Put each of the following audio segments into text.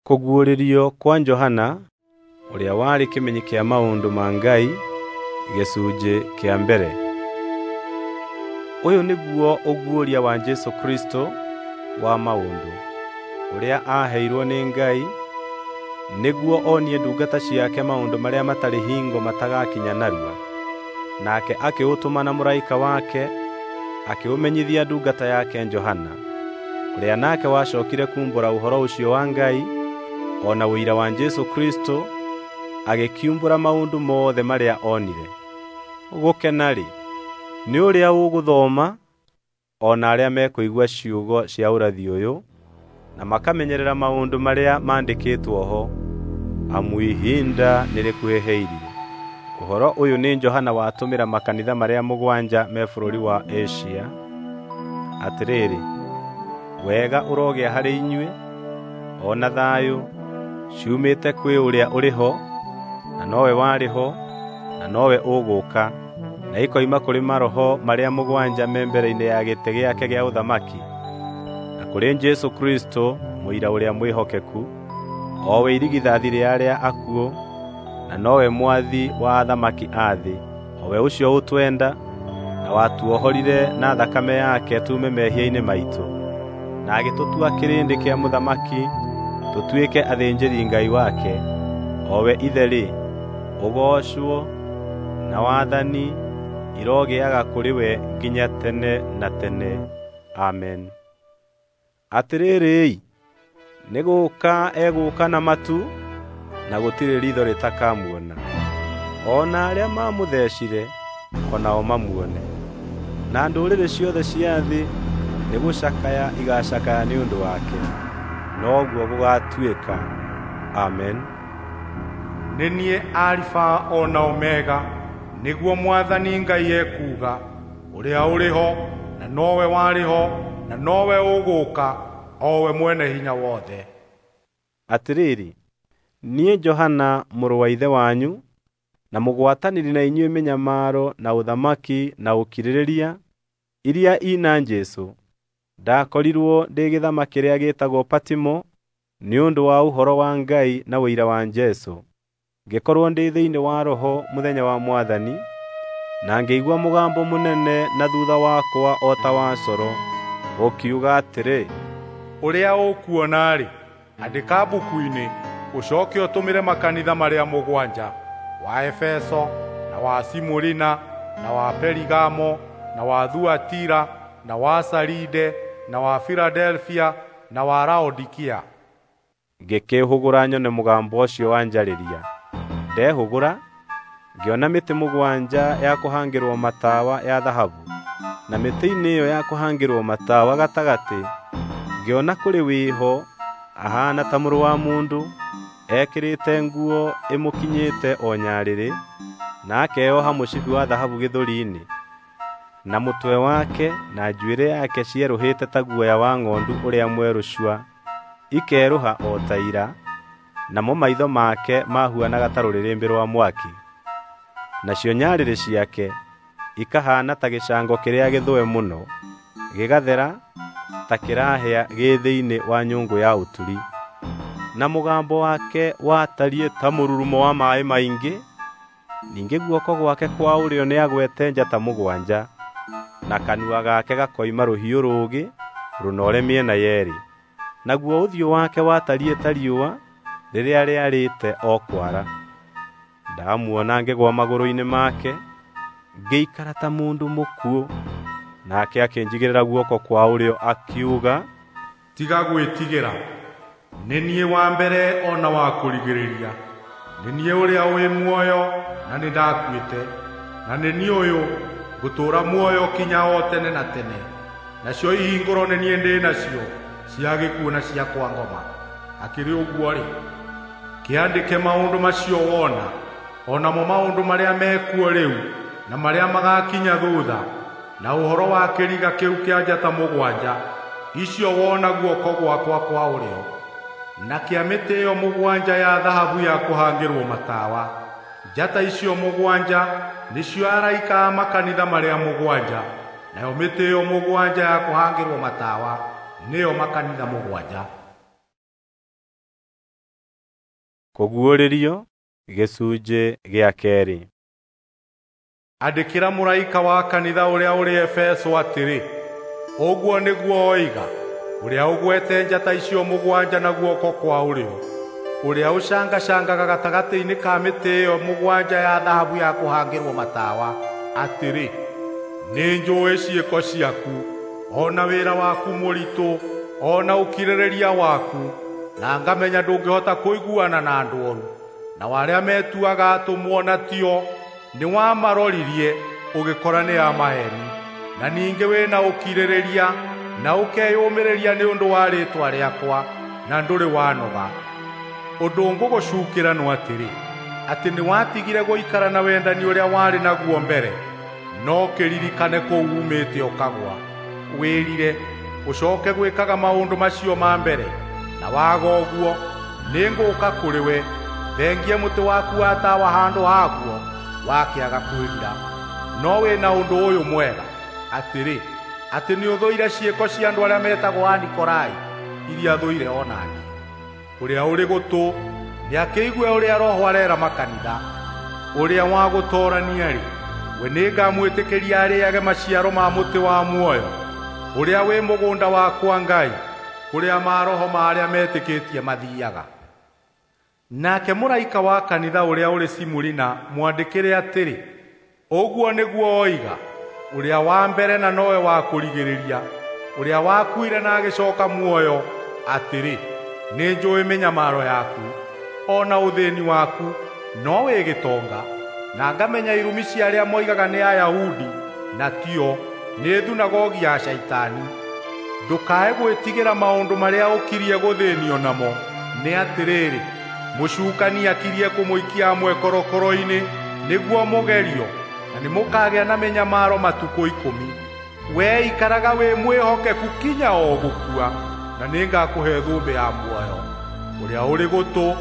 Kũguũrĩrio kwa Johana, ũrĩa warĩ kĩmenyi kĩa maũndũ ma Ngai, gĩcunjĩ kĩa mbere. Ũyũ nĩguo ũguũria wa Jesũ Kristũ wa maũndũ, ũrĩa aaheirwo nĩ Ngai, nĩguo onie ndungata ciake maũndũ marĩa matarĩ hingo matagakinya narua. Nake akĩũtũma na mũraika wake, akĩũmenyithia ndungata yake Johana, ũrĩa nake wacokire kuumbũra ũhoro ũcio wa Ngai, o na ũira wa Jesũ Kristũ, agĩkiumbũra maũndũ mothe marĩa onire. Gũkena-rĩ, nĩ ũrĩa ũgũthoma, o na arĩa mekũigua ciugo cia ũrathi ũyũ, na makamenyerera maũndũ marĩa mandĩkĩtwo ho, amu ihinda nĩrĩkuhĩhĩirie. Ũhoro ũyũ nĩ Johana watũmĩra makanitha marĩa mũgwanja me bũrũri wa Asia. Atĩrĩrĩ, wega ũrogĩa harĩ inyuĩ, o na thayũ, ciumĩte kwĩ ũrĩa ũrĩ ho, na nowe warĩ ho, na nowe ũgũũka, na ikoima kũrĩ maroho marĩa mũgwanja me mbere-inĩ ya gĩtĩ gĩake gĩa ũthamaki, na kũrĩ Jesũ Kristũ, mũira ũrĩa mwĩhokeku, o we irigithathi rĩa arĩa akuũ, na nowe mwathi wa athamaki a thĩ, o we ũcio ũtwenda, na watuohorire na thakame yake tuume mehia-inĩ maitũ, na agĩtũtua kĩrĩndĩ kĩa mũthamaki, tũtuĩke athĩnjĩri-Ngai wake, o we Ithe-rĩ, ũgoocwo na wathani irogĩaga kũrĩ we nginya tene na tene. Amen. Atĩrĩrĩ-i, nĩ gũũka egũũka na matu, na gũtirĩ riitho rĩtakamuona, o na arĩa maamũthecire o nao mamuone. Na ndũrĩrĩ ciothe cia thĩ nĩgũcakaya igaacakaya nĩ ũndũ wake. Noguo gũgaatuĩka. Amen. Nĩ niĩ Alifa o na Omega, nĩguo Mwathani Ngai ekuuga, ũrĩa ũrĩ ho, na nowe warĩ ho, na nowe ũgũũka, o we Mwene-Hinya-Wothe. Atĩrĩrĩ, niĩ Johana mũrũ wa ithe wanyu, na mũgwatanĩri na inyuĩ mĩnyamaro na ũthamaki na ũkirĩrĩria iria ina Jesũ, ndakorirwo ndĩ gĩthama kĩrĩa gĩtagwo Patimo nĩ ũndũ wa ũhoro wa Ngai na ũira wa Jesũ. Ngĩkorwo ndĩ thĩinĩ wa Roho mũthenya wa Mwathani, na ngĩigua mũgambo mũnene na thutha wakwa o ta wa coro, ũkiuga atĩrĩ, Ũrĩa ũkuona-rĩ, andĩka mbuku-inĩ, ũcoke ũtũmĩre makanitha marĩa mũgwanja, wa Efeso, na wa Simurina, na wa Perigamo, na wa Thuatira, na wa Saride, na wa Filadelfia, na wa Laodikia. Ngĩkĩĩhũgũra nyone mũgambo ũcio wanjarĩria. Ndehũgũra, ngĩona mĩtĩ mũgwanja ya kũhangĩrwo matawa ya thahabu, na mĩtĩ-inĩ ĩyo ya kũhangĩrwo matawa gatagatĩ ngĩona kũrĩ wĩho ahaana ta mũrũ wa mũndũ, ekĩrĩte nguo ĩmũkinyĩte o nyarĩrĩ, na akeoha mũcibi wa thahabu gĩthũri-inĩ. Na mũtwe wake na njuĩrĩ yake cierũhĩte ta guoya wa ng'ondu ũrĩa mwerũ cua, ikerũha o ta ira, namo maitho make mahuanaga ta rũrĩrĩmbĩ rwa mwaki. Nacio nyarĩrĩ ciake ikahaana ta gĩcango kĩrĩa gĩthũe mũno, gĩgathera ta kĩrahĩa gĩ thĩinĩ wa nyũngũ ya ũturi. Na mũgambo wake watariĩ ta mũrurumo wa maaĩ maingĩ. Ningĩ guoko gwake kwa ũrĩo nĩagwete njata mũgwanja, na kanua gake gakoima rũhiũ rũũgĩ rũnoore mĩena yeerĩ. Naguo ũthiũ wake watariĩ ta riũa rĩrĩa rĩarĩte o kwara. Ndamuona ngĩgũa magũrũ-inĩ make, ngĩikara ta mũndũ mũkuũ. Nake akĩnjigĩrĩra guoko kwa ũrĩo akiuga, Tiga gwĩtigĩra, nĩ niĩ wa mbere o na wa kũrigĩrĩria. Nĩ niĩ ũrĩa wĩ muoyo na nĩndakuĩte, na nĩ niĩ ũyũ ngũtũũra muoyo kinya o tene na tene. Nacio ihingũro nĩ niĩ ndĩ nacio cia gĩkuũ na cia kwa ngoma. Hakĩrĩ ũguo-rĩ, kĩandĩke maũndũ macio wona, o namo maũndũ marĩa mekuo rĩu na marĩa magakinya thutha, na ũhoro wa kĩriga kĩu kĩa njata mũgwanja icio wona guoko gwakwa kwa ũrĩo, na kĩa mĩtĩ ĩyo mũgwanja ya thahabu ya kũhangĩrwo matawa. Njata icio mũgwanja nĩcio araika a makanitha marĩa mũgwanja, nayo mĩtĩ ĩyo mũgwanja ya kũhangĩrwo matawa nĩyo makanitha mũgwanja. Kũguũrĩrio gĩcunjĩ gĩa kerĩ. Andĩkĩra mũraika wa kanitha ũrĩa ũrĩ Efeso atĩrĩ: Ũguo nĩguo oiga, ũrĩa ũgwete njata icio mũgwanja na guoko kwa ũrĩo, ũrĩa ũcangacangaga gatagatĩ-inĩ ka mĩtĩ ĩyo mũgwanja ya thahabu ya kũhangĩrwo matawa, atĩrĩ: Nĩnjũũĩ ciĩko ciaku, o na wĩra waku mũritũ, o na ũkirĩrĩria waku, na ngamenya ndũngĩhota kũiguana na andũ oru, nao arĩa metuaga atũmwo na tio nĩwamaroririe ũgĩkora nĩ a maheeni. Na ningĩ wĩna ũkirĩrĩria na ũkeyũmĩrĩria nĩ ũndũ wa rĩĩtwa rĩakwa, na ndũrĩ wanoga. Ũndũ ngũgũcuukĩra no atĩrĩ, atĩ nĩwatigire gũikara na wendani ũrĩa warĩ naguo mbere. No kĩririkane kũu uumĩte ũkagũa, wĩrire, ũcooke gwĩkaga maũndũ macio ma mbere. Na waga ũguo, nĩngũũka kũrĩ we, thengie mũtĩ waku wa tawa handũ haguo, wakĩaga kwĩrira. No wĩna ũndũ ũyũ mwega, atĩrĩ, atĩ nĩũthũire ciĩko cia andũ arĩa metagwo Anikolai, iria thũire o na niĩ. Ũrĩa ũrĩ gũtũ nĩakĩigue ũrĩa Roho areera makanitha. Ũrĩa wa gũtoorania-rĩ, we nĩngamwĩtĩkĩria arĩĩage maciaro ma mũtĩ wa muoyo, ũrĩa wĩ mũgũnda wakwa Ngai, kũrĩa maroho ma arĩa metĩkĩtie mathiiaga. Nake mũraika wa kanitha ũrĩa ũrĩ Simurina mwandĩkĩre atĩrĩ: Ũguo nĩguo oiga, ũrĩa wa mbere na nowe wa kũrigĩrĩria, ũrĩa wakuire na agĩcooka muoyo, atĩrĩ: Nĩnjũũĩ mĩnyamaro yaku, o na ũthĩĩni waku, no wĩ gĩtonga, na ngamenya irumi cia arĩa moigaga nĩ Ayahudi, na tio, nĩ thunagogi ya Shaitani. Ndũkae gwĩtigĩra maũndũ marĩa ũkirie gũthĩĩnio namo. Nĩ atĩrĩrĩ, mũcukani akirie kũmũikia amwe korokoro-inĩ nĩguo mũgerio, na nĩmũkagĩa na mĩnyamaro matukũ 10. Wee ikaraga wĩ mwĩhokeku kinya o gũkua, na nĩngakũhe thũmbĩ ya muoyo. Ũrĩa ũrĩ gũtũ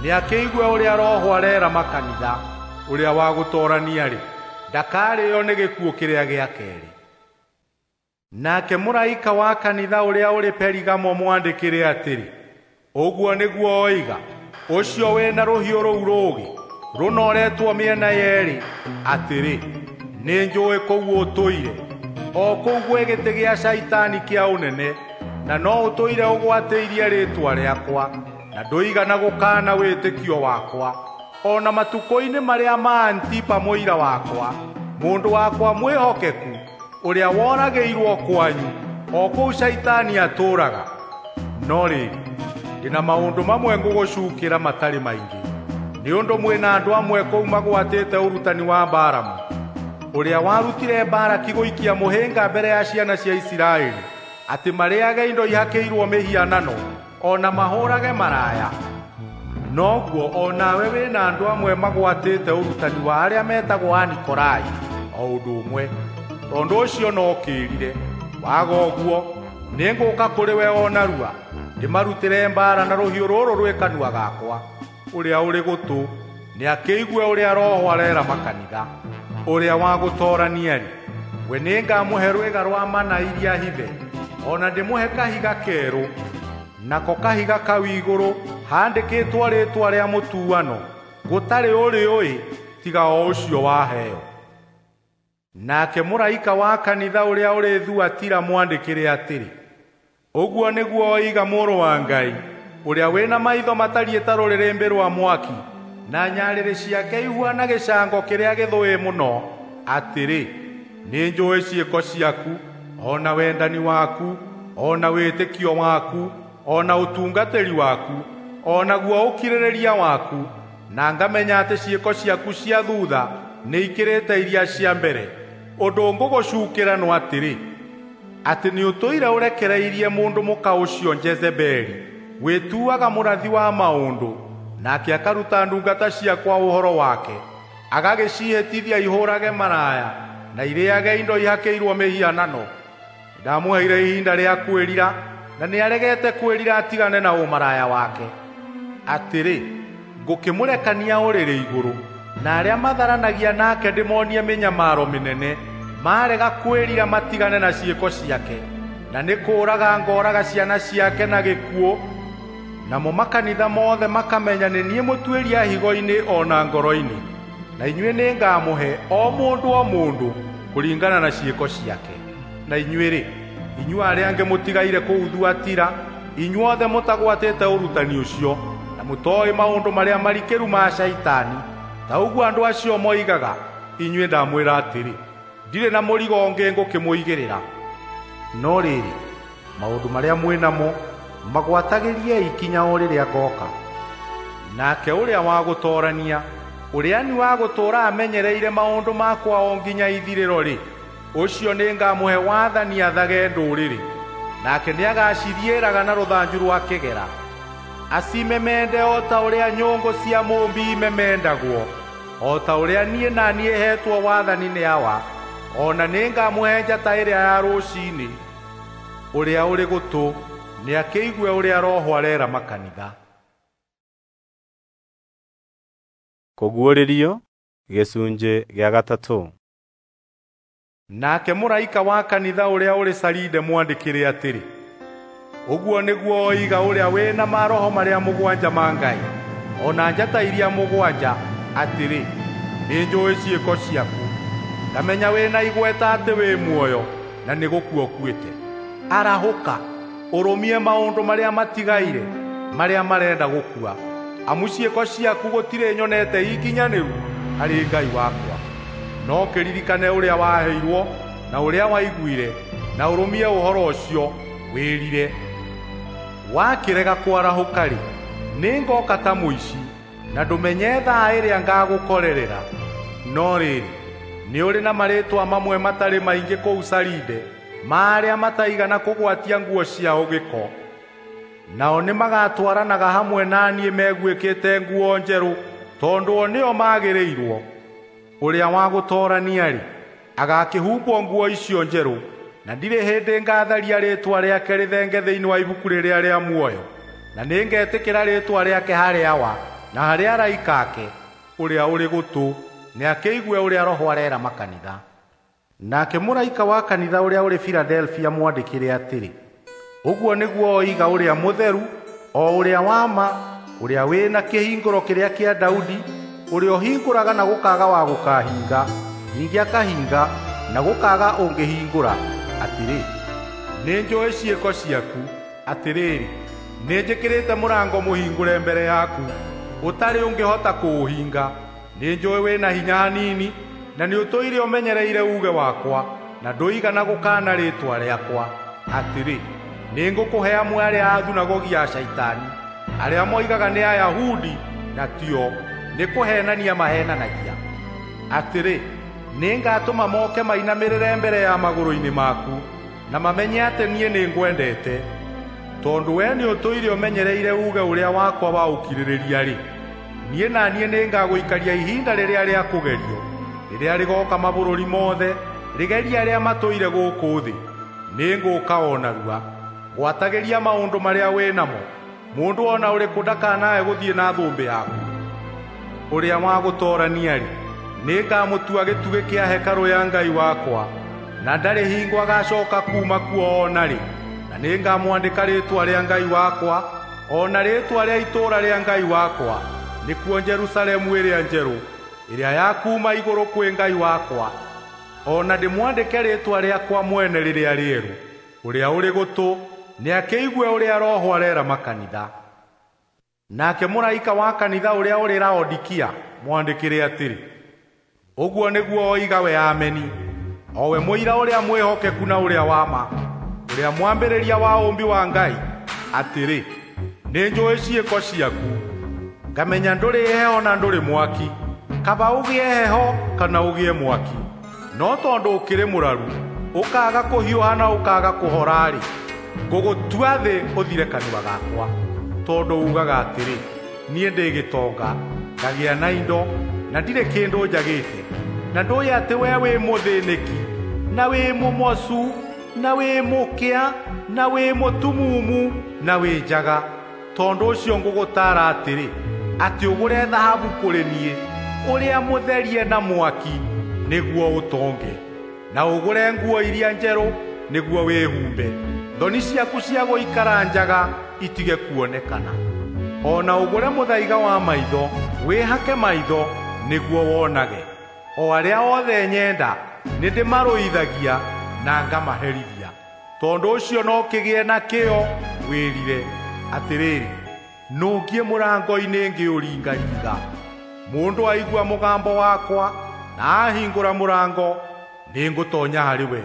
nĩakĩigue ũrĩa Roho areera makanitha. Ũrĩa wa gũtoorania-rĩ, ndakarĩĩo nĩ gĩkuũ kĩrĩa gĩa keerĩ. Nake mũraika wa kanitha ũrĩa ũrĩ Perigamo mwandĩkĩre atĩrĩ: Ũguo nĩguo oiga, ũcio wĩna rũhiũ rũu rũũgĩ rũnoretwo mĩena yeerĩ, atĩrĩ: Nĩnjũũĩ kũu ũtũire, o kũu gwĩ gĩtĩ gĩa Shaitani kĩa ũnene, na no ũtũire ũgwatĩirie rĩĩtwa rĩakwa, na ndũigana gũkaana wĩtĩkio wakwa, o na matukũ-inĩ marĩa ma Antipa mũira wakwa, mũndũ wakwa mwĩhokeku, ũrĩa woragĩirwo kwanyu, o kũu Shaitani atũũraga. No rĩrĩ, ndĩna maũndũ mamwe ngũgũcuukĩra matarĩ maingĩ, nĩ ũndũ mwĩna andũ amwe kũu magwatĩte ũrutani wa Balamu, ũrĩa warutire Balaki gũikia mũhĩnga mbere ya ciana cia Isiraeli, atĩ marĩĩage indo ihakĩirwo mĩhianano, o na mahũũrage maraya. Noguo o nawe wĩna andũ amwe magwatĩte ũrutani wa arĩa metagwo Anikolai o ũndũ ũmwe. Tondũ ũcio no kĩĩrire. Waga ũguo, nĩngũũka kũrĩ we o narua, ndĩmarutĩre mbaara na rũhiũ rũrũ rwĩ kanua gakwa. Ũrĩa ũrĩ gũtũ nĩakĩigue ũrĩa Roho areera makanitha. Ũrĩa wa gũtoorania-rĩ, we nĩngamũhe rwĩga rwa mana iria hithe, o na ndĩmũhe kahiga kerũ, nako kahiga kau igũrũ handĩkĩtwo rĩĩtwa rĩa mũtuano, gũtarĩ ũrĩũĩ tiga o ũcio waheo. Nake mũraika wa kanitha ũrĩa ũrĩ Thuatira mwandĩkĩre atĩrĩ: Ũguo nĩguo oiga Mũrũ wa Ngai, ũrĩa wĩna maitho matariĩ ta rũrĩrĩmbĩ rwa mwaki, na nyarĩrĩ ciake ihuana gĩcango kĩrĩa gĩthũĩ mũno, atĩrĩ: Nĩnjũũĩ ciĩko ciaku, o na wendani waku, o na wĩtĩkio waku, o na ũtungatĩri waku, o naguo ũkirĩrĩria waku, na ngamenya atĩ ciĩko ciaku cia thuutha nĩikĩrĩte iria cia mbere. Ũndũ ngũgũcuukĩra no atĩrĩ, atĩ nĩũtũire ũrekereirie mũndũ mũka ũcio Jezebeli, wĩtuaga mũrathi wa maũndũ, nake akaruta ndungata ciakwa ũhoro wake, agagĩciĩhĩtithia ihũũrage maraya na irĩĩage indo ihakĩirwo mĩhianano. Ndamũheire ihinda rĩa kwĩrira, na nĩaregete kwĩrira atigane na ũmaraya wake. Atĩrĩ, ngũkĩmũrekania ũrĩrĩ igũrũ, na arĩa matharanagia nake ndĩmonie mĩnyamaro mĩnene, marega kwĩrira matigane na ciĩko ciake, na nĩ kũũraga ngooraga ciana ciake na gĩkuũ. Namo makanitha mothe makamenya nĩ niĩ mũtuĩria higo-inĩ o na ngoro-inĩ, na inyuĩ nĩngamũhe o mũndũ o mũndũ kũringana na ciĩko ciake. Na inyuĩ-rĩ, inyuĩ arĩa angĩ mũtigaire kũu Thuatira, inyuothe mũtagwatĩte ũrutani ũcio, na mũtooĩ maũndũ marĩa marikĩru ma Shaitani, ta ũguo andũ acio moigaga, inyuĩ ndamwĩra atĩrĩ, ndirĩ na mũrigo ũngĩ ngũkĩmũigĩrĩra. No rĩrĩ, maũndũ marĩa mwĩ namo magwatagĩriei kinya o rĩrĩa ngooka. Nake ũrĩa wa gũtoorania, ũrĩa ni wa gũtũũra amenyereire maũndũ makwa o nginya ithirĩro-rĩ, ũcio nĩngamũhe wathani athage ndũrĩrĩ, nake nĩagacithiĩraga na rũthanju rwa kĩgera, acimemende o ta ũrĩa nyũngũ cia mũũmbi imemendagwo, o ta ũrĩa niĩ na niĩ heetwo wathani nĩ Awa. O na nĩngamũhe njata ĩrĩa ya rũciinĩ. Ũrĩa ũrĩ gũtũ nĩakĩigue ũrĩa Roho areera makanitha. Kũguũrĩrio gĩcunjĩ gĩa gatatũ. Nake mũraika wa kanitha ũrĩa ũrĩ Saride mwandĩkĩre atĩrĩ, ũguo nĩguo oiga ũrĩa wĩ na maroho marĩa mũgwanja ma Ngai, o na njata iria mũgwanja, atĩrĩ, nĩnjũũĩ ciĩko ciaku, ngamenya wĩ na igweta atĩ wĩ muoyo, na nĩ gũkua ũkuĩte. Arahũka, ũrũmie maũndũ marĩa matigaire, marĩa marenda gũkua, amu ciĩko ciaku gũtirĩ nyonete ikinyanĩru harĩ Ngai wakwa. No kĩririkane ũrĩa waheirwo na ũrĩa waiguire, na ũrũmie ũhoro ũcio wĩrire. Wakĩrega kwarahũka-rĩ, nĩngoka ta mũici, na ndũmenye thaa ĩrĩa ngagũkorerera. No rĩrĩ, nĩ ũrĩ na marĩĩtwa mamwe matarĩ maingĩ kũu Saride, ma arĩa mataigana kũgwatia nguo ciao gĩko. Nao nĩmagatwaranaga hamwe na niĩ meguĩkĩte nguo njerũ, tondũ o nĩo magĩrĩirwo. Ũrĩa wa gũtoorania-rĩ, agakĩhumbwo nguo icio njerũ, na ndirĩ hĩndĩ ngatharia rĩĩtwa rĩake rĩthenge thĩinĩ wa ibuku rĩrĩa rĩa muoyo, na nĩngetĩkĩra rĩĩtwa rĩake harĩ Awa na harĩ araika ake. Ũrĩa ũrĩ gũtũ nĩakĩigue ũrĩa Roho areera makanitha. Nake mũraika wa kanitha ũrĩa ũrĩ Filadelfia mwandĩkĩre atĩrĩ, ũguo nĩguo oiga ũrĩa mũtheru, o ũrĩa wa ma, ũrĩa wĩ na kĩhingũro kĩrĩa kĩa Daudi, ũrĩa ũhingũraga na gũkaaga wa gũkahinga, ningĩ akahinga na gũkaaga ũngĩhingũra, atĩrĩ, nĩnjũũĩ ciĩko ciaku, atĩrĩrĩ, nĩnjĩkĩrĩte mũrango mũhingũre mbere yaku, ũtarĩ ũngĩhota kũũhinga. Nĩnjũũĩ wĩ na hinya hanini, na nĩũtũire ũmenyereire uuge wakwa, na ndũigana gũkaana rĩĩtwa rĩakwa. Atĩrĩ, nĩngũkũhe amwe arĩa a thunagogi ya Shaitani, arĩa moigaga nĩ Ayahudi na tio, nĩ kũheenania maheenanagia. Atĩrĩ, nĩngatũma moke mainamĩrĩre mbere ya magũrũ-inĩ maku, na mamenye atĩ niĩ nĩngwendete. Tondũ we nĩũtũire ũmenyereire uuge ũrĩa wakwa wa ũkirĩrĩria-rĩ, niĩ na niĩ nĩngagũikaria ihinda rĩrĩa rĩa kũgerio, rĩrĩa rĩgooka mabũrũri mothe, rĩgerie arĩa matũire gũkũ thĩ. Nĩngũka o narua. Gwatagĩria maũndũ marĩa wĩ namo, mũndũ o na ũrĩkũ ndakanae gũthiĩ na thũmbĩ yaku. Ũrĩa wa gũtoorania-rĩ, nĩngamũtua gĩtugĩ kĩa hekarũ ya Ngai wakwa, na ndarĩ hingo agacooka kuuma kuo o na rĩ, na nĩngamwandĩka rĩĩtwa rĩa Ngai wakwa, o na rĩĩtwa rĩa itũũra rĩa Ngai wakwa, nĩkuo Jerusalemu ĩrĩa njerũ, ĩrĩa ya kuuma igũrũ kwĩ Ngai wakwa, o na ndĩmwandĩke rĩĩtwa rĩakwa mwene rĩrĩa rĩerũ. Ũrĩa ũrĩ gũtũ nĩakĩigue ũrĩa Roho areera makanitha. Nake mũraika wa kanitha ũrĩa ũrĩ Laodikia mwandĩkĩre atĩrĩ, ũguo nĩguo oiga we Ameni, o we mũira ũrĩa mwĩhokeku na ũrĩa wa ma, ũrĩa mwambĩrĩria wa ũũmbi wa Ngai, atĩrĩ, nĩnjũũĩ ciĩko ciaku, ngamenya ndũrĩ heho na ndũrĩ mwaki, kaba ũgĩe heho kana ũgĩe mwaki. No tondũ ũkĩrĩ mũraru, ũkaaga kũhiũha na ũkaaga kũhora-rĩ, ngũgũtua thĩ ũthire kanua gakwa. Tondũ ugaga atĩrĩ, niĩ ndĩ gĩtonga, ngagĩa na indo, na ndirĩ kĩndũ njagĩte, na ndũĩ atĩ we wĩ mũthĩnĩki, na wĩ mũmocu, na wĩ mũkĩa, na wĩ mũtumumu, na wĩ njaga. Tondũ ũcio ngũgũtaara atĩrĩ, atĩ ũgũre thahabu kũrĩ niĩ, ũrĩa mũtherie na mwaki, nĩguo ũtonge, na ũgũre nguo iria njerũ, nĩguo wĩhumbe, thoni ciaku cia gũikara njaga itige kuonekana. O na ũgũre mũthaiga wa maitho, wĩhake maitho nĩguo wonage. O arĩa othe nyenda nĩndĩmarũithagia na ngamaherithia. Tondũ ũcio no kĩgĩe na kĩyo wĩrire. Atĩrĩrĩ, nũngiĩ mũrango-inĩ ngĩũringaringa. Mũndũ aigua mũgambo wakwa na ahingũra mũrango, nĩngũtonya harĩ we,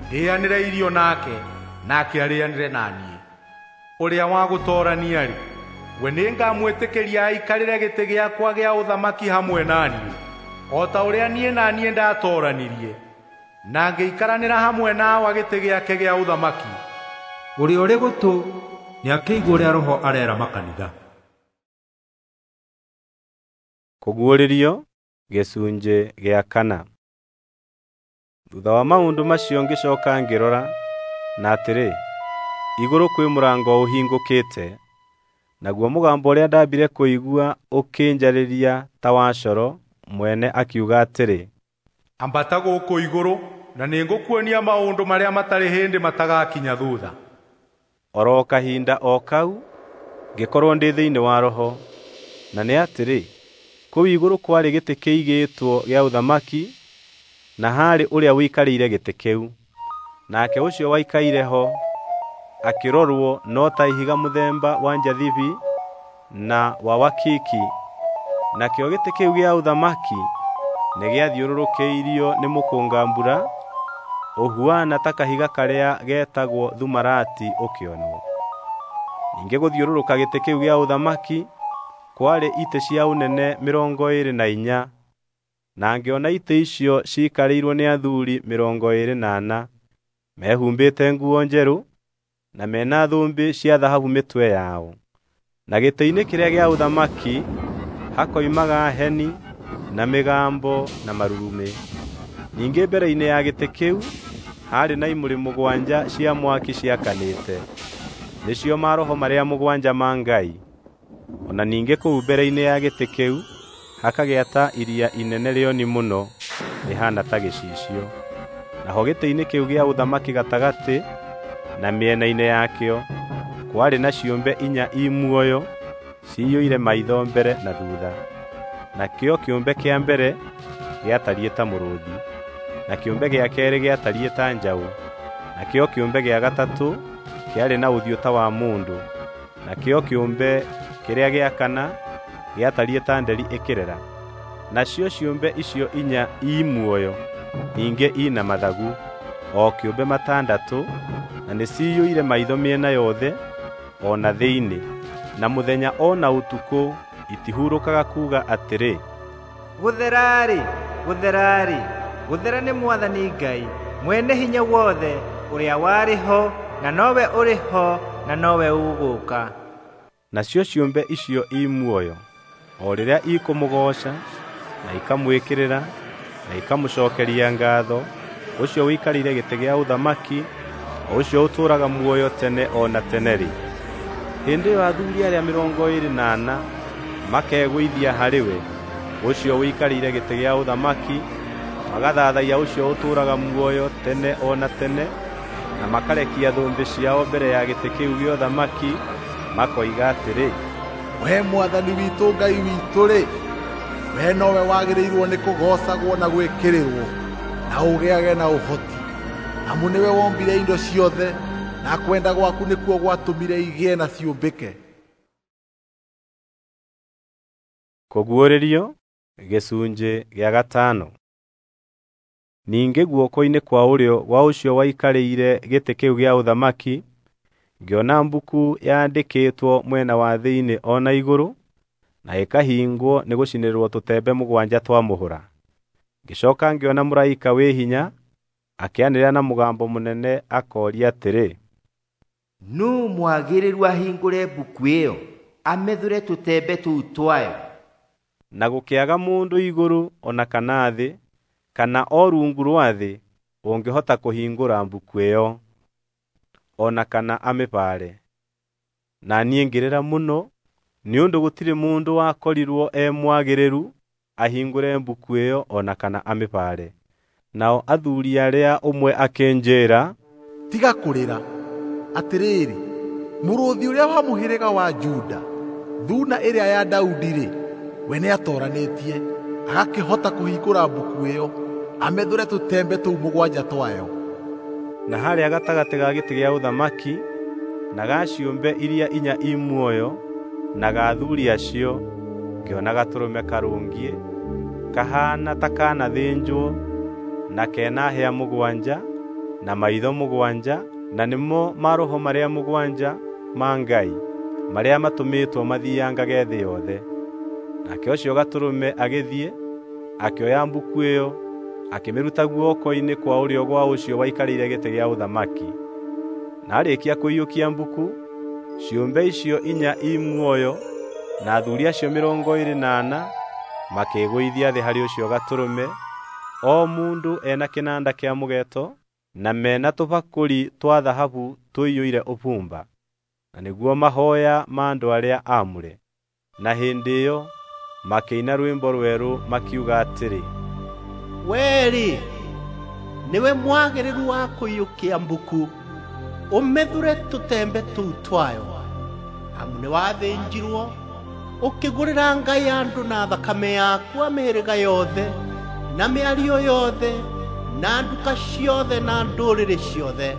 ndĩanĩre irio nake, nake arĩanĩre na niĩ. Ũrĩa wa gũtoorania-rĩ, we nĩngamwĩtĩkĩria aikarĩre gĩtĩ gĩakwa gĩa ũthamaki hamwe na niĩ, o ta ũrĩa niĩ na niĩ ndatooranirie na ngĩikaranĩra hamwe na Awa gĩtĩ gĩake gĩa ũthamaki. Ũrĩa ũrĩ gũtũ nĩakĩigue ũrĩa Roho areera makanitha. Kũguũrĩrio gĩcunjĩ gĩa kana. Thutha wa maũndũ macio ngĩcoka ngĩrora, na atĩrĩ, igũrũ kwĩ mũrango ũhingũkĩte, naguo mũgambo ũrĩa ndambire kũigua ũkĩnjarĩria ta wa coro mwene akiuga atĩrĩ, Ambata gũkũ igũrũ, na nĩngũkuonia maũndũ marĩa matarĩ hĩndĩ matagakinya thutha. Oro kahinda o kau ngĩkorwo ndĩ thĩinĩ wa Roho, na nĩ atĩrĩ, kũu igũrũ kwarĩ gĩtĩ kĩigĩtwo gĩa ũthamaki, na haarĩ ũrĩa ũikarĩire gĩtĩ kĩu. Nake ũcio waikaire ho akĩrorwo no ta ihiga mũthemba wa njathibi na wa wakiki, nakĩo gĩtĩ kĩu gĩa ũthamaki nĩgĩathiũrũrũkĩirio nĩ mũkũnga-mbura ũhuana ta kahiga karĩa getagwo thumarati ũkĩonwo. Ningĩ gũthiũrũrũka gĩtĩ kĩu gĩa ũthamaki kwarĩ itĩ cia ũnene 24, na ngĩona itĩ icio ciikarĩirwo nĩ athuuri 24, mehumbĩte nguo njerũ na mena thũmbĩ cia thahabu mĩtwe yao. Na gĩtĩ-inĩ kĩrĩa gĩa ũthamaki hakoimaga heni na mĩgambo na marurumĩ. Ningĩ mbere-inĩ ya gĩtĩ kĩu haarĩ na imũrĩ 7 cia mwaki ciakanĩte, nĩcio maroho marĩa 7 ma Ngai. O na ningĩ kũu mbere-inĩ ya gĩtĩ kĩu hakagĩa ta iria inene rĩoni mũno rĩhaana ta gĩcicio. Naho gĩtĩ-inĩ kĩu gĩa ũthamaki gatagatĩ na mĩena-inĩ yakĩo kwarĩ na ciũmbe 4 i muoyo ciyũire maitho mbere na thutha. Nakĩo kĩũmbe kĩa mbere gĩatariĩ ta mũrũũthi, na kĩũmbe gĩa keerĩ gĩatariĩ ta njaũ, nakĩo kĩũmbe gĩa gatatũ kĩarĩ na ũthiũ ta wa mũndũ, nakĩo kĩũmbe kĩrĩa gĩa kana gĩatariĩ ta nderi ĩkĩrera. Nacio ciũmbe icio 4 i muoyo ningĩ i na mathagu, o kĩũmbe 6, na nĩciyũire maitho mĩena yothe o na thĩinĩ, na mũthenya o na ũtukũ itihurũkaga kuuga atĩrĩ, Gũthera-rĩ, gũthera-rĩ, gũthera nĩ Mwathani Ngai, mwene hinya wothe, ũrĩa warĩ ho, na nowe ũrĩ ho, na nowe ũgũũka. Nacio ciũmbe icio i muoyo, o rĩrĩa ikũmũgooca na ikamwĩkĩrĩra na ikamũcookeria ngaatho, ũcio ũikarĩire gĩtĩ gĩa ũthamaki, o ũcio ũtũũraga muoyo tene o na tene-rĩ, hĩndĩ ĩyo athuuri arĩa 24 makegũithia harĩ we, ũcio ũikarĩire gĩtĩ gĩa ũthamaki, magathathaiya ũcio ũtũũraga muoyo tene o na tene, na makarekia thũmbĩ ciao mbere ya gĩtĩ kĩu gĩa ũthamaki, makoiga atĩrĩ, We Mwathani witũ Ngai witũ-rĩ, we nowe wagĩrĩirwo nĩ kũgoocagwo na gwĩkĩrĩrwo, na ũgĩage na ũhoti, amu nĩwe wombire indo ciothe, na kwenda gwaku nĩkuo gwatũmire igĩe na ciũmbĩke. Kũguũrĩrio gĩcunjĩ gĩa gatano. Ningĩ guoko-inĩ kwa ũrĩo gwa ũcio waikarĩire gĩtĩ kĩu gĩa ũthamaki ngĩona mbuku yandĩkĩtwo mwena wa thĩinĩ o na igũrũ, na ĩkahingwo nĩ gũcinĩrĩrwo tũtembe 7 twa mũhũra. Ngĩcoka ngĩona mũraika wĩ hinya akĩanĩrĩra na mũgambo mũnene akooria atĩrĩ, Nũũ mwagĩrĩru ahingũre mbuku ĩyo, amethũre tũtembe tũu twayo? Na gũkĩaga mũndũ igũrũ o na kana thĩ, kana o rungu rwa thĩ ũngĩhota kũhingũra mbuku ĩyo, o na kana amĩbaare. Na niĩ ngĩrĩra mũno nĩ ũndũ gũtirĩ mũndũ wakorirwo e mwagĩrĩru ahingũre mbuku ĩyo o na kana amĩbaare. Nao athuuri arĩa ũmwe akĩnjĩĩra, Tiga kũrĩra. Atĩrĩrĩ, mũrũũthi ũrĩa wa mũhĩrĩga wa Juda, Thuuna ĩrĩa ya Daudi-rĩ, we nĩatoranĩtie, agakĩhota kũhingũra mbuku ĩyo, amethũre tũtembe tũu mũgwanja twayo. Na harĩa gatagatĩ ga gĩtĩ gĩa ũthamaki na ga ciũmbe iria inya i muoyo na ga athuuri acio, ngĩona gatũrũme karũngiĩ kahaana ta kanathĩnjwo na kena hĩa mũgwanja na maitho mũgwanja, na nĩmo maroho marĩa mũgwanja ma Ngai marĩa matũmĩtwo mathiangage thĩ yothe. Nake ũcio gatũrũme agĩthiĩ akĩoya mbuku ĩyo akĩmĩruta guoko-inĩ kwa ũrĩo gwa ũcio waikarĩire gĩtĩ gĩa ũthamaki. Na aarĩkia kũiyũkia mbuku, ciũmbe icio inya i muoyo na athuuri acio 24 makĩĩgũithia thĩ harĩ ũcio gatũrũme, o mũndũ ena kĩnanda kĩa mũgeeto na mena tũbakũri twa thahabu tũiyũire ũbumba, na nĩguo mahooya ma andũ arĩa aamũre. Na hĩndĩ ĩyo makĩina rwĩmbo rwerũ makiuga atĩrĩ, Wee-rĩ, nĩwe mwagĩrĩru wa kũiyũkia mbuku, ũmethũre tũtembe tũu twayo, amu nĩwathĩnjirwo ũkĩgũrĩra Ngai andũ na thakame yaku a mĩhĩrĩga yothe na mĩario yothe na nduka ciothe na ndũrĩrĩ ciothe,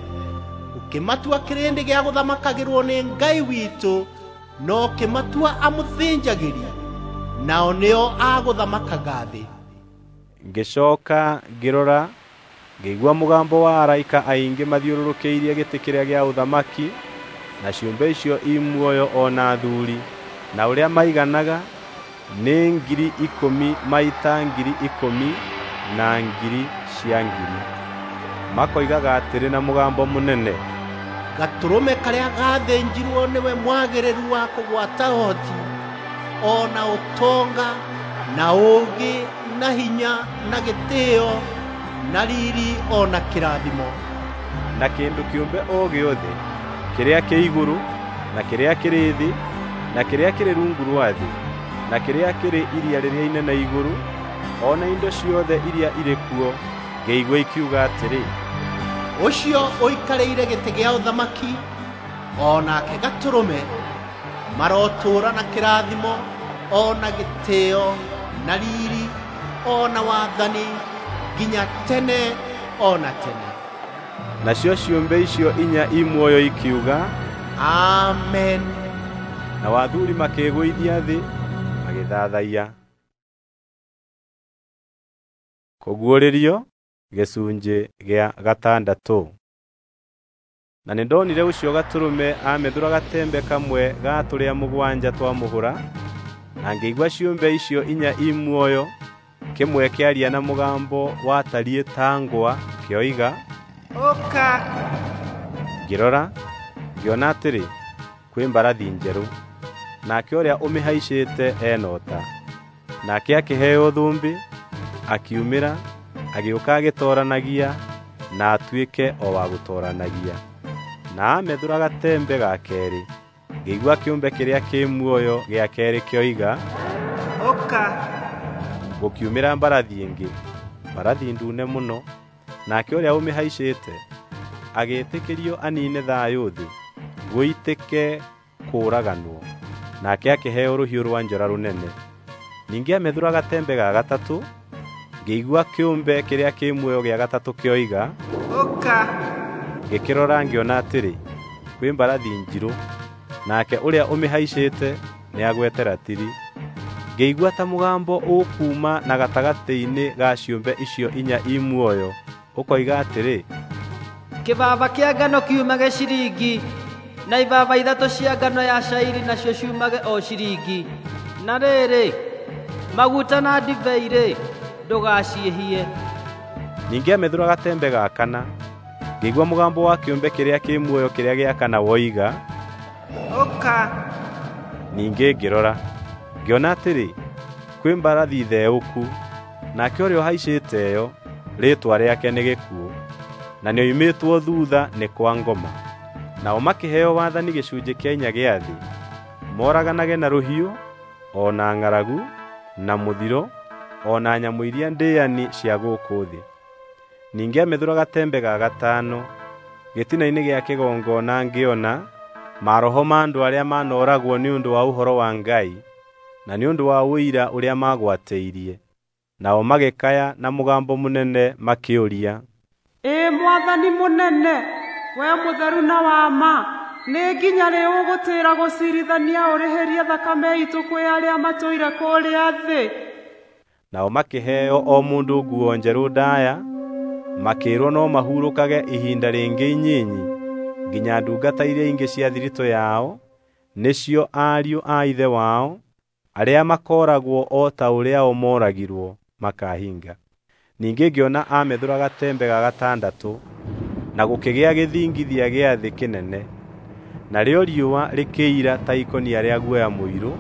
ũkĩmatua kĩrĩndĩ gĩa gũthamakagĩrwo nĩ Ngai witũ, na ũkĩmatua amũthĩnjagĩri, nao nĩo agũthamakaga thĩ. Ngĩcooka ngĩrora, ngĩigua mũgambo wa araika aingĩ mathiũrũrũkĩirie gĩtĩ kĩrĩa gĩa ũthamaki na ciũmbe icio i muoyo o na athuuri, na ũrĩa maiganaga nĩ 10,000 maita 10,000 na ngiri cia ngiri. Makoigaga atĩrĩ na mũgambo mũnene, Gatũrũme karĩa gathĩnjirwo nĩwe mwagĩrĩru wa kũgwata ũhoti o na ũtonga na ũũgĩ na hinya na gĩtĩĩo na riri o na kĩrathimo. Na kĩndũ kĩũmbe o gĩothe kĩrĩa kĩ igũrũ na kĩrĩa kĩrĩ thĩ na kĩrĩa kĩrĩ rungu rwa thĩ na kĩrĩa kĩrĩ iria rĩrĩa inene igũrũ, o na indo ciothe iria irĩ kuo, ngĩigua ikiuga atĩrĩ, Ũcio ũikarĩire gĩtĩ gĩa ũthamaki o nake gatũrũme marotũũra na kĩrathimo o na gĩtĩĩo na riri o na wathani nginya tene o na tene. Nacio ciũmbe icio inya i muoyo ikiuga, Amen. Na athuuri makĩĩgũithia thĩ magĩthathaiya. Kũguũrĩrio gĩcunjĩ gĩa gatandatũ. Na nĩndonire ũcio gatũrũme amethũra gatembe kamwe ga tũrĩa mũgwanja twa mũhũra, na ngĩigua ciũmbe icio inya i muoyo kĩmwe kĩaria na mũgambo watariĩ ta ngwa kĩoiga, Ũka! Ngĩrora, ngĩona atĩrĩ, kwĩ mbarathi njerũ, nake ũrĩa ũmĩhaicĩte ena ũta. Nake akĩheo thũmbĩ, akiumĩra, agĩũka agĩtooranagia na atuĩke o wa gũtooranagia. Na amethũra gatembe ga keerĩ, ngĩigua kĩũmbe kĩrĩa kĩ muoyo gĩa keerĩ kĩoiga, Ũka! Gũkiumĩra mbarathi ĩngĩ, mbarathi ndune mũno, nake ũrĩa ũmĩhaicĩte agĩĩtĩkĩrio aniine thayũ thĩ, gũitĩke kũũraganwo. Nake akĩheo rũhiũ rwa njora rũnene. Ningĩ amethũra gatembe ga gatatũ, ngĩigua kĩũmbe kĩrĩa kĩ muoyo gĩa gatatũ kĩoiga, Ũka! Ngĩkĩrora ngĩona atĩrĩ, kwĩ mbarathi njirũ, nake ũrĩa ũmĩhaicĩte nĩagwete ratiri. Ngĩigua ta mũgambo ũkuuma na gatagatĩ-inĩ ga ciũmbe icio inya i muoyo ũkoiga atĩrĩ, Kĩbaba kĩa ngano kiumage ciringi, na ibaba 3 cia ngano ya cairi nacio ciumage o ciringi. Na rĩrĩ, maguta na ndibei-rĩ, ndũgaciĩhie. Ningĩ amethũra gatembe ga kana, ngĩigua mũgambo wa kĩũmbe kĩrĩa kĩ muoyo kĩrĩa gĩa kana woiga, Ũka! Ningĩ ngĩrora, ngĩona atĩrĩ, kwĩ mbarathi theũku, nake ũrĩa ũhaicĩte ĩyo, rĩĩtwa rĩake nĩ Gĩkuũ, na nĩoimĩtwo thuutha nĩ kwa ngoma. Nao makĩheo wathani gĩcunjĩ kĩa inya gĩa thĩ, moraganage na rũhiũ, o na ng'aragu, na mũthiro, o na nyamũ iria ndĩani cia gũkũ thĩ. Ningĩ amethũra gatembe ga gatano, gĩtina-inĩ gĩa kĩgongona ngĩona, Maroho ma andũ arĩa maanooragwo nĩ ũndũ wa ũhoro wa Ngai na nĩ ũndũ wa ũira ũrĩa maagwatĩirie. Nao magĩkaya na mũgambo mũnene makĩũria, Ĩ Mwathani mũnene, we mũtheru na wa ma, nĩ nginya rĩ ũgũtĩra gũcirithania ũrĩhĩrie thakame itũ kwĩ arĩa matũire kũrĩa thĩ? Nao makĩheo o mũndũ nguo njerũ ndaaya, makĩĩrwo no mahurũkage ihinda rĩngĩ inyinyi nginya ndungata iria ingĩ cia thiritũ yao, nĩcio ariũ a ithe wao, arĩa makooragwo o ta ũrĩa o mooragirwo, makahinga. Ningĩ ngĩona amethũra gatembe ga gatandatũ, na gũkĩgĩa gĩthingithia gĩa thĩ kĩnene. Narĩo riũa rĩkĩira ta ikũnia rĩa guoya mũirũ,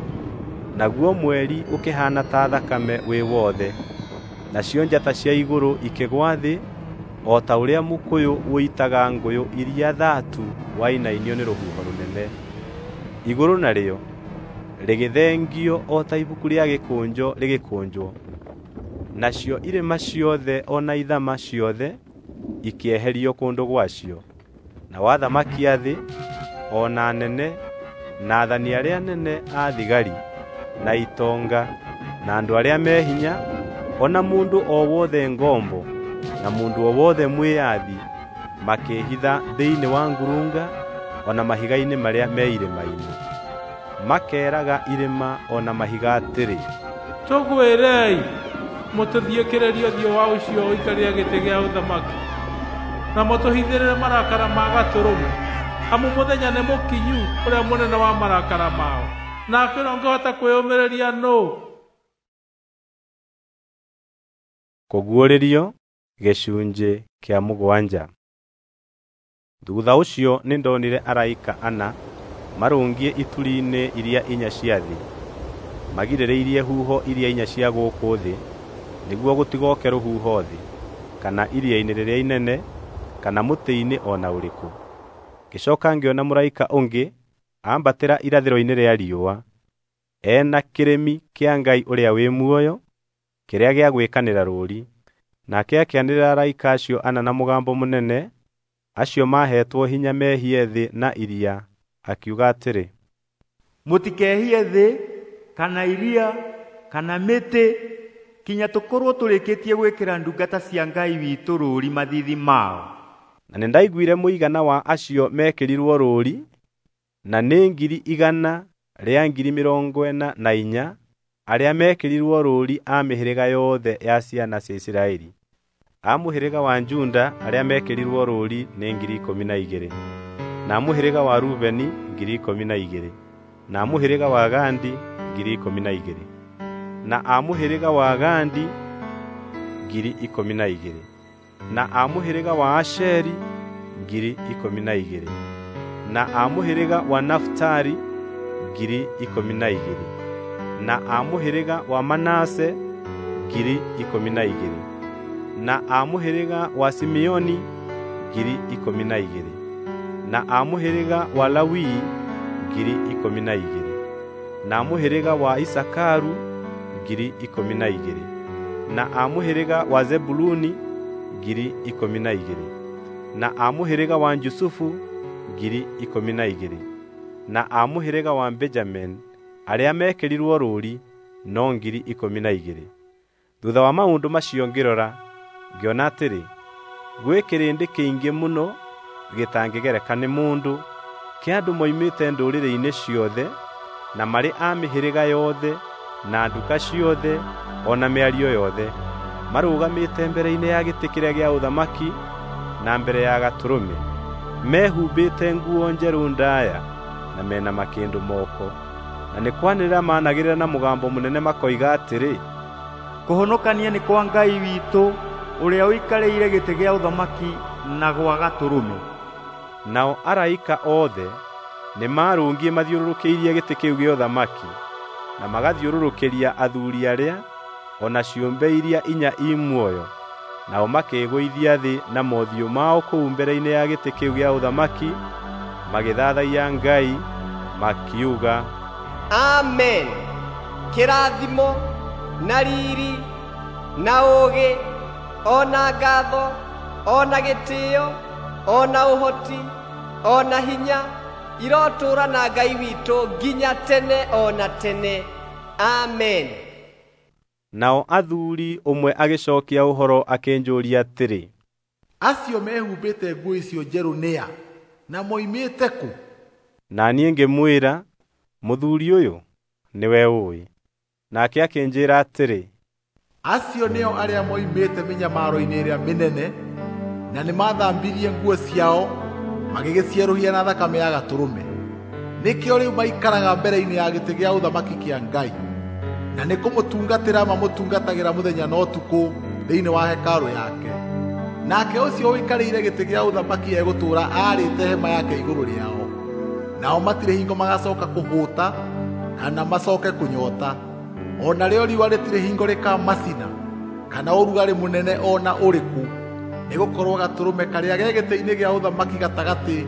naguo mweri ũkĩhaana ta thakame wĩ wothe, nacio njata cia igũrũ ikĩgwa thĩ o ta ũrĩa mũkũyũ ũitaga ngũyũ iria thatu wainainio nĩ rũhuho rũnene. Igũrũ narĩo rĩgĩthengio o ta ibuku rĩa gĩkũnjo rĩgĩkũnjwo, nacio irĩma ciothe o na ithama ciothe ikĩeherio kũndũ gwacio. Nao athamaki a thĩ, o na anene, na aathani arĩa anene a thigari, na itonga, na andũ arĩa me hinya, o na mũndũ o wothe ngombo, na mũndũ o wothe mwĩyathi, makĩĩhitha thĩinĩ wa ngurunga o na mahiga-inĩ marĩa me irĩma-inĩ. Makeeraga irĩma o na mahiga atĩrĩ, Tũgwĩrei, mũtũthiĩkĩrĩrie ũthiũ wa ũcio ũikarĩire gĩtĩ gĩa ũthamaki, na mũtũhithĩrĩre marakara ma Gatũrũme, amu mũthenya nĩ mũkinyu ũrĩa mũnene wa marakara mao, nake ũrĩa ũngĩhota kwĩyũmĩrĩria nũũ? Kũguũrĩrio gĩcunjĩ kĩa 7. Thutha ũcio nĩndonire araika ana marũngiĩ ituri-inĩ iria inya cia thĩ, magirĩrĩirie huho iria inya cia gũkũ thĩ, nĩguo gũtigoke rũhuho thĩ, kana iria-inĩ rĩrĩa inene, kana mũtĩ-inĩ o na ũrĩkũ. Ngĩcooka ngĩona mũraika ũngĩ ambatĩra irathĩro-inĩ rĩa riũa, e na kĩrĩmi kĩa Ngai ũrĩa wĩ muoyo, kĩrĩa gĩa gwĩkanĩra rũũri. Nake akĩanĩrĩra araika acio ana na mũgambo mũnene, acio maaheetwo hinya mehie thĩ na iria, akiuga atĩrĩ, Mũtikehie thĩ, kana iria, kana mĩtĩ, kinya tũkorwo tũrĩkĩtie gwĩkĩra ndungata cia Ngai witũ rũũri mathiithi mao. Na nĩndaiguire mũigana wa acio meekĩrirwo rũũri, na nĩ 144,000 arĩa meekĩrirwo rũũri a mĩhĩrĩga yothe ya ciana cia Isiraeli. A mũhĩrĩga wa Juda arĩa meekĩrirwo rũũri nĩ 12,000, na a mũhĩrĩga wa Rubeni 12,000, na a mũhĩrĩga wa Gadi 12,000, na a mũhĩrĩga wa Gadi 12,000, na a mũhĩrĩga wa Asheri 12,000, na a mũhĩrĩga wa Nafitali 12,000, na a mũhĩrĩga wa Manase 12,000, na a mũhĩrĩga wa Simeoni 12,000, na a mũhĩrĩga wa Lawi 12,000, na a mũhĩrĩga wa Isakaru 12,000, na a mũhĩrĩga wa Zebuluni 12,000, na a mũhĩrĩga wa Jusufu 12,000, na a mũhĩrĩga wa Benjamini arĩa meekĩrirwo rũũri no 12,000. Thutha wa maũndũ macio ngĩrora, ngĩona atĩrĩ, gwĩ kĩrĩndĩ kĩingĩ mũno gĩtangĩgereka nĩ mũndũ, kĩa andũ moimĩte ndũrĩrĩ-inĩ ciothe, na marĩ a mĩhĩrĩga yothe, na nduka ciothe, o na mĩario yothe, marũgamĩte mbere-inĩ ya gĩtĩ kĩrĩa gĩa ũthamaki na mbere ya Gatũrũme, mehumbĩte nguo njerũ ndaaya na mena makĩndũ moko. Na nĩ kwanĩrĩra maanagĩrĩra na mũgambo mũnene makoiga atĩrĩ, Kũhonokania nĩ kwa Ngai witũ ũrĩa ũikarĩire gĩtĩ gĩa ũthamaki na gwa Gatũrũme. Nao araika othe nĩmarũngiĩ mathiũrũrũkĩirie gĩtĩ kĩu gĩa ũthamaki, na magathiũrũrũkĩria athuuri arĩa, o na ciũmbe iria inya i muoyo, nao makĩĩgũithia thĩ na mothiũ mao kũu mbere-inĩ ya gĩtĩ kĩu gĩa ũthamaki, magĩthathaiya Ngai, makiuga, Amen. Kĩrathimo na riri na ũũgĩ o na ngatho o na gĩtĩo o na ũhoti o na hinya Irotũũra na Ngai witũ nginya tene o na tene. Amen. Nao athuuri ũmwe agĩcokia ũhoro akĩnjũria atĩrĩ, Acio mehumbĩte nguo icio njerũ nĩa, na moimĩte kũ? Na niĩ ngĩmwĩra, "Mũthuri ũyũ, nĩwe ũũĩ." Nake akĩnjĩra atĩrĩ, Acio nĩo arĩa moimĩte mĩnyamaro-inĩ ĩrĩa mĩnene, na nĩmathambirie nguo ciao magĩgĩcierũhia na thakame ya Gatũrũme. Nĩkĩo rĩu maikaraga mbere-inĩ ya gĩtĩ gĩa ũthamaki kĩa Ngai, na nĩ kũmũtungatĩra mamũtungatagĩra mũthenya na ũtukũ thĩinĩ wa hekarũ yake. Nake ũcio ũikarĩire gĩtĩ gĩa ũthamaki egũtũũra aarĩte hema yake igũrũ rĩao. Nao matirĩ hingo magacoka kũhũta kana macoke kũnyota. O narĩo riũa rĩtirĩ hingo rĩkamacina kana ũrugarĩ mũnene o na ũrĩkũ, nĩgũkorwo Gatũrũme karĩa ge gĩtĩ-inĩ gĩa ũthamaki gatagatĩ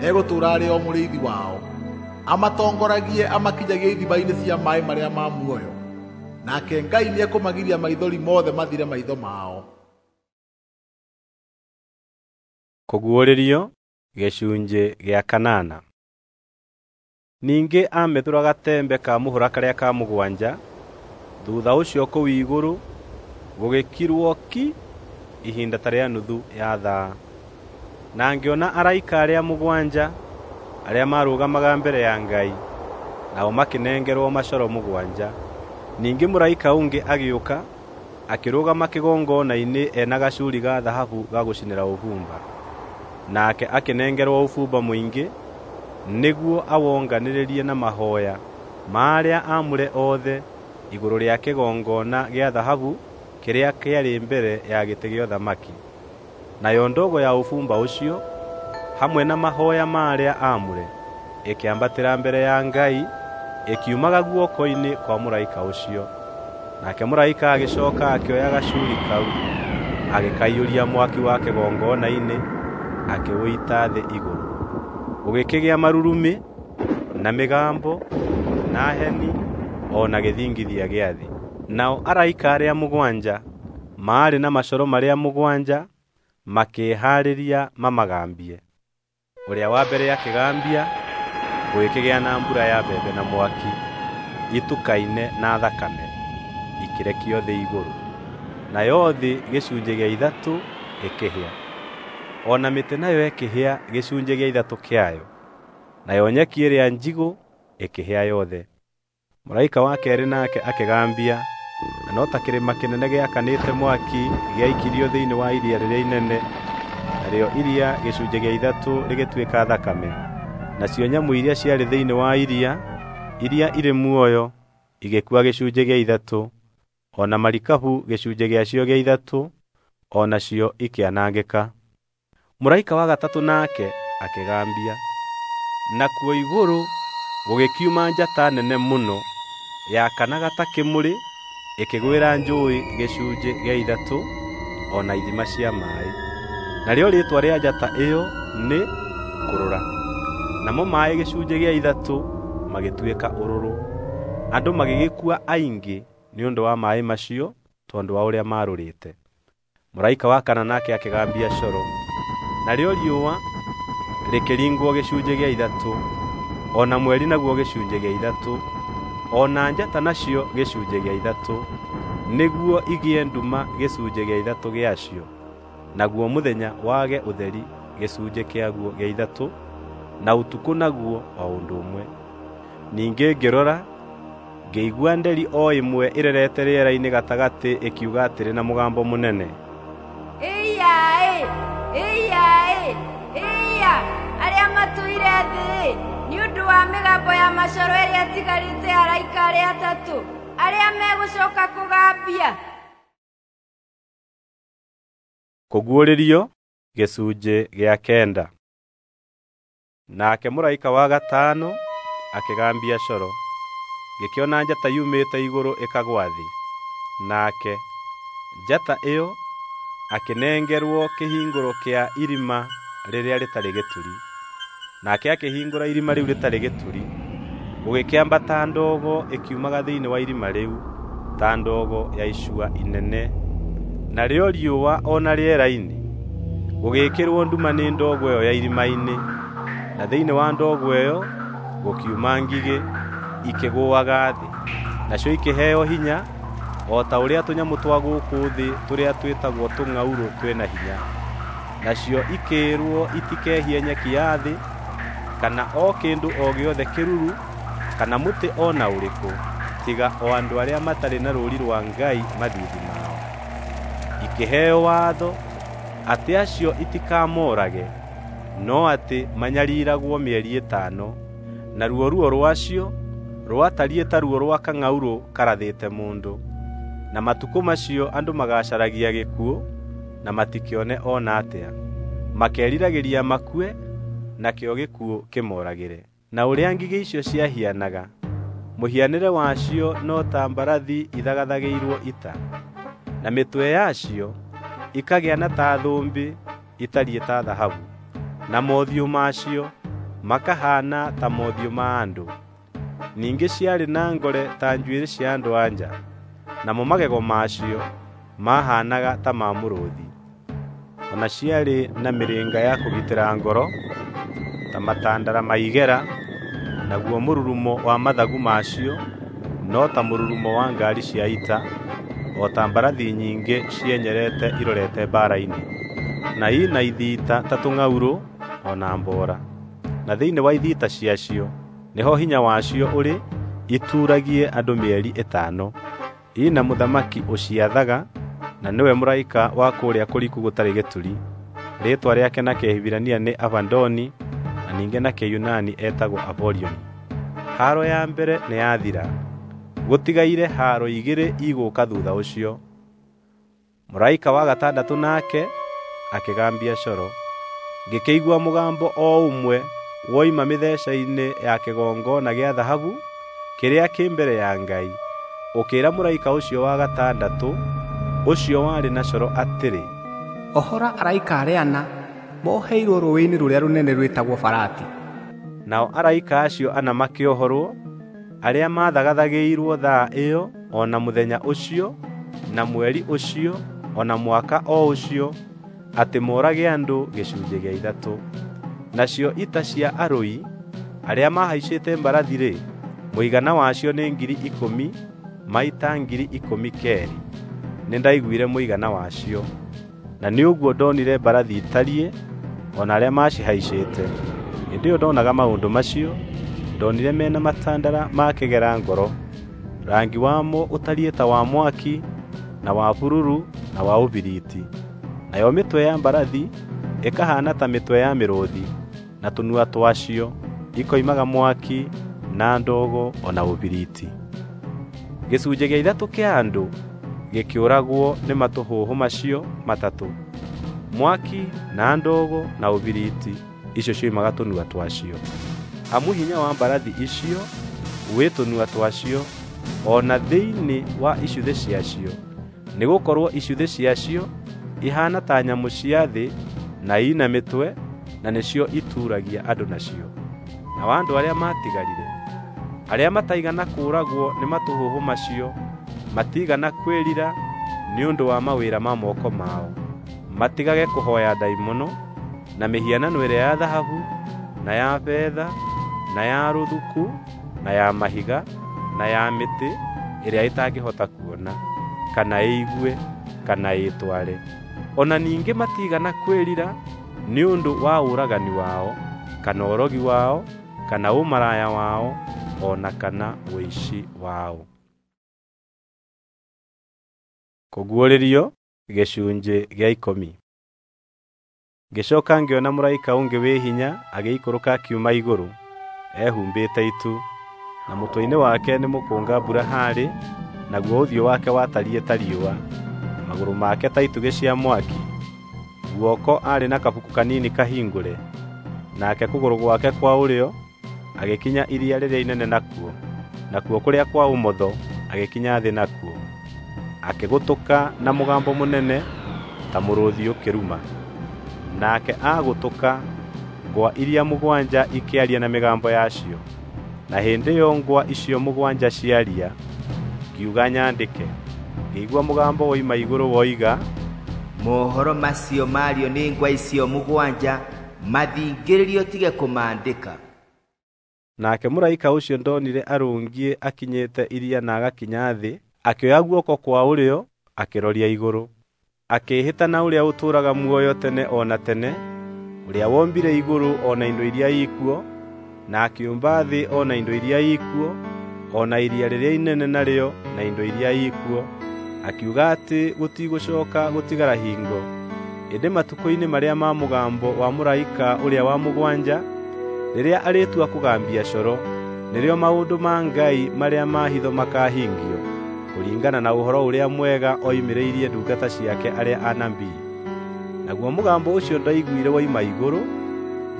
egũtũũra arĩ o mũrĩithi wao, amatongoragie amakinyagie ithima-inĩ cia maaĩ marĩa ma muoyo. Nake Ngai nĩekũmagiria maithori mothe mathire maitho mao. Kũguũrĩrio gĩcunjĩ gĩa kanana. Ningĩ aamethũra gatembe ka mũhũra karĩa ka mũgwanja. Thutha ũcio kũu igũrũ gũgĩkirwo ki ihinda ta rĩa nuthu ya thaa. Na ngĩona araika arĩa mũgwanja arĩa maarũgamaga mbere ya Ngai, nao makĩnengerwo macoro mũgwanja. Ningĩ mũraika ũngĩ agĩũka akĩrũgama kĩgongona-inĩ ena gacuri ga thahabu ga gũcinĩra ũbumba. Nake akĩnengerwo ũbumba mũingĩ nĩguo awonganĩrĩrie na mahoya ma arĩa aamũre othe igũrũ rĩa kĩgongona gĩa thahabu kĩrĩa kĩarĩ mbere ya gĩtĩ gĩa ũthamaki. Nayo ndogo ya ũbumba ũcio hamwe na mahoya ma arĩa aamũre ĩkĩambatĩra mbere ya Ngai ĩkiumaga guoko-inĩ kwa mũraika ũcio. Nake mũraika agĩcoka akĩoya gacuri kau agĩkaiyũria mwaki wa kĩgongona-inĩ akĩũita thĩ igũrũ. Gũgĩkĩgĩa marurumĩ na mĩgambo na heni o na gĩthingithia gĩa thĩ. Nao araika arĩa mũgwanja maarĩ na macoro marĩa mũgwanja makĩĩhaarĩria mamagambie. Ũrĩa wa mbere akĩgambia, gũgĩkĩgĩa na mbura ya mbembe na mwaki itukaine na thakame, ikĩrekio thĩ igũrũ. Nayo thĩ gĩcunjĩ gĩa ithatũ ĩkĩhĩa, o na mĩtĩ nayo ĩkĩhĩa gĩcunjĩ gĩa ithatũ kĩayo, nayo nyeki ĩrĩa njigũ ĩkĩhĩa yothe. Mũraika wa keerĩ nake akĩgambia, na no ta kĩrĩma kĩnene gĩakanĩte mwaki gĩaikirio thĩinĩ wa iria rĩrĩa inene, narĩo iria gĩcunjĩ gĩa ithatũ rĩgĩtuĩka thakame. Nacio nyamũ iria ciarĩ thĩinĩ wa iria, iria irĩ muoyo, igĩkua gĩcunjĩ gĩa ithatũ, o na marikabu gĩcunjĩ gĩacio gĩa ithatũ, o nacio ikĩanangĩka. Mũraika wa gatatũ nake akĩgambia, nakuo igũrũ gũgĩkiuma njata nene mũno yakanaga ta kĩmũrĩ ĩkĩgwĩra njũũĩ gĩcunjĩ gĩa ithatũ o na ithima cia maaĩ. Narĩo rĩĩtwa rĩa njata ĩyo nĩ Kũrũra. Namo maaĩ gĩcunjĩ gĩa ithatũ magĩtuĩka ũrũrũ. Andũ magĩgĩkua aingĩ nĩ ũndũ wa maaĩ macio tondũ wa ũrĩa maarũrĩte. Mũraika wa kana nake akĩgambia coro, narĩo riũa rĩkĩringwo gĩcunjĩ gĩa ithatũ, o na mweri naguo gĩcunjĩ gĩa ithatũ, o na njata nacio gĩcunjĩ gĩa ithatũ, nĩguo igĩe nduma gĩcunjĩ gĩa ithatũ gĩacio, naguo mũthenya wage ũtheri gĩcunjĩ kĩaguo gĩa ithatũ, na ũtukũ naguo o ũndũ ũmwe. Ningĩ ngĩrora, ngĩigua nderi o ĩmwe ĩrerete rĩera-inĩ gatagatĩ ĩkiuga atĩrĩ na mũgambo mũnene, Ĩiya-ĩ! Ĩiya-ĩ! Ĩiya! Arĩa matũire thĩ, nĩ ũndũ wa mĩgambo ya macoro ĩrĩa ĩtigarĩte ya araika arĩa atatũ, arĩa megũcoka kũgambia! Kũguũrĩrio gĩcunjĩ gĩa kenda. Nake mũraika wa gatano akĩgambia coro, ngĩkĩona njata yumĩte igũrũ ĩkagũa thĩ. Nake njata ĩyo akĩnengerwo kĩhingũro kĩa irima rĩrĩa rĩtarĩ gĩturi. Nake akĩhingũra irima rĩu rĩtarĩ gĩturi, gũgĩkĩambata ndogo ĩkiumaga thĩinĩ wa irima rĩu ta ndogo ya icua inene. Narĩo riũa o na rĩera-inĩ gũgĩĩkĩrwo nduma nĩ ndogo ĩyo ya irima-inĩ, na thĩinĩ wa ndogo ĩyo Gũkiuma ngigĩ ikĩgũaga thĩ, nacio ikĩheo hinya o ta ũrĩa tũnyamũ twa gũkũ thĩ tũrĩa twĩtagwo tũng'aurũ twĩ na hinya. Nacio ikĩĩrwo itikehie nyeki ya thĩ, kana o kĩndũ o gĩothe kĩruru, kana mũtĩ o na ũrĩkũ, tiga o andũ arĩa matarĩ na rũũri rwa Ngai mathiithi mao. Ikĩheo watho atĩ acio itikamoorage, no atĩ manyariragwo mĩeri ĩtano, naruo ruo rwacio rwatariĩ ta ruo rwa kang'aurũ karathĩte mũndũ. Na matukũ macio andũ magaacaragia gĩkuũ na matikĩone o na atĩa, makeriragĩria makue, nakĩo gĩkuũ kĩmooragĩre. Na ũrĩa ngigĩ icio ciahianaga, mũhianĩre wacio no ta mbarathi ithagathagĩirwo ita, na mĩtwe yacio ikagĩa na ta thũmbĩ itariĩ ta thahabu, na mothiũ macio makahaana ta mothiũ ma andũ. Ningĩ ciarĩ na ngore ta njuĩrĩ cia andũ-a-nja, namo magego macio maahaanaga ta ma mũrũũthi. O na ciarĩ na mĩrĩnga ya kũgitĩra ngoro ta matandara ma igera, naguo mũrurumo wa mathagu macio no ta mũrurumo wa ngaari cia ita, o ta mbarathi nyingĩ cienyereete irorete mbaara-inĩ. Na ii na ithiita ta tũng'aurũ o na mboora, na thĩinĩ wa ithiita ciacio nĩho hinya wacio ũrĩ ituuragie andũ mĩeri ĩtano. Ii na mũthamaki ũciathaga, na nĩwe mũraika wa kũrĩa kũriku gũtarĩ gĩturi. Rĩĩtwa rĩake na Kĩhibirania nĩ Abadoni, na ningĩ na Kĩyunani etagwo Apolioni. Haaro ya mbere nĩyathira, gũtigaire haaro igĩrĩ igũũka thuutha ũcio. Mũraika wa gatandatũ nake akĩgambia coro. Ngĩkĩigua mũgambo o ũmwe woima mĩtheca-inĩ ya kĩgongona gĩa thahabu kĩrĩa kĩ mbere ya Ngai, ũkĩĩra mũraika ũcio wa gatandatũ, ũcio warĩ na coro atĩrĩ, Ohora araika arĩa ana moheirwo rũũĩ-inĩ rũrĩa rũnene rwĩtagwo Farati. Nao araika acio ana makĩohorwo, arĩa maathagathagĩirwo thaa ĩyo o na mũthenya ũcio na mweri ũcio o na mwaka o ũcio, atĩ moorage andũ gĩcunjĩ gĩa ithatũ. Nacio ita cia arũi arĩa maahaicĩte mbarathi-rĩ, mũigana wacio nĩ 10,000 maita 12,000. Nĩndaiguire mũigana wacio, na nĩ ũguo ndonire mbarathi itariĩ o na arĩa maacihaicĩte. Hĩndĩ ĩyo ndonaga maũndũ macio, ndonire me na matandara ma kĩgera ngoro, rangi wamo ũtariĩ ta wa mwaki, na wa bururu, na wa ũbiriti. Nayo mĩtwe ya mbarathi ĩkahaana ta mĩtwe ya mĩrũũthi, na tũnua twacio ikoimaga mwaki na ndogo o na ũbiriti. Gĩcunjĩ gĩa ithatũ kĩa andũ gĩkĩũragwo nĩ matũhũhũ macio matatũ, mwaki na ndogo na ũbiriti icio cioimaga tũnua twacio. Amu hinya wa mbarathi icio wĩ tũnua twacio o na thĩinĩ wa icuthĩ ciacio, nĩgũkorwo icuthĩ ciacio ihaana ta nyamũ cia thĩ na ina mĩtwe, na nĩcio ituuragia andũ nacio. Nao andũ arĩa maatigarire, arĩa mataigana kũũragwo nĩ matũhũhũ macio, matiigana kwĩrira nĩ ũndũ wa mawĩra ma moko mao, matigage kũhooya ndaimono na mĩhianano ĩrĩa ya thahabu, na ya betha, na ya rũthuku, na ya mahiga, na ya mĩtĩ ĩrĩa ĩtangĩhota kuona, kana ĩigue, kana ĩĩtware. O na ningĩ matiigana kwĩrira nĩ ũndũ wa ũragani wao, kana ũrogi wao, kana ũmaraya wao, o na kana ũici wao. Kũguũrĩrio gĩcunjĩ gĩa 10. Ngĩcooka ngĩona mũraika ũngĩ wĩ hinya agĩikũrũka akiuma igũrũ, ehumbĩte itu, na mũtwe-inĩ wake nĩ mũkũnga mbura haarĩ, naguo ũthiũ wake watariĩ ta riũa, na magũrũ make ta itugĩ cia mwaki. Guoko aarĩ na kabuku kanini kahingũre, nake kũgũrũ gwake kwa ũrĩo agĩkinya iria rĩrĩa inene nakuo, nakuo kũrĩa kwa ũmotho agĩkinya thĩ nakuo. Akĩgũtũka na mũgambo mũnene ta mũrũũthi ũkĩruma. Nake agũtũka, ngwa iria mũgwanja ikĩaria na mĩgambo yacio. Na hĩndĩ ĩyo ngwa icio mũgwanja ciaria, ngiuga nyandĩke. Ngĩigua mũgambo woima igũrũ woiga, Mohoro macio mario nĩ ngwa icio mũgwanja mathingĩrĩrio tige kũmaandĩka. Nake mũraika ũcio ndonire arũngiĩ akinyĩte iria na agakinya thĩ, akĩoya guoko kwa ũrĩo akĩroria igũrũ. Akĩĩhĩta na ũrĩa ũtũũraga muoyo tene o na tene, ũrĩa wombire igũrũ o na indo iria ikuo, na akĩũmba thĩ o na indo iria ikuo, o na iria rĩrĩa inene narĩo na indo iria ikuo, akiuga atĩ gũtigũcooka gũtigara hingo. Ĩndĩ matukũ-inĩ marĩa ma mũgambo wa mũraika ũrĩa wa mũgwanja, rĩrĩa arĩtua kũgambia coro, nĩrĩo maũndũ ma Ngai marĩa ma hitho makahingio, kũringana na ũhoro ũrĩa mwega oimĩrĩirie ndungata ciake arĩa anabii. Naguo mũgambo ũcio ndaiguire woima igũrũ,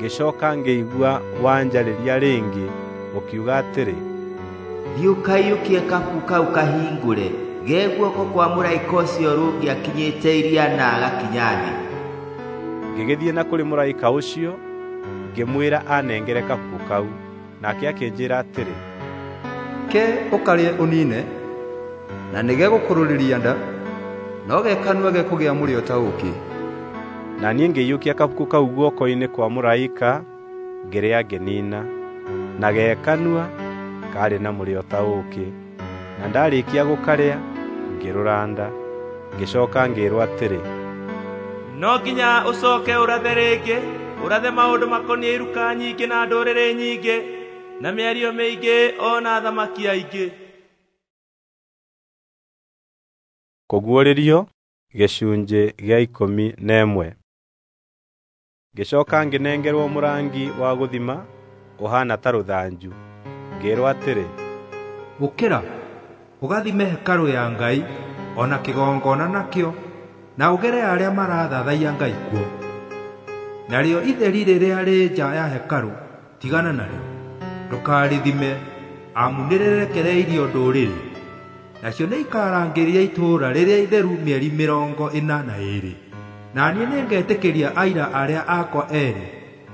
ngĩcooka ngĩigua wanjarĩria rĩngĩ, ũkiuga atĩrĩ, Thiĩ ũkaiyũkie kabuku kau kahingũre ge guoko kwa mũraika ũcio ũrũngiĩ akinyĩte iria na agakinya thĩ. Ngĩgĩthiĩ na kũrĩ mũraika ũcio, ngĩmwĩra anengere kabuku kau. Nake akĩnjĩra atĩrĩ, Ke ũkarĩe ũniine, na nĩgegũkũrũrĩria nda, no ge kanua gekũgĩa mũrĩo ta ũũkĩ. Na niĩ ngĩiyũkia kabuku kau guoko-inĩ kwa mũraika, ngĩrĩa ngĩniina. Na ge kanua kaarĩ na mũrĩo ta ũũkĩ. Na ndaarĩkia gũkarĩa, ngĩrũra nda. Ngĩcooka ngĩĩrwo atĩrĩ, No nginya ũcooke ũrathe rĩngĩ, ũrathe maũndũ makoniĩ iruka nyingĩ na ndũrĩrĩ nyingĩ, na mĩario mĩingĩ o na athamaki aingĩ. Kũguũrĩrio gĩcunjĩ gĩa 11. Ngĩcooka ngĩnengerwo mũrangi wa gũthima ũhaana ta rũthanju, ngĩĩrwo atĩrĩ, Ũkĩra, ũgathime hekarũ ya Ngai o na kĩgongona nakĩo, na ũgere arĩa marathathaiya Ngai kuo. Narĩo itheri rĩrĩa rĩ nja ya hekarũ tigana narĩo, ndũkarĩthime, amu nĩrĩrekereirio ndũrĩrĩ. Nacio nĩikarangĩrĩria itũũra rĩrĩa itheru mĩeri 42. Na niĩ nĩngetĩkĩria aira arĩa akwa eerĩ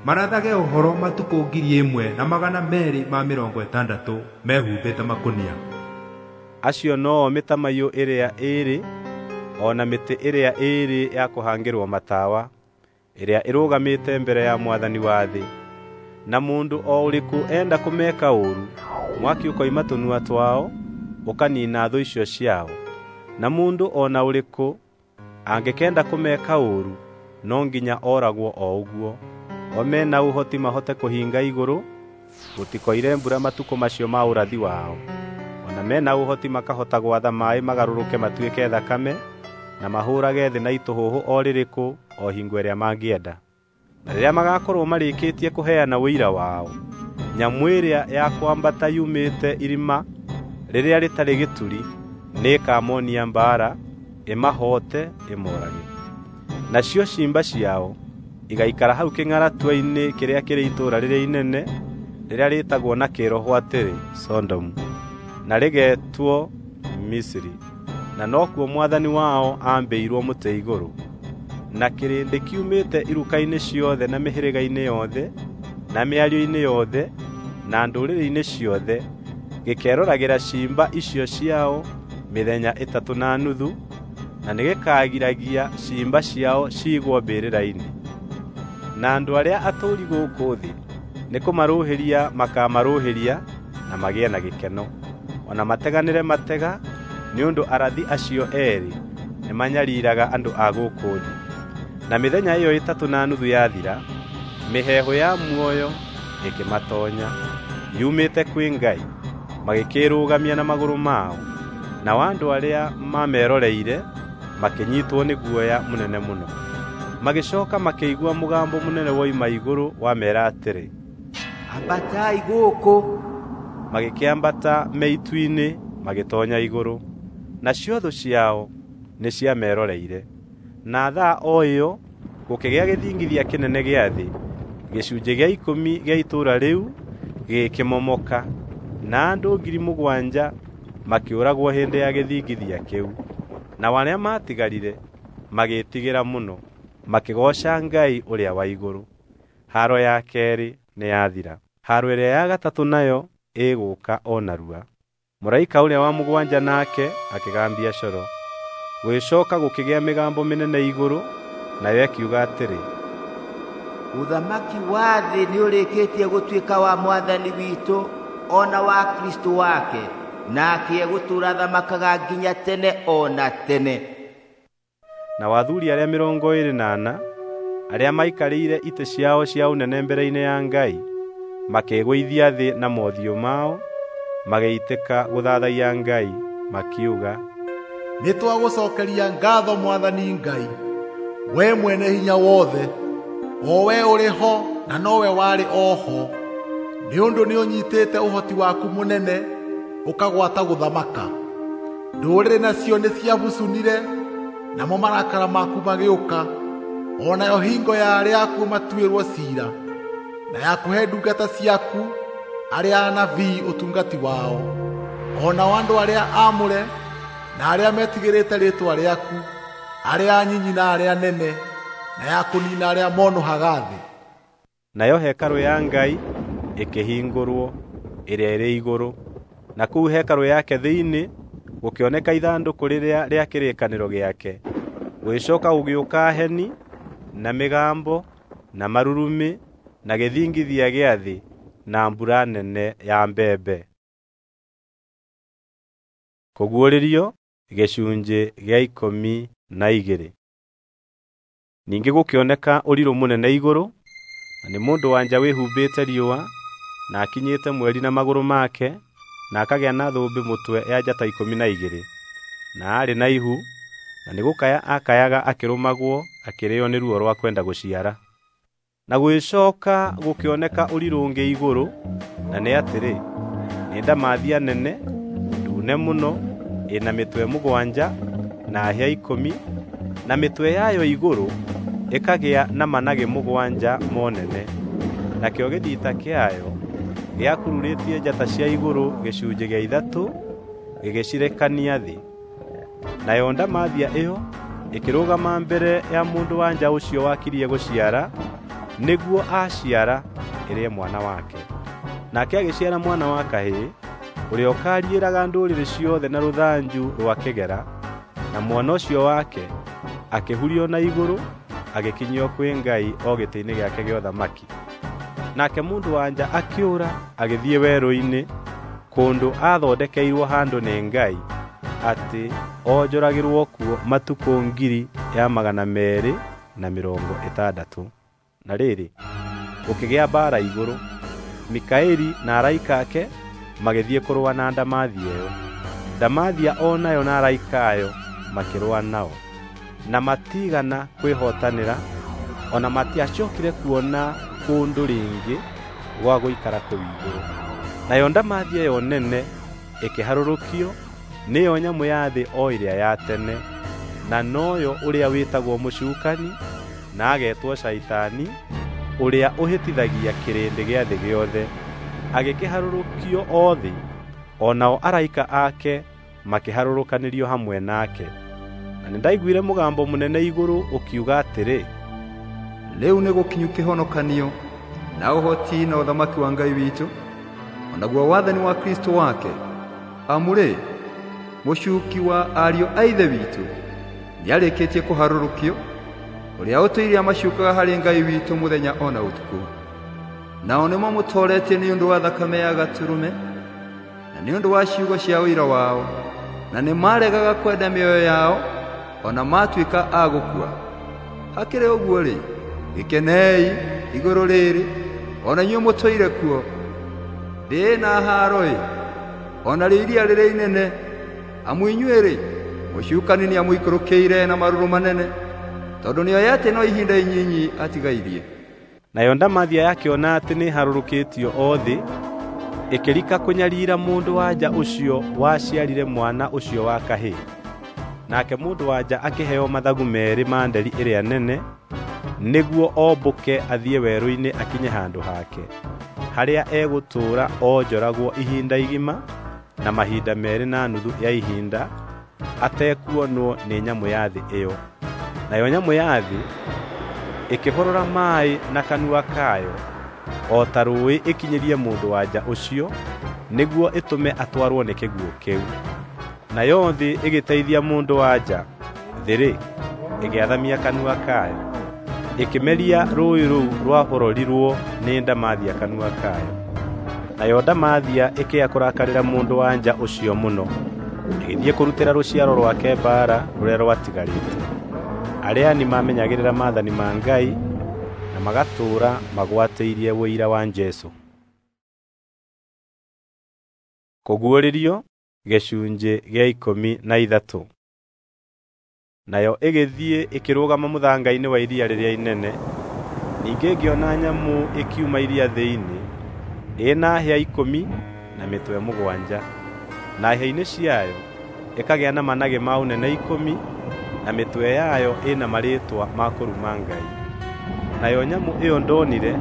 marathage ũhoro matukũ 1260 mehumbĩte makũnia. Acio noo mĩtamaiyũ ĩrĩa ĩĩrĩ o na mĩtĩ ĩrĩa ĩĩrĩ ya kũhangĩrwo matawa, ĩrĩa ĩrũgamĩte mbere ya Mwathani wa thĩ. Na mũndũ o ũrĩkũ enda kũmeka ũũru, mwaki ũkoima tũnua twao, ũkaniina thũ icio ciao. Na mũndũ o na ũrĩkũ angĩkenda kũmeka ũũru, no nginya oragwo o ũguo. O mena ũhoti mahote kũhinga igũrũ, gũtikoire mbura matukũ macio ma ũrathi wao. O na mena ũhoti makahota gwatha maaĩ magarũrũke matuĩke thakame, na mahũũrage thĩ na itũhũhũ o rĩrĩkũ o hingo ĩrĩa mangĩenda. Na rĩrĩa magakorwo marĩkĩtie kũheana ũira wao, nyamũ ĩrĩa ya kwambata yumĩte irima rĩrĩa rĩtarĩ gĩturi nĩĩkamonia mbaara, ĩmahoote, ĩmoorage. Nacio ciimba ciao igaikara hau kĩng'aratua-inĩ kĩrĩa kĩrĩ itũũra rĩrĩa inene rĩrĩa rĩĩtagwo na kĩĩroho atĩrĩ Sodomu, na rĩgeetwo Misiri, na nokuo Mwathani wao aambĩirwo mũtĩ igũrũ. Na kĩrĩndĩ kiumĩte iruka-inĩ ciothe na mĩhĩrĩga-inĩ yothe, na mĩario-inĩ yothe, na ndũrĩrĩ-inĩ ciothe, gĩkeroragĩra ciimba icio ciao mĩthenya 3.5, na nĩgĩkagiragia ciimba ciao ciigwo mbĩrĩra-inĩ. Na andũ arĩa atũũri gũkũ thĩ nĩkũmarũhĩria makamarũhĩria na magĩe na gĩkeno, o na mateganĩre matega, nĩ ũndũ arathi acio eerĩ nĩmanyariiraga andũ a gũkũ thĩ. Na mĩthenya ĩyo 3.5 yathira, mĩheehũ ya muoyo ĩkĩmatoonya yumĩte kwĩ Ngai, magĩkĩĩrũgamia na magũrũ mao, nao andũ arĩa maameroreire makĩnyiitwo nĩ guoya mũnene mũno. Magĩcooka makĩigua mũgambo mũnene woima igũrũ wameera atĩrĩ, Ambatai gũkũ. Magĩkĩambata me itu-inĩ magĩtoonya igũrũ, nacio thũ ciao nĩciameroreire. Na thaa o ĩyo gũkĩgĩa gĩthingithia kĩnene gĩa thĩ, gĩcunjĩ gĩa 10 gĩa itũũra rĩu gĩkĩmomoka, na andũ 7,000 makĩũragwo hĩndĩ ya gĩthingithia kĩu. Nao arĩa maatigarire magĩĩtigĩra mũno, makĩgooca Ngai ũrĩa wa igũrũ. Haaro ya keerĩ nĩyathira. Haaro ĩrĩa ya gatatũ nayo ĩgũũka o narua. Mũraika ũrĩa wa mũgwanja nake akĩgambia coro. Gũgĩcooka gũkĩgĩa mĩgambo mĩnene igũrũ, nayo ĩkiuga atĩrĩ, Ũthamaki wa thĩ nĩũrĩkĩtie gũtuĩka wa Mwathani witũ o na wa Kristo wake, nake egũtũũra athamakaga nginya tene o na tene. Na athuri arĩa 24 arĩa maikarĩire itĩ ciao cia ũnene mbere-inĩ ya Ngai makĩĩgũithia thĩ na mothiũ mao magĩitĩka gũthathaiya Ngai makiuga, Nĩtwagũcokeria ngatho Mwathani Ngai, we mwene hinya wothe, o we ũrĩ ho na nowe warĩ o ho, nĩ ũndũ nĩũnyitĩte ũhoti waku mũnene ũkagwata gũthamaka. Ndũrĩrĩ nacio nĩciabucunire, namo marakara maku magĩũka, o nayo hingo ya arĩa akuũ matuĩrwo ciira, na ya kũhe ndungata ciaku arĩa anabii ũtungati wao, o nao andũ arĩa aamũre na arĩa metigĩrĩte rĩĩtwa rĩaku, arĩa anyinyi na arĩa anene, na ya kũniina arĩa monũhaga thĩ. Nayo hekarũ ya Ngai ĩkĩhingũrwo ĩrĩa ĩrĩ igũrũ, na kũu hekarũ yake thĩinĩ gũkĩoneka ithandũkũ rĩrĩa rĩa kĩrĩkanĩro gĩake. Gũgĩcoka gũgĩũka heni na mĩgambo na marurumĩ na gĩthingithia gĩa thĩ na mbura nene ya mbembe. Kũguũrĩrio gĩcunjĩ gĩa 12. Ningĩ gũkĩoneka ũrirũ mũnene igũrũ, na nĩ mũndũ-wa-nja wĩhumbĩte riũa, na akinyĩte mweri na magũrũ make, na akagĩa na thũmbĩ mũtwe ya njata 12. Na aarĩ na ihu, na nĩ gũkaya aakayaga akĩrũmagwo akĩrĩĩo nĩ ruo rwa kwenda gũciara. Na gũgĩcooka gũkĩoneka ũrirũ ũngĩ igũrũ, na nĩ atĩrĩ, nĩ ndamathia nene, ndune mũno, ĩna mĩtwe 7 na hĩa 10, na mĩtwe yayo igũrũ ĩkagĩa na managĩ 7 monene. Nakĩo gĩthita kĩayo gĩakururĩtie njata cia igũrũ gĩcunjĩ gĩa 3 gĩgĩcirekania thĩ. Nayo ndamathia ĩyo ĩkĩrũgama mbere ya mũndũ-wa-nja ũcio wakirie gũciara, nĩguo aaciara ĩrĩe mwana wake. Nake agĩciara mwana wa kahĩĩ, ũrĩa ũkaariĩraga ndũrĩrĩ ciothe na rũthanju rwa kĩgera, na mwana ũcio wake akĩhurio na igũrũ agĩkinyio kwĩ Ngai o gĩtĩ-inĩ gĩake gĩa ũthamaki. Nake mũndũ-wa-nja akĩũra agĩthiĩ werũ-inĩ, kũndũ aathondekeirwo handũ nĩ Ngai, atĩ onjoragĩrwo kuo matukũ 260,000. Na rĩrĩ, gũkĩgĩa mbaara igũrũ. Mikaeli na araika ake magĩthiĩ kũrũa na ndamathia ĩyo. Ndamathia o nayo na araika ayo makĩrũa nao, na matiigana kwĩhotanĩra, o na matiacookire kuona kũndũ rĩngĩ gwa gũikara kũu igũrũ. Nayo ndamathia ĩyo nene ĩkĩharũrũkio, nĩyo nyamũ ya thĩ o ĩrĩa ya tene, na noyo ũrĩa wĩtagwo mũcukani na agetwo Shaitani, ũrĩa ũhĩtithagia kĩrĩndĩ gĩa thĩ gĩothe. Agĩkĩharũrũkio o thĩ, o nao araika ake makĩharũrũkanĩrio hamwe nake. Na nĩndaiguire mũgambo mũnene igũrũ ũkiuga atĩrĩ, Rĩu nĩgũkinyu kĩhonokanio na ũhoti na ũthamaki wa Ngai witũ, o naguo wathani wa Kristo wake. Amu-rĩ, mũcuki wa ariũ a ithe witũ nĩarĩkĩtie kũharũrũkio, ũrĩa ũtũire amacukaga harĩ Ngai witũ mũthenya o na ũtukũ. Nao nĩmamũtooretie nĩ ũndũ wa thakame ya Gatũrũme, na nĩ ũndũ wa ciugo cia ũira wao, na nĩmaregaga kwenda mĩoyo yao, o na matuĩka a gũkua. Hakĩrĩ ũguo-rĩ, gĩkenei igũrũ rĩrĩ, o na inyuĩ mũtũire kuo. Thĩ na haaro-ĩ, o narĩo iria rĩrĩa inene, amu inyuĩ-rĩ, mũcukani nĩamũikũrũkĩire na marũrũ manene, tondũ nĩoĩ atĩ no ihinda inyinyi atigairie. Nayo ndamathia yakĩona atĩ nĩharũrũkĩtio o thĩ, ĩkĩrika kũnyariira mũndũ-wa-nja ũcio waciarire mwana ũcio wa kahĩĩ. Nake mũndũ-wa-nja akĩheo mathagu 2 ma nderi ĩrĩa nene, nĩguo ombũke athiĩ werũ-inĩ akinye handũ hake, harĩa egũtũũra onjoragwo ihinda igima na mahinda 2.5 ya ihinda, atekuonwo nĩ nyamũ ya thĩ ĩyo. Nayo nyamũ ya thĩ ĩkĩhorora maaĩ na kanua kayo o ta rũũĩ ĩkinyĩrie mũndũ-wa-nja ũcio, nĩguo ĩtũme atwarwo nĩ kĩguũ kĩu. Nayo thĩ ĩgĩteithia mũndũ-wa-nja, thĩ-rĩ, ĩgĩathamia kanua kayo, Ĩkĩmeria rũũĩ rũu rwahororirwo nĩ ndamathia kanua kayo. Nayo ndamathia ĩkĩya kũrakarĩra mũndũ-wa-nja ũcio mũno, ĩgĩthiĩ kũrutĩra rũciaro rwake mbaara rũrĩa rwatigarĩte, arĩa-ni maamenyagĩrĩra maathani ma Ngai na magatũũra magwatĩirie ũira wa Jesũ. Kũguũrĩrio gĩcunjĩ gĩa 13. Nayo ĩgĩthiĩ ĩkĩrũgama mũthanga-inĩ wa iria rĩrĩa inene. Ningĩ ngĩona nyamũ ĩkiuma iria thĩinĩ, ĩna hĩa 10 na mĩtwe 7, na hĩa-inĩ ciayo ĩkagĩa na managĩ ma ũnene 10, na mĩtwe yayo ĩna marĩĩtwa ma kũruma Ngai. Nayo nyamũ ĩyo ndonire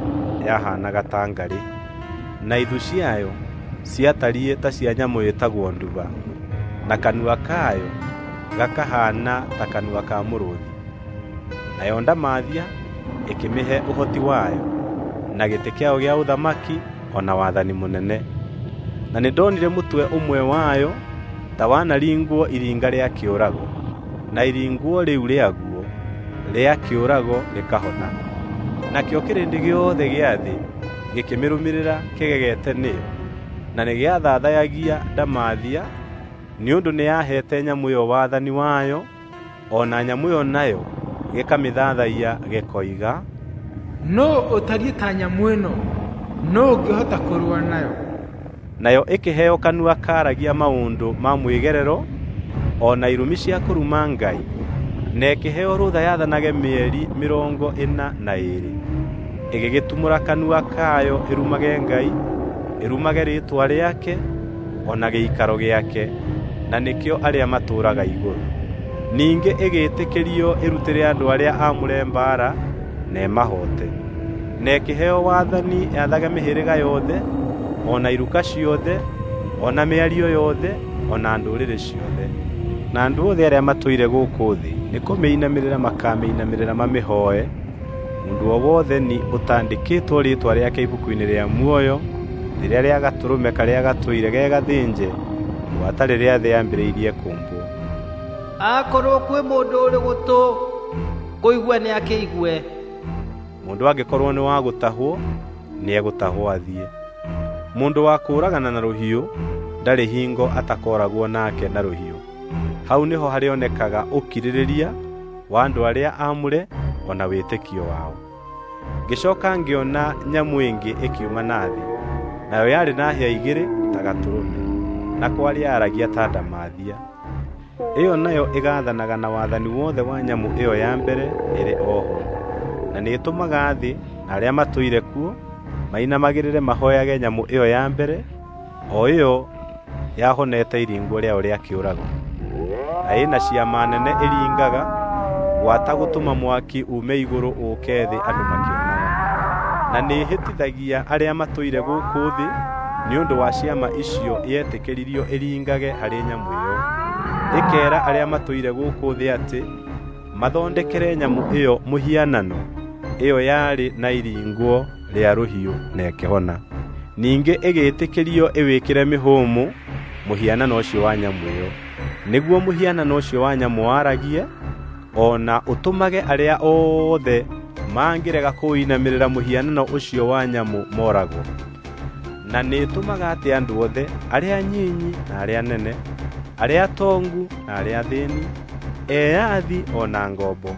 yahaanaga ta ngarĩ, na ithu ciayo ciatariĩ ta cia nyamũ ĩtagwo nduba, na kanua kayo gakahaana ta kanua ka mũrũũthi. Nayo ndamathia ĩkĩmĩhe ũhoti wayo, na gĩtĩ kĩayo gĩa ũthamaki o na wathani mũnene. Na nĩndonire mũtwe ũmwe wayo ta wanaringwo iringa rĩa kĩũrago, na iringwo rĩu rĩaguo rĩa kĩũrago rĩkahona. Nakĩo kĩrĩndĩ gĩothe gĩa thĩ gĩkĩmĩrũmĩrĩra kĩgegete nĩyo, na nĩgĩathathayagia ndamathia nĩ ũndũ nĩyaheete nyamũ ĩyo wathani wayo, o na nyamũ ĩyo nayo gĩkamĩthathaiya gĩkoiga, "Nũũ ũtariĩ ta nyamũ ĩno? Nũũ ũngĩhota kũrũa nayo?" Nayo ĩkĩheo kanua kaaragia maũndũ ma mwĩgerero o na irumi cia kũruma Ngai, na ĩkĩheo rũtha yathanage mĩeri 42. Ĩgĩgĩtumũra kanua kayo ĩrumage Ngai, ĩrumage rĩĩtwa rĩake o na gĩikaro gĩake, na nĩkĩo arĩa matũũraga igũrũ. Ningĩ ĩgĩĩtĩkĩrio ĩrutĩre andũ arĩa aamũre mbaara na ĩmahoote. Na ĩkĩheo wathani yathage mĩhĩrĩga yothe, o na iruka ciothe, o na mĩario yothe, o na ndũrĩrĩ ciothe. Na andũ othe arĩa matũire gũkũ thĩ nĩkũmĩinamĩrĩra makamĩinamĩrĩra mamĩhooe, mũndũ o wothe ni ũtaandĩkĩtwo rĩĩtwa rĩake ibuku-inĩ rĩa muoyo rĩrĩa rĩa Gatũrũme karĩa gatũire ge gathĩnje gwata rĩrĩa thĩ yambĩrĩirie kũũmbwo. Akorwo kwĩ mũndũ ũrĩ gũtũ kũigua nĩakĩigue. Mũndũ angĩkorwo nĩ wa gũtahwo, nĩegũtahwo athiĩ. Mũndũ wa kũũragana na rũhiũ ndarĩ hingo atakooragwo nake na rũhiũ. Hau nĩho harĩonekaga ũkirĩrĩria wa andũ arĩa aamũre o na wĩtĩkio wao. Ngĩcooka ngĩona nyamũ ĩngĩ ĩkiuma na thĩ, nayo yarĩ na hĩa igĩrĩ ta gatũrũme, na kwaria yaragia ta ndamathia. Ĩyo nayo ĩgaathanaga na wathani wothe wa nyamũ ĩyo ya mbere ĩrĩ o ho, na nĩĩtũmaga thĩ na arĩa matũire kuo mainamagĩrĩre mahooyage nyamũ ĩyo ya mbere, o ĩyo yahonete iringwo rĩayo rĩa kĩũrago. Na ĩna ciama nene ĩringaga, gwata gũtũma mwaki uume igũrũ ũũke thĩ andũ makĩonaga. Na nĩĩhĩtithagia arĩa matũire gũkũ thĩ nĩ ũndũ wa ciama icio yetĩkĩririo ĩringage harĩ nyamũ ĩyo. Ĩkeera arĩa matũire gũkũ thĩ atĩ mathondekere nyamũ ĩyo mũhianano, ĩyo yarĩ na iringwo rĩa rũhiũ na ĩkĩhona. Ningĩ ĩgĩĩtĩkĩrio ĩwĩkĩre mĩhũmũ mũhianano ũcio wa nyamũ ĩyo, nĩguo mũhianano ũcio wa nyamũ waragie, o na ũtũmage arĩa othe mangĩrega kũũinamĩrĩra mũhianano ũcio wa nyamũ mooragwo. Na nĩĩtũmaga atĩ andũ othe, arĩa anyinyi na arĩa anene, arĩa atongu na arĩa athĩĩni, eyathi o na ngombo,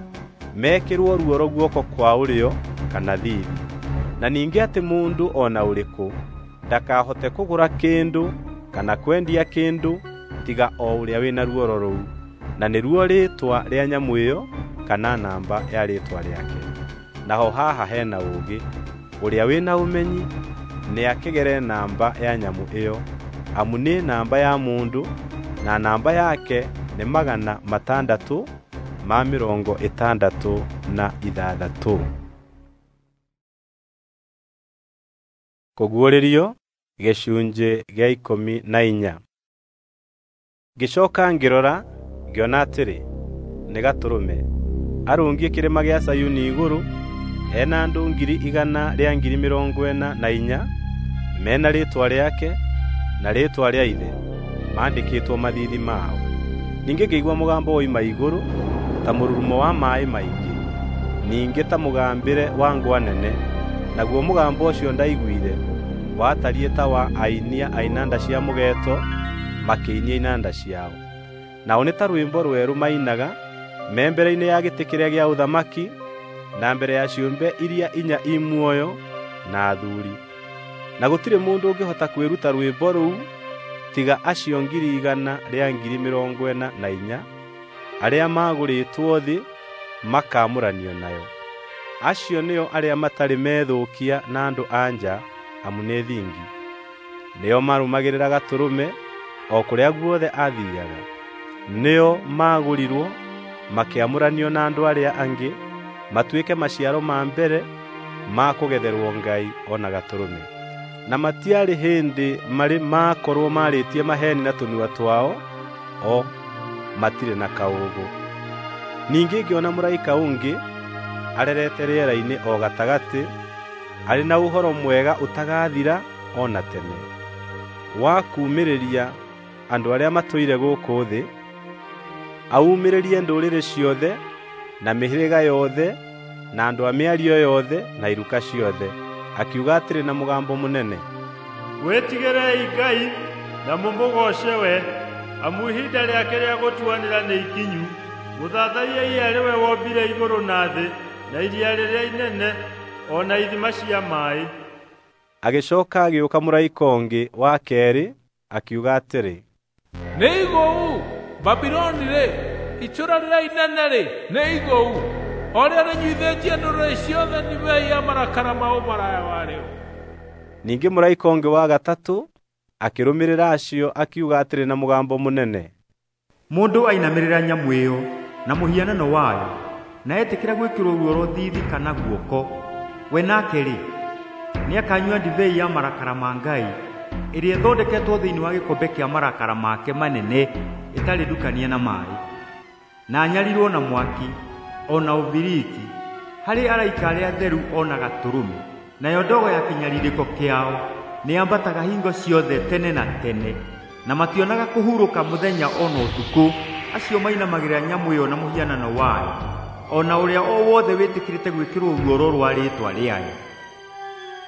mekĩrwo ruoro guoko kwa ũrĩo kana thiithi. Na ningĩ atĩ mũndũ o na ũrĩkũ ndakahote kũgũra kĩndũ kana kwendia kĩndũ tiga o ũrĩa wĩna ruoro rũu, na nĩruo rĩĩtwa rĩa nyamũ ĩyo kana namba ya rĩĩtwa rĩake. Naho haha hena ũũgĩ, ũrĩa wĩna ũmenyi nĩakĩgere namba ya nyamũ ĩyo, amu nĩ namba ya mũndũ, na namba yake nĩ 666. Kũguũrĩrio gĩcunjĩ gĩa 14. Ngĩcooka ngĩrora, ngĩona atĩrĩ, nĩ Gatũrũme, arũngiĩ kĩrĩma gĩa Zayuni igũrũ, ena andũ 144,000 mena rĩĩtwa rĩake na rĩĩtwa rĩa Ithe maandĩkĩtwo mathiithi mao. Ningĩ ngĩigua mũgambo woima igũrũ ta mũrurumo wa maaĩ maingĩ, ningĩ ta mũgambĩre wa ngwa nene. Naguo mũgambo ũcio ndaiguire watariĩ ta wa ainia a inanda cia mũgeeto makĩinia inanda ciao. Nao nĩ ta rwĩmbo rwerũ mainaga me mbere-inĩ ya gĩtĩ kĩrĩa gĩa ũthamaki na mbere ya ciũmbe iria inya i muoyo na athuuri. Na gũtirĩ mũndũ ũngĩhota kwĩruta rwĩmbo rũu tiga acio 144,000 arĩa magũrĩtwo thĩ makaamũranio nayo. Acio nĩo arĩa matarĩ methũkia na andũ a nja amu nĩ thingi. Nĩo marũmagĩrĩra Gatũrũme o kũrĩa guothe athiiaga. Nĩo maagũrirwo makĩamũranio na andũ arĩa angĩ matuĩke maciaro ma mbere ma kũgetherwo Ngai o na Gatũrũme. Na matiarĩ hĩndĩ marĩ maakorwo maarĩtie maheeni na tũnua twao, o matirĩ na kaũũgũ. Ningĩ ngĩona mũraika ũngĩ arerete rĩera-inĩ o gatagatĩ, arĩ na ũhoro mwega ũtagathira o na tene, wa kuumĩrĩria andũ arĩa matũire gũkũ thĩ, aumĩrĩrie ndũrĩrĩ ciothe na mĩhĩrĩga yothe na andũ a mĩario yothe na iruka ciothe, akiuga atĩrĩ na mũgambo mũnene, Wĩtigĩrei Ngai na mũmũgooce we, amu ihinda rĩake rĩa gũtuanĩra nĩ ikinyu. Mũthathaiei arĩ we wombire igũrũ na thĩ na iria rĩrĩa inene o na ithima cia maaĩ. Agĩcoka agĩũka mũraika ũngĩ wa keerĩ akiuga atĩrĩ, Nĩ igũu Babiloni-rĩ, itũũra rĩrĩa inene-rĩ, nĩ igũu, o rĩo rĩnyuithĩtie ndũrĩrĩ ciothe ndibei ya marakara ma ũmaraya warĩo. Ningĩ mũraika ũngĩ wa gatatũ akĩrũmĩrĩra acio akiuga atĩrĩ na mũgambo mũnene, Mũndũ ainamĩrĩra nyamũ ĩyo na mũhianano wayo na etĩkĩra gwĩkĩrwo ruoro thiithi kana guoko, we nake-rĩ, nĩakanyua ndibei ya marakara ma Ngai ĩrĩa ĩthondeketwo thĩinĩ wa gĩkombe kĩa marakara make manene ĩtarĩ ndukanie na maaĩ, na anyarirwo na mwaki o na ũbiriti harĩ araika arĩa atheru o na Gatũrũme. Nayo ndogo ya kĩnyarirĩko kĩao nĩyambataga hingo ciothe tene na tene, na mationaga kũhurũka mũthenya o na ũtukũ, acio mainamagĩrĩra nyamũ ĩyo na mũhianano wayo, o na ũrĩa o wothe wĩtĩkĩrĩte gwĩkĩrwo ruoro rwa rĩĩtwa rĩayo.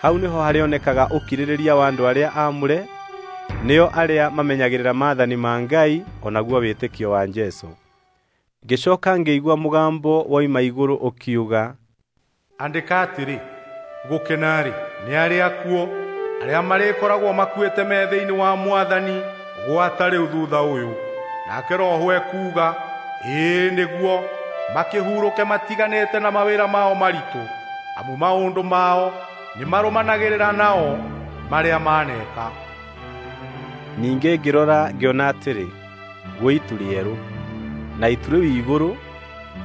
Hau nĩho harĩonekaga ũkirĩrĩria wa andũ arĩa aamũre, nĩo arĩa mamenyagĩrĩra maathani ma Ngai o naguo wĩtĩkio wa Jesũ. Ngĩcoka ngĩigua mũgambo woima igũrũ ũkiuga, Andĩka atĩrĩ, gũkena-rĩ, nĩ arĩa akuũ arĩa marĩkoragwo makuĩte me thĩinĩ wa Mwathani gwata rĩu thutha ũyũ. Nake Roho ekuuga, ĩĩ nĩguo, makĩhurũke matiganĩte na mawĩra mao maritũ, amu maũndũ mao nĩmarũmanagĩrĩra nao marĩa maneka. Ningĩ ngĩrora ngĩona atĩrĩ, gwĩ itu rĩerũ, na itu rĩu igũrũ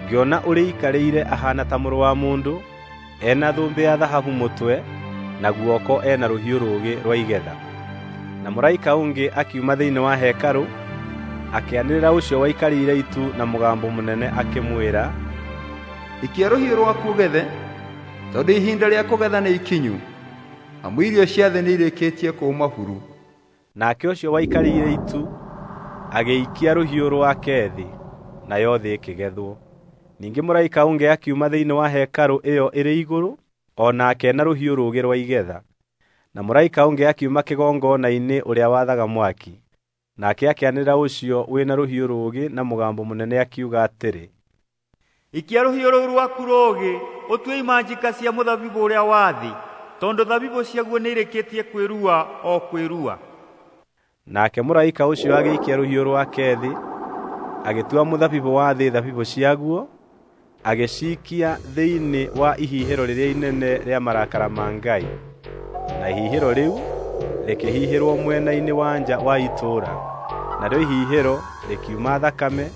ngĩona ũrĩikarĩire ahaana ta mũrũ wa mũndũ, ena thũmbĩ ya thahabu mũtwe, na guoko ena rũhiũ rũũgĩ rwa igetha. Na mũraika ũngĩ akiuma thĩinĩ wa hekarũ, akĩanĩrĩra ũcio waikarĩire itu na mũgambo mũnene akĩmwĩra, Ikia rũhiũ rwaku ũgethe, tondũ ihinda rĩa kũgetha nĩ ikinyu, amu irio cia thĩ nĩirĩkĩtie kũũma buru. Nake ũcio waikarĩire itu agĩikia rũhiũ rwake thĩ, nayo thĩ ĩkĩgethwo. Ningĩ mũraika ũngĩ akiuma thĩinĩ wa hekarũ ĩyo ĩrĩ igũrũ, o nake na rũhiũ rũũgĩ rwa igetha. Na mũraika ũngĩ akiuma kĩgongona-inĩ ũrĩa wathaga mwaki. Nake akĩanĩrĩra ũcio wĩna rũhiũ rũũgĩ na mũgambo mũnene akiuga atĩrĩ, Ikia rũhiũ rũu rwaku rũũgĩ ũtue imanjika cia mũthabibũ ũrĩa wa thĩ, tondũ thabibũ ciaguo nĩirĩkĩtie kwĩrua o kwĩrua. Nake mũraika ũcio agĩikia rũhiũ rwake thĩ, agĩtua mũthabibũ wa thĩ thabibũ ciaguo, agĩciikia thĩinĩ wa ihihĩro rĩrĩa inene rĩa marakara ma Ngai. Na ihihĩro rĩu rĩkĩhihĩrwo mwena-inĩ wa nja wa itũũra, narĩo ihihĩro rĩkiuma thakame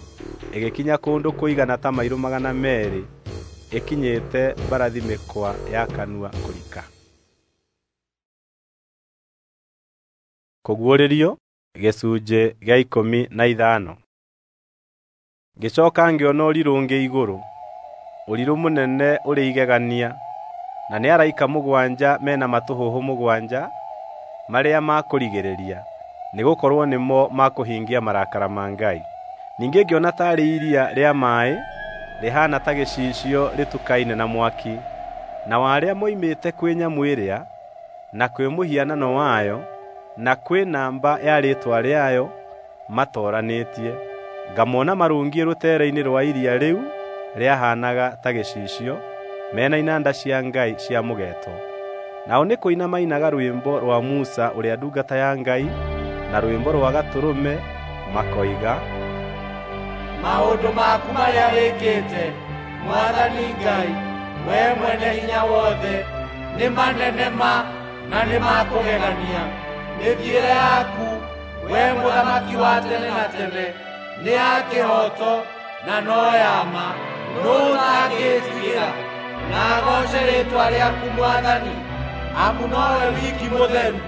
ĩgĩkinya kũndũ kũigana ta mairũ 200 ĩkinyĩte mbarathi mĩkwa ya kanua kũrika. Kũguũrĩrio gĩcunjĩ gĩa 15. Ngĩcoka ngĩona ũrirũ ũngĩ igũrũ, ũrirũ mũnene ũrĩ igegania, na nĩ araika 7 mena matũhũhũ 7 marĩa ma kũrigĩrĩria, nĩgũkorwo nĩmo makũhingia marakara ma Ngai. Ningĩ ngĩona taarĩ iria rĩa maaĩ rĩhaana ta gĩcicio rĩtukaine na mwaki. Nao arĩa moimĩte kwĩ nyamũ ĩrĩa, na kwĩ mũhianano wayo, na kwĩ namba ya rĩĩtwa rĩayo matooranĩtie, ngamona marũngiĩ rũteere-inĩ rwa iria rĩu rĩahaanaga ta gĩcicio, mena inanda cia Ngai cia mũgeeto. Nao nĩ kũina mainaga rwĩmbo rwa Musa ũrĩa ndungata ya Ngai, na rwĩmbo rwa Gatũrũme, makoiga, Maũndũ maku marĩa wĩkĩte, Mwathani Ngai, wee mwene hinya wothe, nĩ manene ma na nĩ ma kũgegania. Mĩthiĩre yaku, wee mũthamaki wa tene na tene, nĩ ya kĩhooto na no ya ma. Nũũ ũtangĩĩtigĩra na agooce rĩĩtwa rĩaku Mwathani, amu nowe wiki mũtheru.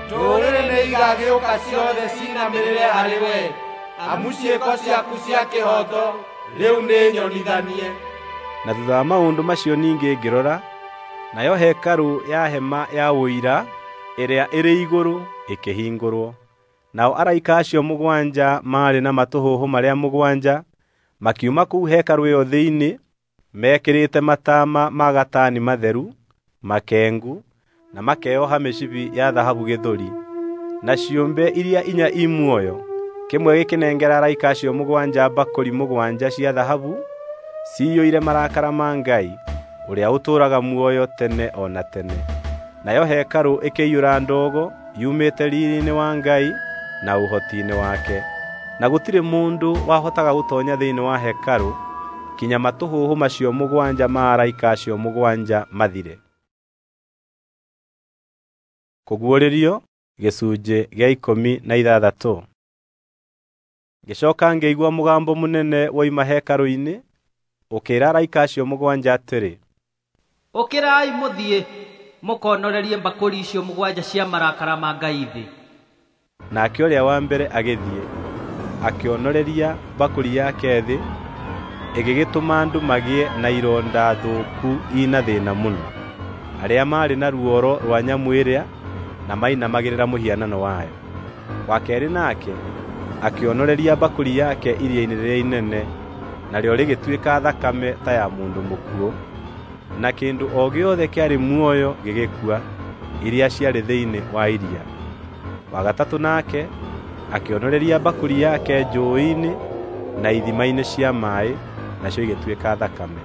Ndũrĩrĩ nĩ igagĩũka ciothe cinamĩrĩre harĩ wee, amu ciĩko ciaku cia kĩhooto rĩu nĩ nyonithanie. Na thutha wa maũndũ macio ningĩ ngĩrora, nayo hekarũ ya hema ya ũira ĩrĩa ĩrĩ igũrũ ĩkĩhingũrwo. Nao araika acio mũgwanja maarĩ na matũhũhũ marĩa mũgwanja makiuma kũu hekarũ ĩyo thĩinĩ, mekĩrĩte mataama ma gatani matheru, makengu, na makeoha mĩcibi ya thahabu gĩthũri. Na ciũmbe iria inya i muoyo, kĩmwe gĩkĩnengera araika acio mũgwanja mbakũri mũgwanja cia thahabu ciyũire marakara ma Ngai ũrĩa ũtũũraga muoyo tene o na tene. Nayo hekarũ ĩkĩiyũra ndogo yumĩte riiri-inĩ wa Ngai na ũhoti-inĩ wake. Na gũtirĩ mũndũ wahotaga gũtoonya thĩinĩ wa hekarũ kinya matũhũhũ macio mũgwanja ma araika acio mũgwanja mathire. Kũguũrĩrio gĩcunjĩ gĩa 16. Ngĩcooka ngĩigua mũgambo mũnene woima hekarũ-inĩ ũkĩĩra araika acio mũgwanja atĩrĩ, Ũkĩrai mũthiĩ mũkonorerie mbakũri icio mũgwanja cia marakara ma Ngai thĩ. Nake ũrĩa wa mbere agĩthiĩ, akĩonoreria mbakũri yake thĩ, ĩgĩgĩtũma andũ magĩe na ironda thũku ina thĩĩna mũno, arĩa maarĩ na ruoro rwa nyamũ ĩrĩa na mainamagĩrĩra mũhianano wayo. Wa keerĩ nake akĩonoreria mbakũri yake iria-inĩ rĩrĩa inene, narĩo rĩgĩtuĩka thakame ta ya mũndũ mũkuũ, na kĩndũ o gĩothe kĩarĩ muoyo gĩgĩkua, iria ciarĩ thĩinĩ wa iria. Wa gatatũ nake akĩonoreria mbakũri yake njũũĩ-inĩ na ithima-inĩ cia maaĩ, nacio igĩtuĩka thakame.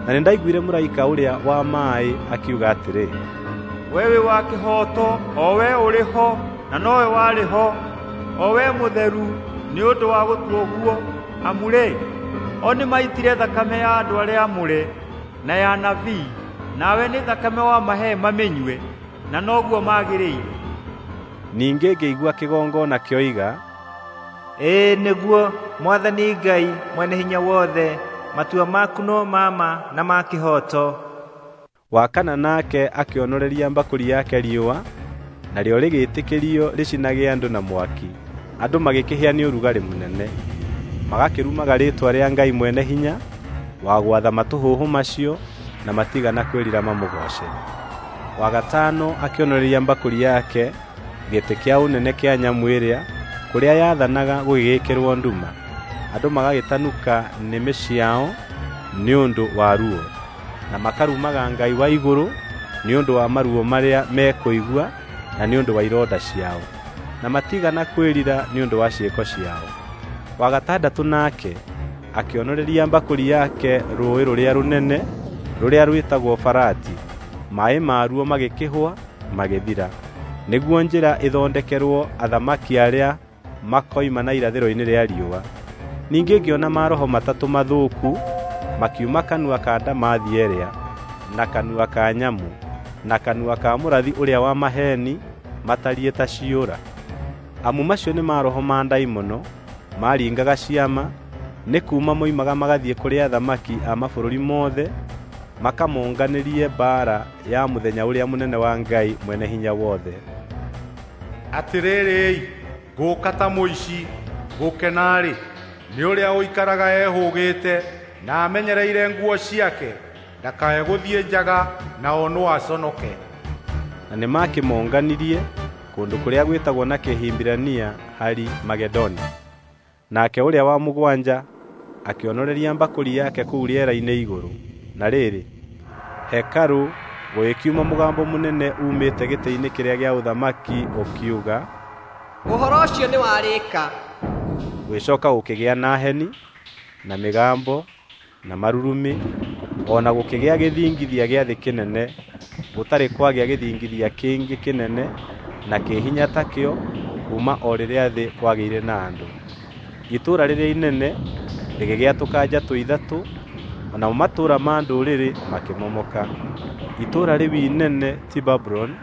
Na nĩndaiguire mũraika ũrĩa wa maaĩ akiuga atĩrĩ, Wee wĩ wa kĩhooto, o wee ũrĩ ho na nowe warĩ ho, o wee mũtheru, nĩ ũndũ wa gũtua ũguo, amu-rĩ, o nĩmaitire thakame ya andũ arĩa aamũre na ya anabii, nawe nĩ thakame wamahe mamĩnyue, na noguo magĩrĩire. Ningĩ ngĩigua kĩgongona kĩoiga, Ĩĩ nĩguo, Mwathani Ngai Mwene-Hinya-Wothe, matua maku no ma ma na ma kĩhooto. Wa kana nake akĩonoreria mbakũri yake riũa, narĩo rĩgĩĩtĩkĩrio rĩcinage andũ na mwaki. Andũ magĩkĩhĩa nĩ ũrugarĩ mũnene, magakĩrumaga rĩĩtwa rĩa Ngai Mwene-Hinya wa gwatha matũhũhũ macio, na matigana kwĩrira mamũgooce. Wa gatano akĩonoreria mbakũri yake gĩtĩ kĩa ũnene kĩa nyamũ ĩrĩa, kũrĩa yaathanaga gũgĩgĩkĩrwo nduma. Andũ magagĩtanuka nĩmĩ ciao nĩ ũndũ wa ruo, na makarumaga Ngai wa igũrũ nĩ ũndũ wa maruo marĩa mekũigua na nĩ ũndũ wa ironda ciao, na matigana kwĩrira nĩ ũndũ wa ciĩko ciao. Wa gatandatũ nake akĩonoreria mbakũri yake rũũĩ rũrĩa rũnene, rũrĩa rwĩtagwo Farati. Maaĩ maruo magĩkĩhũa magĩthira, nĩguo njĩra ĩthondekerwo athamaki arĩa makoima na irathĩro-inĩ rĩa riũa. Ningĩ ngĩona maroho matatũ mathũku makiuma kanua ka ndamathia ĩrĩa, na kanua ka nyamũ, na kanua ka mũrathi ũrĩa wa maheeni matariĩ ta ciũra. Amu macio nĩ maroho ma ndaimono maringaga ciama, nĩ kuuma moimaga magathiĩ kũrĩ athamaki a mabũrũri mothe makamonganĩrie mbaara ya mũthenya ũrĩa mũnene wa Ngai Mwene-Hinya-Wothe. Atĩrĩrĩ-i, ngũũka ta mũici. Gũkena-rĩ, nĩ ũrĩa ũikaraga ehũũgĩte na amenyereire nguo ciake, ndakae gũthiĩ njaga na onwo aconoke. Na nĩmakĩmonganirie kũndũ kũrĩa gwĩtagwo na Kĩhibirania Hari-Magedoni. Nake ũrĩa wa mũgwanja akĩonoreria mbakũri yake kũu rĩera-inĩ igũrũ. Na rĩrĩ, hekarũ gũgĩkiuma mũgambo mũnene uumĩte gĩtĩ-inĩ kĩrĩa gĩa ũthamaki ũkiuga, Ũhoro ũcio nĩwarĩka. Gũgĩcoka gũkĩgĩa na heni, na mĩgambo, na marurumĩ, o na gũkĩgĩa gĩthingithia gĩa thĩ kĩnene, gũtarĩ kwagĩa gĩthingithia kĩngĩ kĩnene na kĩ hinya takĩo kuuma o rĩrĩa thĩ kwagĩire na andũ. Itũũra rĩrĩa inene rĩgĩgĩatũka njatũ ithatũ, o namo matũũra ma ndũrĩrĩ makĩmomoka. Itũũra rĩu inene ti Babuloni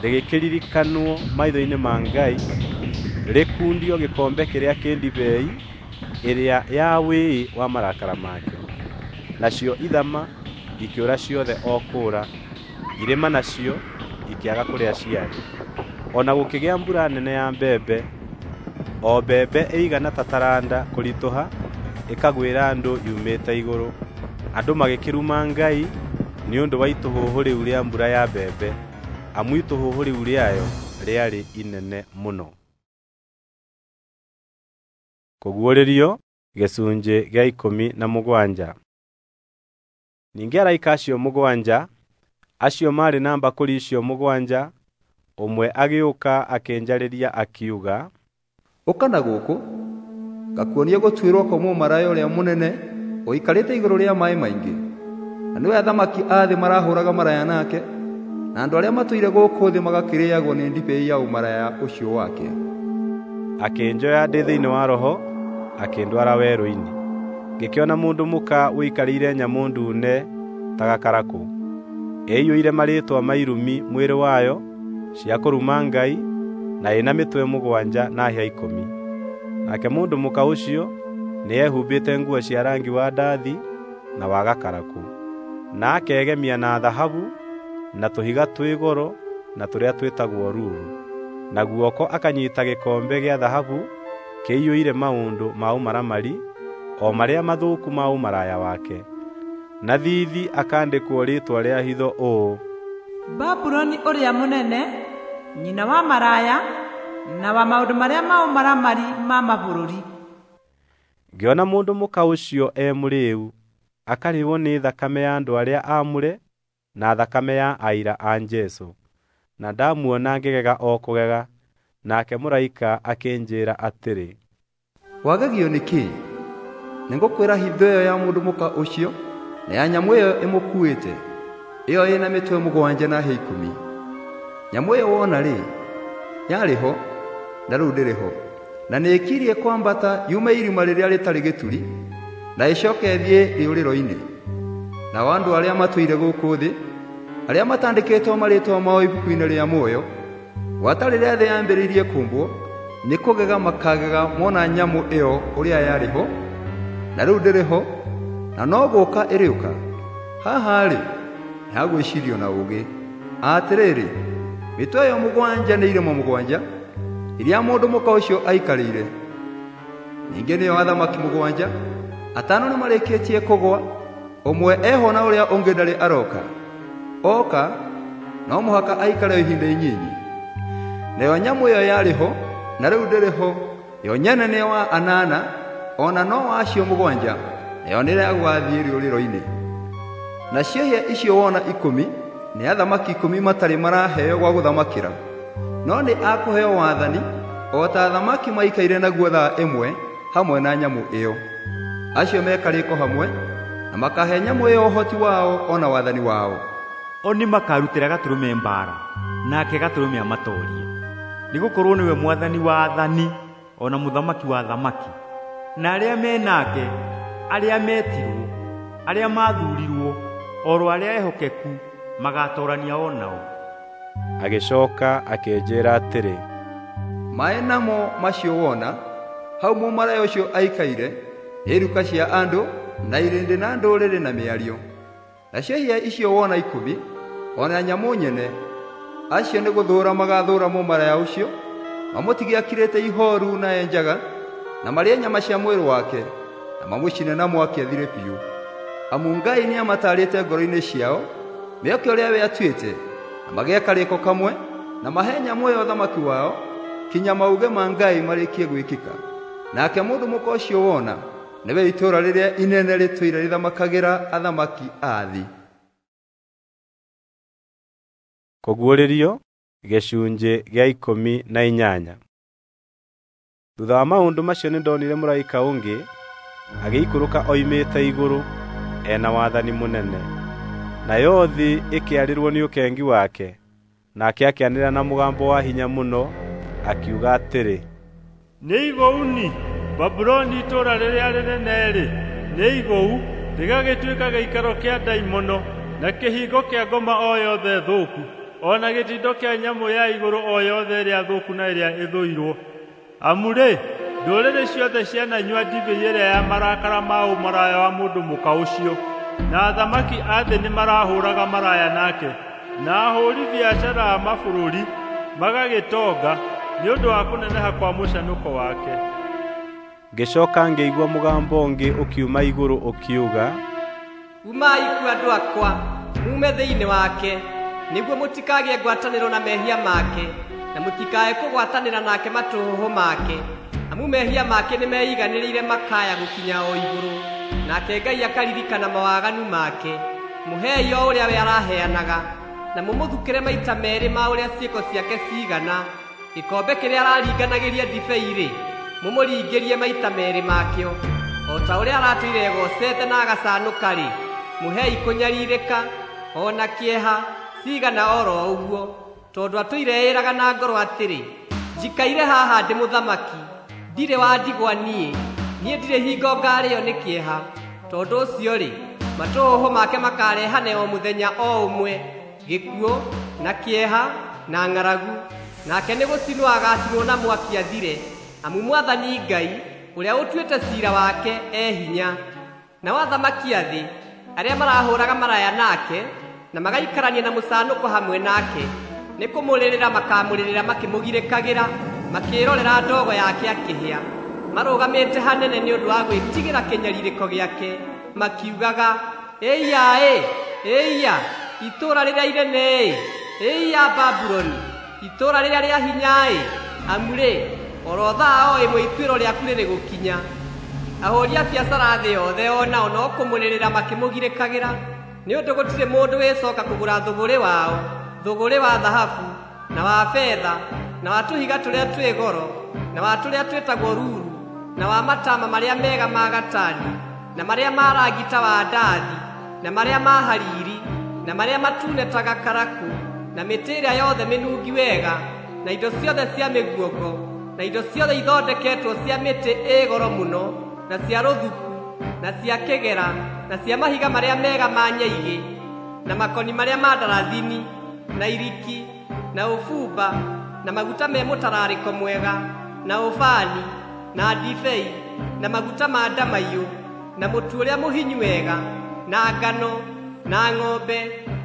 rĩgĩkĩririkanwo maitho-inĩ ma Ngai, rĩkundio gĩkombe kĩrĩa kĩ ndibei ĩrĩa ya wĩĩ wa marakara make. Nacio ithama ikĩũra ciothe o kũũra, irĩma nacio ikĩaga kũrĩa ciarĩ. O na gũkĩgĩa mbura nene ya mbembe, o mbembe ĩigana ta taranda kũritũha ĩkagwĩra andũ yumĩte igũrũ. Andũ magĩkĩruma Ngai nĩ ũndũ wa itũhũhũ rĩu rĩa mbura ya mbembe, amu itũhũhũ rĩu rĩayo rĩarĩ inene mũno. Kũguũrĩrio gĩcunjĩ gĩa 17. Ningĩ araika acio mũgwanja, acio maarĩ na mbakũri icio mũgwanja, ũmwe agĩũka akĩnjarĩria akiuga, Ũka na gũkũ, ngakuonie gũtuĩrwo kwa mũmaraya ũrĩa mũnene ũikarĩte igũrũ rĩa maaĩ maingĩ, na nĩwe athamaki a thĩ marahũraga maraya nake, na andũ arĩa matũire gũkũ thĩ magakĩrĩagwo nĩ ndibei ya ũmaraya ũcio wake. Akĩnjoya ndĩ thĩinĩ wa Roho, akĩndwara werũ-inĩ. Ngĩkĩona mũndũ mũka ũikarĩire nyamũ ndune ta gakarakũ, ĩiyũire marĩĩtwa ma irumi mwĩrĩ wayo cia kũruma Ngai, na ĩna mĩtwe mũgwanja na hĩa 10. Nake mũndũ mũka ũcio nĩehumbĩte nguo cia rangi wa ndathi na wa gakarakũ, na akegemia na thahabu na tũhiga twĩ goro na tũrĩa twĩtagwo ruru. Na guoko akanyita gĩkombe gĩa thahabu kĩiyũire maũndũ ma ũmaramari, o marĩa mathũku ma ũmaraya wake. Na thiithi akandĩkwo rĩĩtwa rĩa hitho ũũ: Babuloni ũrĩa mũnene, nyina wa maraya na wa maũndũ marĩa ma ũmaramari ma mabũrũri. Ngĩona mũndũ mũka ũcio e mũrĩĩu, akarĩĩo nĩ thakame ya andũ arĩa aamũre na thakame ya aira a Jesũ. Na ndamuona ngĩgega o kũgega. Nake mũraika akĩnjĩĩra atĩrĩ, Wagegio nĩ kĩĩ? Nĩngũkwĩra hitho ĩyo ya mũndũ mũka ũcio na ya nyamũ ĩyo ĩmũkuĩte, ĩyo ĩna mĩtwe mũgwanja na hĩa 10. Nyamũ ĩyo wona-rĩ, yarĩ ho na rĩu ndĩrĩ ho, na nĩĩkirie kwambata yume irima rĩrĩa rĩtarĩ gĩturi, na ĩcoke ĩthiĩ rĩũrĩro-inĩ. Nao andũ arĩa matũire gũkũ thĩ, arĩa matandĩkĩtwo marĩĩtwa mao ibuku-inĩ rĩa muoyo, gwata rĩrĩa thĩ yambĩrĩirie kũũmbwo, nĩ kũgega makagega mona nyamũ ĩyo ũrĩa yarĩ ho, na rĩu ndĩrĩ ho, na no gũũka ĩrĩũka. Haha-rĩ, nĩ ha gwĩcirio na ũũgĩ. Atĩrĩrĩ, mĩtwe ĩyo mũgwanja nĩ irĩma mũgwanja iria mũndũ mũka ũcio aikarĩire. Ningĩ nĩo athamaki mũgwanja, atano nĩmarĩkĩtie kũgũa, ũmwe eho na ũrĩa ũngĩ ndarĩ aroka. Oka no mũhaka aikare ihinda inyinyi. Nayo nyamũ ĩyo yarĩ ho na rĩu ndĩrĩ ho, yo nyene nĩ wa anana, o na no wacio mũgwanja, nayo nĩrĩa rĩũrĩro-inĩ. Nacio hĩa icio wona 10 nĩ athamaki 10 matarĩ maraheo gwa gũthamakĩra, no nĩ akũheo wathani o ta athamaki maikaire naguo thaa ĩmwe hamwe na nyamũ ĩyo. Acio mekarĩko hamwe na makahe nyamũ ĩyo ũhoti wao o na wathani wao. O nĩ makarutĩra Gatũrũme mbaara, nake Gatũrũme amatoorie, nĩgũkorwo nĩwe mwathani wa athani o na mũthamaki wa athamaki, na arĩa me nake, arĩa metirwo, arĩa maathuurirwo, oro arĩa ehokeku magaatoorania o nao. Agĩcoka akĩnjĩĩra atĩrĩ, Maĩ namo macio wona hau mũmaraya ũcio aikaire nĩ iruka cia andũ na irĩndĩ na ndũrĩrĩ na mĩario. Nacio hĩa icio wona 10 o na nyamũ nyene, acio nĩ gũthũũra magathũũra mũmaraya ũcio, mamũtige akirĩte ihooru na enjaga, na marĩe nyama cia mwĩrĩ wake, na mamũcine na mwaki athire biũ. Amu Ngai nĩamatarĩte ngoro-inĩ ciao mĩoke ũrĩa we atuĩte, na magĩe karĩko kamwe, na mahe nyamũ ĩyo ũthamaki wao, kinya mauge ma Ngai marĩkie gwĩkĩka. Nake mũndũ mũka ũcio wona Nĩwe itũũra rĩrĩa inene rĩtũire rĩthamakagĩra athamaki a thĩ. Kũguũrĩrio gĩcunjĩ gĩa 18. Thutha wa maũndũ macio nĩndonire mũraika ũngĩ agĩikũrũka oimĩte igũrũ e na wathani mũnene. Nayo thĩ ĩkĩarĩrwo nĩ ũkengi wake. Nake akĩanĩrĩra na mũgambo wa hinya mũno akiuga atĩrĩ, Nĩ igũu-ni, Babuloni itũũra rĩrĩa rĩnene-rĩ, nĩ igũu, rĩgagĩtuĩka gĩikaro kĩa ndaimono na kĩhingo kĩa ngoma o yothe thũku, o na gĩtindo kĩa nyamũ ya igũrũ o yothe ĩrĩa thũku na ĩrĩa ĩthũirwo. Amu-rĩ, ndũrĩrĩ ciothe ciananyua ndibei ĩrĩa ya marakara ma ũmaraya wa mũndũ mũka ũcio, na athamaki a thĩ nĩmarahũraga maraya nake, na ahũũri biacara a mabũrũri magagĩtonga nĩ ũndũ wa kũneneha kwa mũcanũko wake. Ngĩcoka ngĩigua mũgambo ũngĩ ũkiuma igũrũ ũkiuga, Umai kuo andũ akwa, mume thĩinĩ wake, nĩguo mũtikagĩe ngwatanĩro na mehia make, na mũtikae kũgwatanĩra nake matũhũhũ make. Amu mehia make nĩmeiganĩrĩire makaya gũkinya o igũrũ, nake Ngai akaririkana mawaganu make. Mũhei o ũrĩa we araheanaga, na mũmũthukĩre maita meerĩ ma ũrĩa ciĩko ciake ciigana. Gĩkombe kĩrĩa araringanagĩria ndibei-rĩ, mũmũringĩrie maita meerĩ makĩo. O ta ũrĩa aratũire egocete na agacanũka-rĩ, mũhei kũnyarirĩka o na kĩeha cigana oro ũguo, tondũ atũire eĩraga na ngoro atĩrĩ, njikaire haha ndĩ mũthamaki, ndirĩ wa ndigwa niĩ, niĩ ndirĩ hingo ngarĩo nĩ kĩeha. Tondũ ũcio-rĩ, matũhũhũ make makarehane o mũthenya o ũmwe, gĩkuũ na kĩeha na ng'aragu, nake nĩ gũcinwo agacinwo na mwaki athire. Amu Mwathani Ngai ũrĩa ũtuĩte ciira wake e hinya. Nao athamaki a thĩ arĩa marahũraga maraya nake na magaikarania na mũcanũko hamwe nake, nĩ kũmũrĩrĩra makamũrĩrĩra makĩmũgirĩkagĩra, makĩĩrorera ndogo yake akĩhĩa, marũgamĩte hanene nĩ ũndũ wa gwĩtigĩra kĩnyarirĩko gĩake, makiugaga, Ĩiya-ĩ, ĩiya, itũũra rĩrĩa inene-ĩ, ĩiya Babuloni, itũũra rĩrĩa rĩa hinya-ĩ! Amu-rĩ, oro thaa o ĩmwe ituĩro rĩaku rĩrĩ gũkinya. Ahũũri a biacara a thĩ yothe o nao no kũmũrĩrĩra makĩmũgirĩkagĩra, nĩ ũndũ gũtirĩ mũndũ wĩcoka kũgũra thũgũrĩ wao, thũgũrĩ wa thahabu, na wa betha, na wa tũhiga tũrĩa twĩ goro, na wa tũrĩa twĩtagwo ruru, na wa matama marĩa mega ma gatani, na marĩa ma rangi ta wa ndathi, na marĩa ma hariri, na marĩa matune ta gakarakũ, na mĩtĩ ĩrĩa yothe mĩnungi wega, na indo ciothe cia mĩguongo, na indo ciothe ithondeketwo cia mĩtĩ ĩ goro mũno, na cia rũthuku, na cia kĩgera, na cia mahiga marĩa mega ma nyaigĩ, na makoni marĩa ma ndarathini, na iriki, na ũbumba, na maguta me mũtararĩko mwega, na ũbani, na ndibei, na maguta ma ndamaiyũ, na mũtu ũrĩa mũhinyu wega, na ngano, na ng'ombe,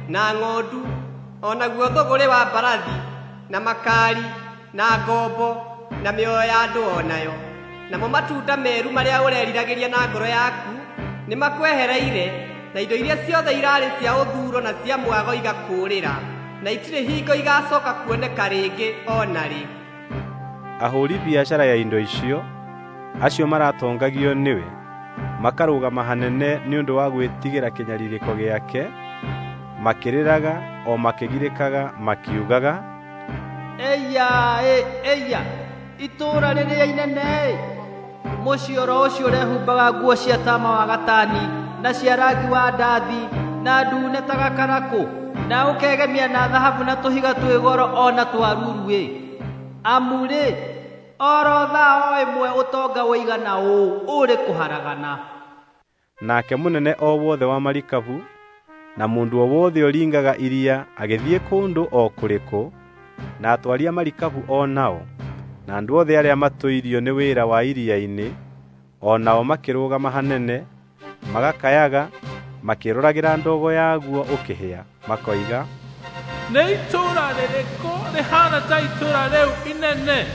na ng'ondu, o naguo thũgũrĩ wa mbarathi, na makari, na ngombo, na mĩoyo ya andũ o nayo. Namo matunda meru marĩa ũreriragĩria na ngoro yaku nĩmakwehereire, na indo iria ciothe irarĩ cia ũthuro na cia mwago igakũũrĩra, na itirĩ hingo igacoka kuoneka rĩngĩ o na rĩ. Ahũũri biacara ya indo icio, acio maratongagio nĩwe, makarũgama hanene nĩ ũndũ wa gwĩtigĩra kĩnyarirĩko gĩake, makĩrĩraga o makĩgirĩkaga makiugaga, Ĩiya-ĩ, ĩiya, itũũra rĩrĩa inene-ĩ! Mũciĩ oro ũcio ũrehumbaga nguo cia tama wa gatani, na cia rangi wa ndathi, na ndune ta gakarakũ, na ũkegemia na thahabu na tũhiga twĩ goro o na twa ruru-ĩ! Amu-rĩ, oro thaa o ĩmwe ũtonga ũigana ũũ ũrĩ kũharagana. Nake mũnene o wothe wa marikabu na mũndũ o wothe ũringaga iria agĩthiĩ kũndũ o kũrĩkũ, na atwari a marikabu o nao, na andũ othe arĩa matũirio nĩ wĩra wa iria-inĩ, o nao makĩrũgama hanene, magakayaga, makĩĩroragĩra ndogo yaguo ũkĩhĩa, makoiga, Nĩ itũũra rĩrĩkũ rĩhaana ta itũũra rĩu inene?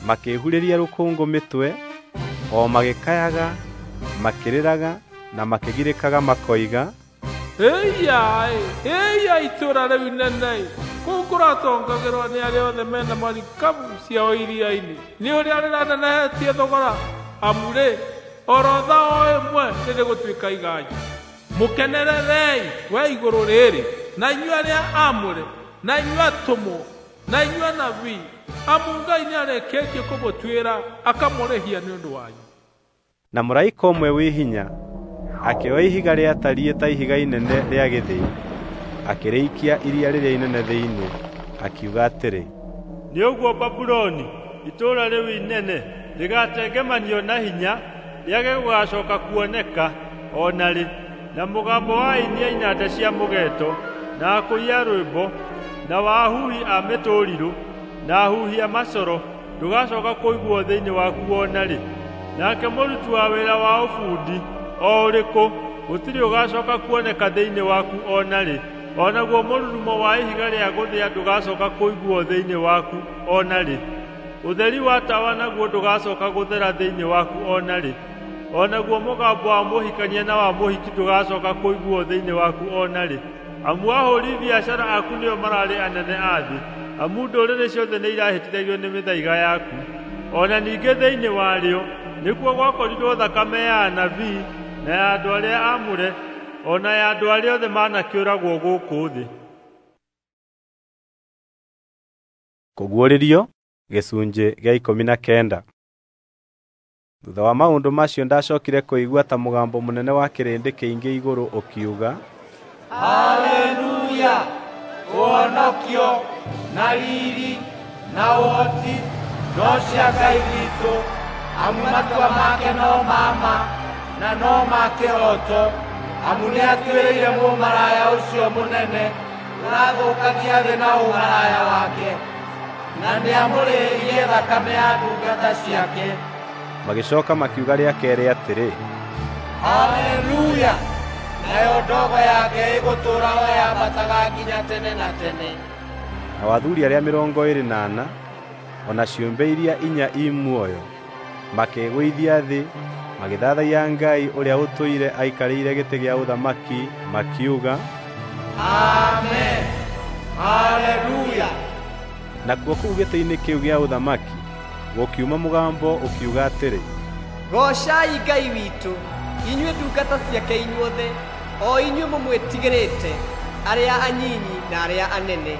Makĩĩhurĩria rũkũngũ mĩtwe, o magĩkayaga, makĩrĩraga na makĩgirĩkaga makoiga, Ĩiya-ĩ, ĩiya itũũra rĩu inene-ĩ! Kũu kũratongagĩrwo nĩ arĩa othe mena marikabu ciao iria-inĩ, nĩ ũrĩa rĩranenehetie thogora. Amu-rĩ, Oro thaa o ĩmwe rĩrĩgũtuĩka iganjo. Mũkenererei we igũrũ rĩrĩ, na inyuĩ arĩa aamũre, na inyuĩ atũmwo, na inyuĩ anabii, amu Ngai nĩarĩkĩtie kũmũtuĩra akamũrĩhia nĩ ũndũ wanyu. Na mũraika ũmwe wĩ hinya akĩoya ihiga rĩatariĩ ta ihiga inene rĩa gĩthĩi, akĩrĩikia iria rĩrĩa inene thĩinĩ, akiuga atĩrĩ, Nĩ ũguo Babuloni, itũũra rĩu inene, rĩgatengemanio na hinya, rĩage gũgacooka kuoneka o na rĩ, na mũgambo wa aini a inanda cia mũgeeto, na akũi a rwĩmbo, na wa ahuhi a mĩtũrirũ, na ahuhi a macoro ndũgacooka kũiguuo thĩinĩ waku o na rĩ. Nake mũruti wa wĩra wa ũbundi o ũrĩkũ gũtirĩ ũgacooka kuoneka thĩinĩ waku o na rĩ, o naguo mũrurumo wa ihiga rĩa gũthĩa ndũgacooka kũiguuo thĩinĩ waku o na rĩ. Ũtheri wa tawa naguo ndũgacooka gũthera thĩinĩ waku o na rĩ, o naguo mũgambo wa mũhikania na wa mũhiki ndũgacooka kũiguuo thĩinĩ waku o na rĩ. Amu ahũũri biacara aku nĩo mararĩ anene a thĩ, amu ndũrĩrĩ ciothe nĩirahĩtithagio nĩ mĩthaiga yaku. O na ningĩ thĩinĩ warĩo nĩkuo gwakorirwo thakame ya anabii na ya andũ arĩa aamũre, o na ya andũ arĩa othe manakĩũragwo gũkũ thĩ. Kũguũrĩrio gĩcunjĩ gĩa 19. Thutha wa maũndũ macio ndacokire kũigua ta mũgambo mũnene wa kĩrĩndĩ kĩingĩ igũrũ ũkiuga, Haleluya! Ũhonokio na riri na ũhoti no cia Ngai witũ, amu matua make no ma ma na no ma kĩhooto, amu nĩatuĩrĩire mũmaraya ũcio mũnene ũrathũkagia thĩ na ũmaraya wake, na nĩamũrĩhĩirie thakame ya ndungata ciake. Magĩcoka makiuga rĩa kerĩ atĩrĩ, Haleluya! Nayo ndogo yake ĩgũtũũra o yambataga nginya tene na tene. Nao athuri arĩa 24, o na ciũmbe iria inya i muoyo, makĩĩgũithia thĩ, magĩthathaiya Ngai ũrĩa ũtũire aikarĩire gĩtĩ gĩa ũthamaki, makiuga, Amen! Haleluya! Nakuo kũu gĩtĩ-inĩ kĩu gĩa ũthamaki gũkiuma mũgambo ũkiuga atĩrĩ, Goocai Ngai witũ, inyuĩ ndungata ciake inyuothe, o inyuĩ mũmwĩtigĩrĩte, arĩa anyinyi na arĩa anene.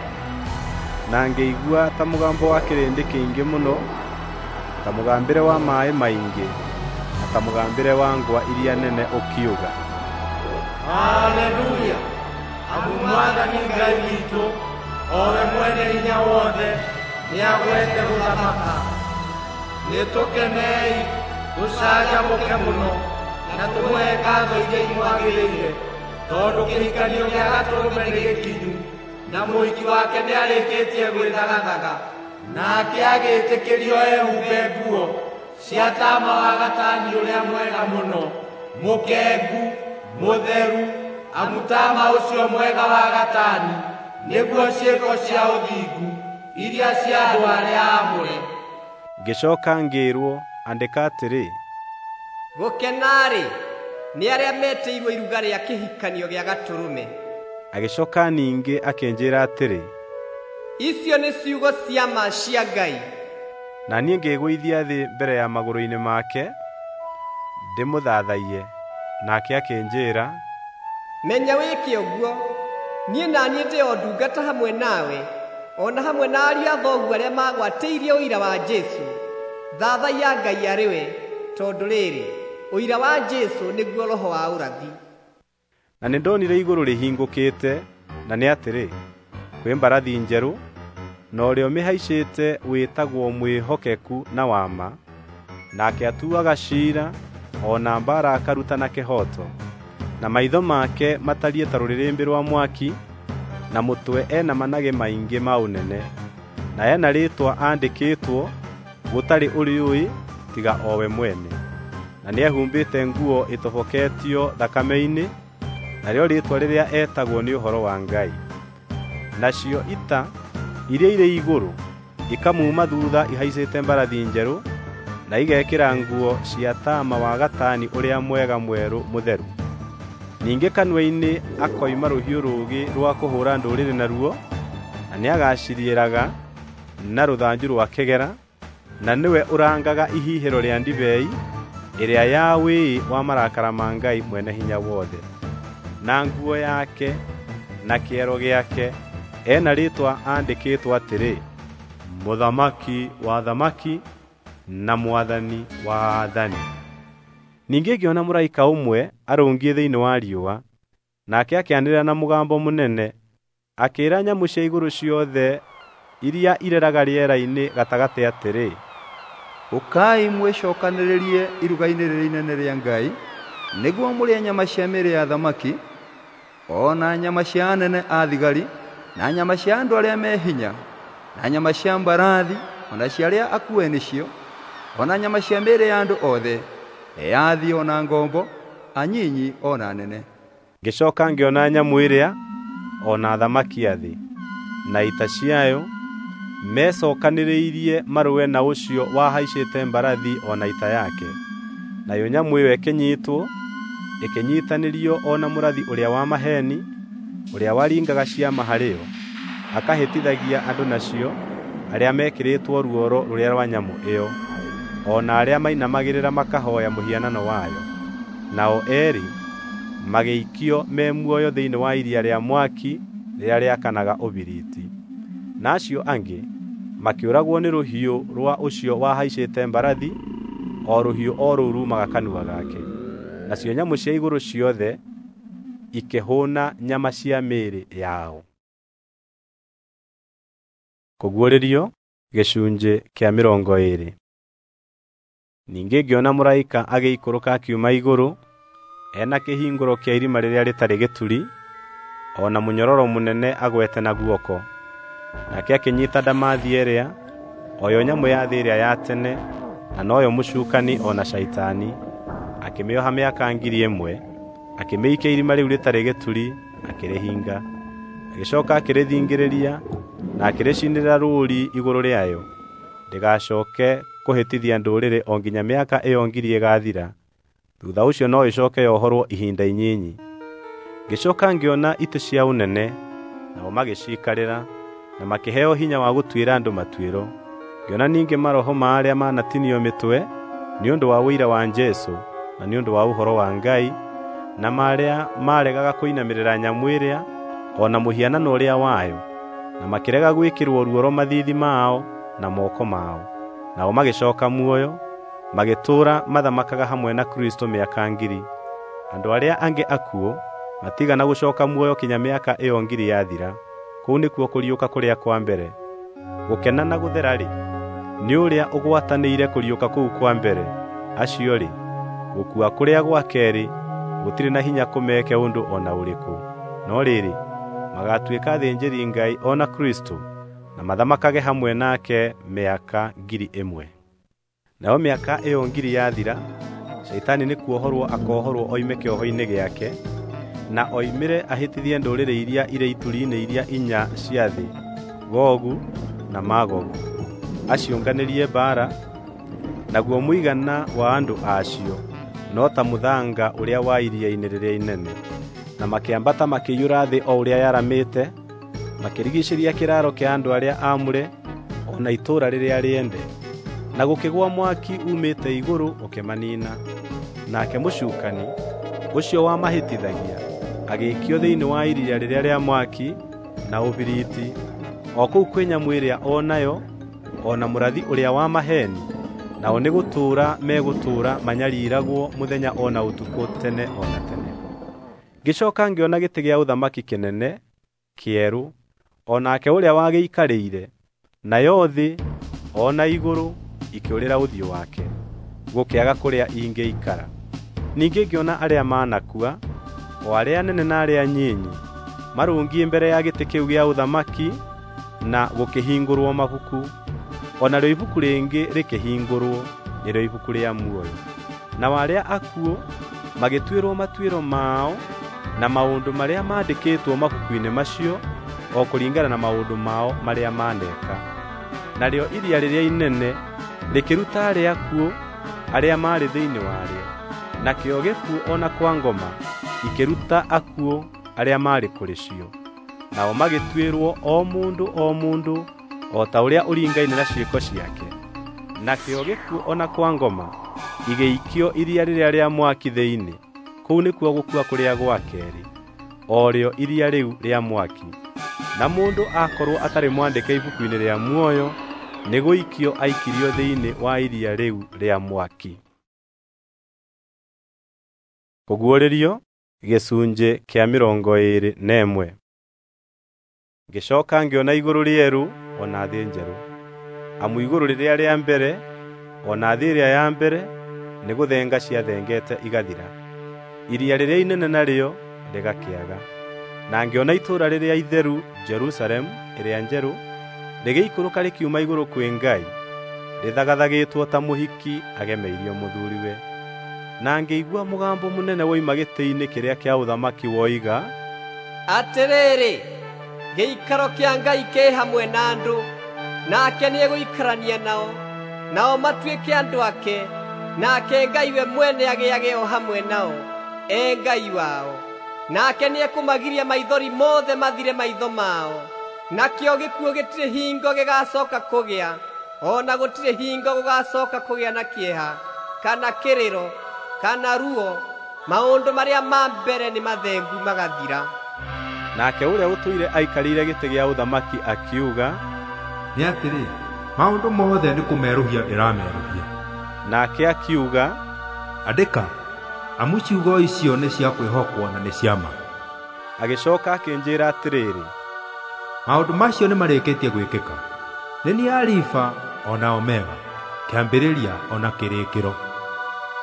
Na ngĩigua ta mũgambo wa kĩrĩndĩ kĩingĩ mũno, ta mũgambĩre wa maaĩ maingĩ, na ta mũgambĩre wa ngwa iria nene ũkiuga, Haleluya! Amu Mwathani Ngai witũ, o we mwene hinya wothe, nĩagwete gũthamaka. Nĩtũkenei, tũcanjamũke mũno, na tũmũhe ngatho iria imwagĩrĩire, tondũ kĩhikanio gĩa Gatũrũme nĩ gĩkinyu, na mũhiki wake nĩarĩkĩtie gwĩthagathaga. Nake agĩĩtĩkĩrio ehumbe nguo cia taama wa gatani ũrĩa mwega mũno, mũkengu, mũtheru, amu taama ũcio mwega wa gatani nĩguo ciĩko cia ũthingu iria cia andũ arĩa aamũre. Ngĩcoka ngĩĩrwo, andĩka atĩrĩ, Gũkena-rĩ, nĩ arĩa metĩirwo iruga rĩa kĩhikanio gĩa Gatũrũme. Agĩcoka ningĩ akĩnjĩĩra atĩrĩ, Icio nĩ ciugo cia ma cia Ngai. Na niĩ ngĩĩgũithia thĩ mbere ya magũrũ-inĩ make ndĩmũthathaiye. Nake akĩnjĩĩra, Menya wĩke ũguo, niĩ na niĩ ndĩ o ndungata hamwe nawe, o na hamwe na ariũ a thoguo arĩa magwatĩirie ũira wa Jesũ. Thathaiya Ngai arĩ we, tondũ rĩrĩ, ũira wa Jesũ nĩguo roho wa ũrathi. Na nĩndonire igũrũ rĩhingũkĩte, na nĩ atĩrĩ, kwĩ mbarathi njerũ, na ũrĩa ũmĩhaicĩte wĩtagwo mwĩhokeku na wa ma, nake atuaga ciira o na mbaara akaruta na kĩhooto. Na maitho make matariĩ ta rũrĩrĩmbĩ rwa mwaki, na mũtwe ena managĩ maingĩ ma ũnene, na ena rĩĩtwa andĩkĩtwo gũtarĩ ũrĩũĩ tiga o we mwene. Na nĩehumbĩte nguo ĩtoboketio thakame-inĩ, narĩo rĩĩtwa rĩrĩa etagwo nĩ Ũhoro wa Ngai. Nacio ita iria irĩ igũrũ ikamuuma thuutha ihaicĩte mbarathi njerũ, na igekĩra nguo cia taama wa gatani ũrĩa mwega mwerũ mũtheru. Ningĩ kanua-inĩ akoima rũhiũ rũũgĩ rwa kũhũũra ndũrĩrĩ naruo, na nĩagaciriĩraga na rũthanju rwa kĩgera, na nĩwe ũrangaga ihihĩro rĩa ndibei ĩrĩa ya wĩĩ wa marakara ma Ngai Mwene-Hinya-Wothe. Na nguo yake na kĩero gĩake ena rĩĩtwa andĩkĩtwo atĩrĩ, Mũthamaki wa athamaki na Mwathani wa aathani. Ningĩ ngĩona mũraika ũmwe arũngiĩ thĩinĩ wa riũa, nake akĩanĩrĩra na mũgambo mũnene, akĩĩra nyamũ cia igũrũ ciothe iria ireraga rĩera-inĩ gatagatĩ atĩrĩ, Ũkai mwĩcokanĩrĩrie iruga-inĩ rĩrĩa inene rĩa Ngai, nĩguo mũrĩe nyama cia mĩĩrĩ ya athamaki, o na nyama cia anene a thigari, na nyama cia andũ arĩa me hinya, na nyama cia mbarathi, o na cia arĩa akue nĩcio, o na nyama cia mĩĩrĩ ya andũ othe, eathi o na ngombo, anyinyi o na anene. Ngĩcoka ngĩona nyamũ ĩrĩa o na athamaki a thĩ na ita ciayo mecokanĩrĩirie marũe na ũcio wahaicĩte mbarathi o na ita yake. Nayo nyamũ ĩyo ĩkĩnyiitwo, ĩkĩnyiitanĩrio o na mũrathi ũrĩa wa maheeni, ũrĩa waringaga ciama harĩ yo, akahĩtithagia andũ nacio arĩa mekĩrĩtwo ruoro rũrĩa rwa nyamũ ĩyo, o na arĩa mainamagĩrĩra makahooya mũhianano wayo. Nao eerĩ magĩikio me muoyo thĩinĩ wa iria rĩa mwaki rĩrĩa rĩakanaga ũbiriti. Na acio angĩ makĩũragwo nĩ rũhiũ rwa ũcio wahaicĩte mbarathi, o rũhiũ o rũu ruumaga kanua gake. Nacio nyamũ cia igũrũ ciothe ikĩhũũna nyama cia mĩĩrĩ yao. Kũguũrĩrio gĩcunjĩ kĩa 20. Ningĩ ngĩona mũraika agĩikũrũka akiuma igũrũ, ena kĩhingũro kĩa irima rĩrĩa rĩtarĩ gĩturi, o na mũnyororo mũnene agwete na guoko. Nake akĩnyiita ndamathia ĩrĩa, o yo nyamũ ya thĩ ĩrĩa ya tene, na noyo mũcukani o na Shaitani, akĩmĩoha mĩaka 1,000, akĩmĩikia irima rĩu rĩtarĩ gĩturi, akĩrĩhinga. Agĩcooka akĩrĩthingĩrĩria na akĩrĩcinĩra rũũri igũrũ rĩayo, ndĩgacooke kũhĩtithia ndũrĩrĩ o nginya mĩaka ĩyo 1,000 ĩgaathira. Thuutha ũcio no ĩcooke yohorwo ihinda inyinyi. Ngĩcooka ngĩona itĩ cia ũnene, nao magĩciikarĩra, na makĩheo hinya wa gũtuĩra andũ matuĩro. Ngĩona ningĩ maroho ma arĩa manatinio mĩtwe nĩ ũndũ wa ũira wa Jesũ na nĩ ũndũ wa ũhoro wa Ngai, na marĩa maaregaga kũinamĩrĩra nyamũ ĩrĩa o na mũhianano ũrĩa wayo, na makĩrega gwĩkĩrwo ruoro mathiithi mao na moko mao. Nao magĩcooka muoyo, magĩtũũra mathamakaga hamwe na Kristũ mĩaka 1,000. Andũ arĩa angĩ akuũ matigana gũcooka muoyo kinya mĩaka ĩyo 1,000 yathira. Kũu nĩkuo kũriũka kũrĩa kwa mbere. Gũkena na gũthera-rĩ, nĩ ũrĩa ũgwatanĩire kũriũka kũu kwa mbere. Acio-rĩ, gũkua kũrĩa gwa keerĩ gũtirĩ na hinya kũmeke ũndũ o na ũrĩkũ. No rĩrĩ, magaatuĩka athĩnjĩri-Ngai o na Kristũ, na mathamakage hamwe nake mĩaka 1,000. Nayo mĩaka ĩyo 1,000 yathira, Shaitani nĩ kuohorwo akoohorwo oime kĩoho-inĩ gĩake, na oimĩre ahĩtithie ndũrĩrĩ iria irĩ ituri-inĩ iria inya cia thĩ, Gogu na Magogu, aciũnganĩrie mbaara, naguo mũigana wa andũ acio no ta mũthanga ũrĩa wa iria-inĩ rĩrĩa inene. Na makĩambata makĩiyũra thĩ o ũrĩa yaramĩte, makĩrigiicĩria kĩraaro kĩa andũ arĩa aamũre o na itũũra rĩrĩa rĩende. Na gũkĩgũa mwaki uumĩte igũrũ ũkĩmaniina. Nake mũcukani, ũcio wamahĩtithagia, agĩikio thĩinĩ wa iria rĩrĩa rĩa mwaki na ũbiriti, o kũu kwĩ nyamũ ĩrĩa o nayo, o na mũrathi ũrĩa wa maheeni, nao nĩ gũtũũra megũtũũra manyariiragwo mũthenya o na ũtukũ tene o na tene. Ngĩcooka ngĩona gĩtĩ gĩa ũthamaki kĩnene, kĩerũ, o nake ũrĩa wagĩikarĩire, nayo thĩ o na igũrũ ikĩũrĩra ũthiũ wake, gũkĩaga kũrĩa ingĩikara. Ningĩ ngĩona arĩa manakua, o arĩa anene na arĩa anyinyi, marũngiĩ mbere ya gĩtĩ kĩu gĩa ũthamaki, na gũkĩhingũrwo mabuku. O narĩo ibuku rĩngĩ rĩkĩhingũrwo, nĩrĩo ibuku rĩa muoyo. Nao arĩa akuũ magĩtuĩrwo matuĩro mao na maũndũ marĩa maandĩkĩtwo mabuku-inĩ macio, o kũringana na maũndũ mao marĩa maaneka. Narĩo iria rĩrĩa inene rĩkĩruta arĩa akuũ arĩa maarĩ thĩinĩ warĩo, nakĩo gĩkuũ o na kwa ngoma ikĩruta akuũ arĩa maarĩ kũrĩ cio. Nao magĩtuĩrwo o mũndũ o mũndũ o ta ũrĩa ũringaine na ciĩko ciake. Nakĩo gĩkuũ o na kwa ngoma Igĩikio iria rĩrĩa rĩa mwaki thĩinĩ. Kũu nĩkuo gũkua kũrĩa gwa keerĩ, o rĩo iria rĩu rĩa mwaki. Na mũndũ akorwo atarĩ mwandĩke ibuku-inĩ rĩa muoyo, nĩgũikio aikirio thĩinĩ wa iria rĩu rĩa mwaki. Kũguũrĩrio gĩcunjĩ kĩa 21. Ngĩcooka ngĩona igũrũ rĩerũ o na thĩ njerũ. Amu igũrũ rĩrĩa rĩa mbere o na thĩ ĩrĩa ya mbere nĩgũthenga ciathengete igathira. Iria rĩrĩa inene narĩo rĩgakĩaga. Na ngĩona itũũra rĩrĩa itheru Jerusalemu ĩrĩa njerũ rĩgĩikũrũka rĩkiuma igũrũ kwĩ Ngai, rĩthagathagĩtwo ta mũhiki agemeirio mũthuriwe. Na ngĩigua mũgambo mũnene woima gĩtĩ-inĩ kĩrĩa kĩa ũthamaki woiga, Atĩrĩrĩ, gĩikaro kĩa Ngai kĩ hamwe na andũ, nake nĩegũikarania nao, nao matuĩke andũ ake, nake Ngai we mwene agĩage o hamwe nao, e Ngai wao. Nake nĩekũmagiria maithori mothe mathire maitho mao, nakĩo gĩkuũ gĩtirĩ hingo gĩgacoka kũgĩa, o na gũtirĩ hingo gũgacoka kũgĩa na kĩeha, kana kĩrĩro, kana ruo. Maũndũ marĩa ma mbere nĩ mathengu magathira. Nake ũrĩa ũtũire aikarĩire gĩtĩ gĩa ũthamaki akiuga, Nĩ atĩrĩ, maũndũ mothe nĩ kũmerũhia ndĩramerũhia. Nake akiuga, Andĩka, amu ciugo icio nĩ cia kwĩhokwo na nĩ cia ma. Agĩcoka akĩnjĩra atĩrĩrĩ, Maũndũ macio nĩmarĩkĩtie gwĩkĩka. Nĩ niĩ Alifa o na Omega, kĩambĩrĩria o na kĩrĩkĩro.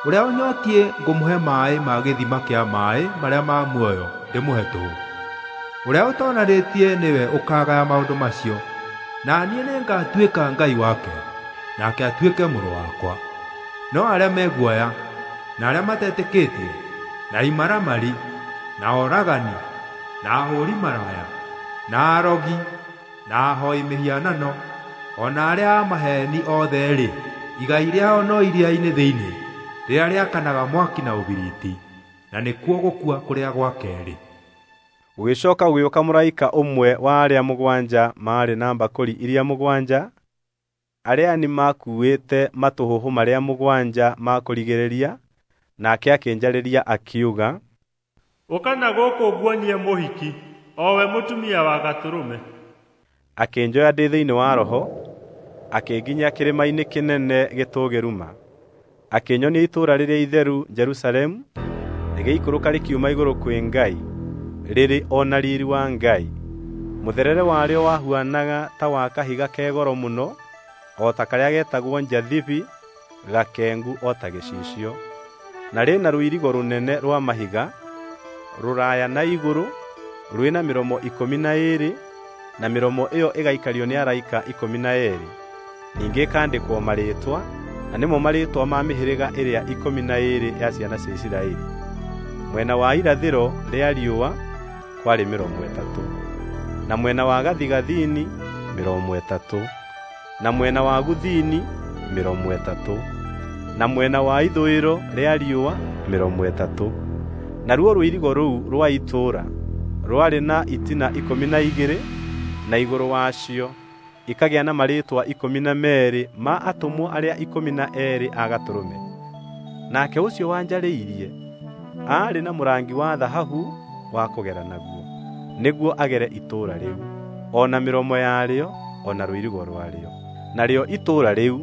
Ũrĩa ũnyotiĩ ngũmũhe maaĩ ma gĩthima kĩa maaĩ marĩa ma muoyo ndĩmũhe tũhũ. Ũrĩa ũtoonanĩtie nĩwe ũkaagaya maũndũ macio, na niĩ nĩngatuĩka Ngai wake, nake atuĩke mũrũ wakwa. No arĩa me guoya, na arĩa matetĩkĩtie, na imaramari, na oragani, na ahũũri maraya, na arogi, na ahooi mĩhianano, o na arĩa a maheeni othe-rĩ, igai rĩao no iria-inĩ thĩinĩ, rĩrĩa rĩakanaga mwaki na ũbiriti, na nĩkuo gũkua kũrĩa gwa keerĩ. Gũgĩcoka gũgĩũka mũraika ũmwe wa arĩa mũgwanja maarĩ na mbakũri iria mũgwanja, arĩa ni makuuĩte matũhũhũ marĩa mũgwanja ma kũrigĩrĩria, nake akĩnjarĩria akiuga, Ũka na gũkũ nguonie mũhiki, o we mũtumia wa Gatũrũme. Akĩnjoya ndĩ thĩinĩ wa Roho, akĩnginyia kĩrĩma-inĩ kĩnene gĩtũũgĩru ma. Akĩnyonia itũũra rĩrĩa itheru Jerusalemu, rĩgĩikũrũka rĩkiuma igũrũ kwĩ Ngai, rĩrĩ o na riiri wa Ngai. Mũtherere warĩo wahuanaga ta wa kahiga ke goro mũno, o ta karĩa getagwo njathibi, gakengu o ta gĩcicio. Na rĩna rũirigo rũnene rwa mahiga, rũraya na igũrũ, rwĩna mĩromo 12, na mĩromo ĩyo ĩgaikario nĩ araika 12. Ningĩ ĩkandĩkwo marĩĩtwa, na nĩmo marĩĩtwa ma mĩhĩrĩga ĩrĩa 12 ya ciana cia Isiraeli. Mwena wa irathĩro rĩa riũa kwarĩ mĩromo 3, na mwena wa gathigathini mĩromo 3, na mwena wa guthini mĩromo 3, na mwena wa ithũĩro rĩa riũa mĩromo 3. Naruo rũirigo rũu rwa itũũra rwarĩ na itina 12, na igũrũ wacio ikagĩa na marĩĩtwa 12 ma atũmwo arĩa 12 a Gatũrũme. Nake ũcio wanjarĩirie aarĩ na mũrangi wa thahabu wa kũgera naguo, nĩguo agere itũũra rĩu, o na mĩromo yarĩo, o na rũirigo rwarĩo. Narĩo itũũra rĩu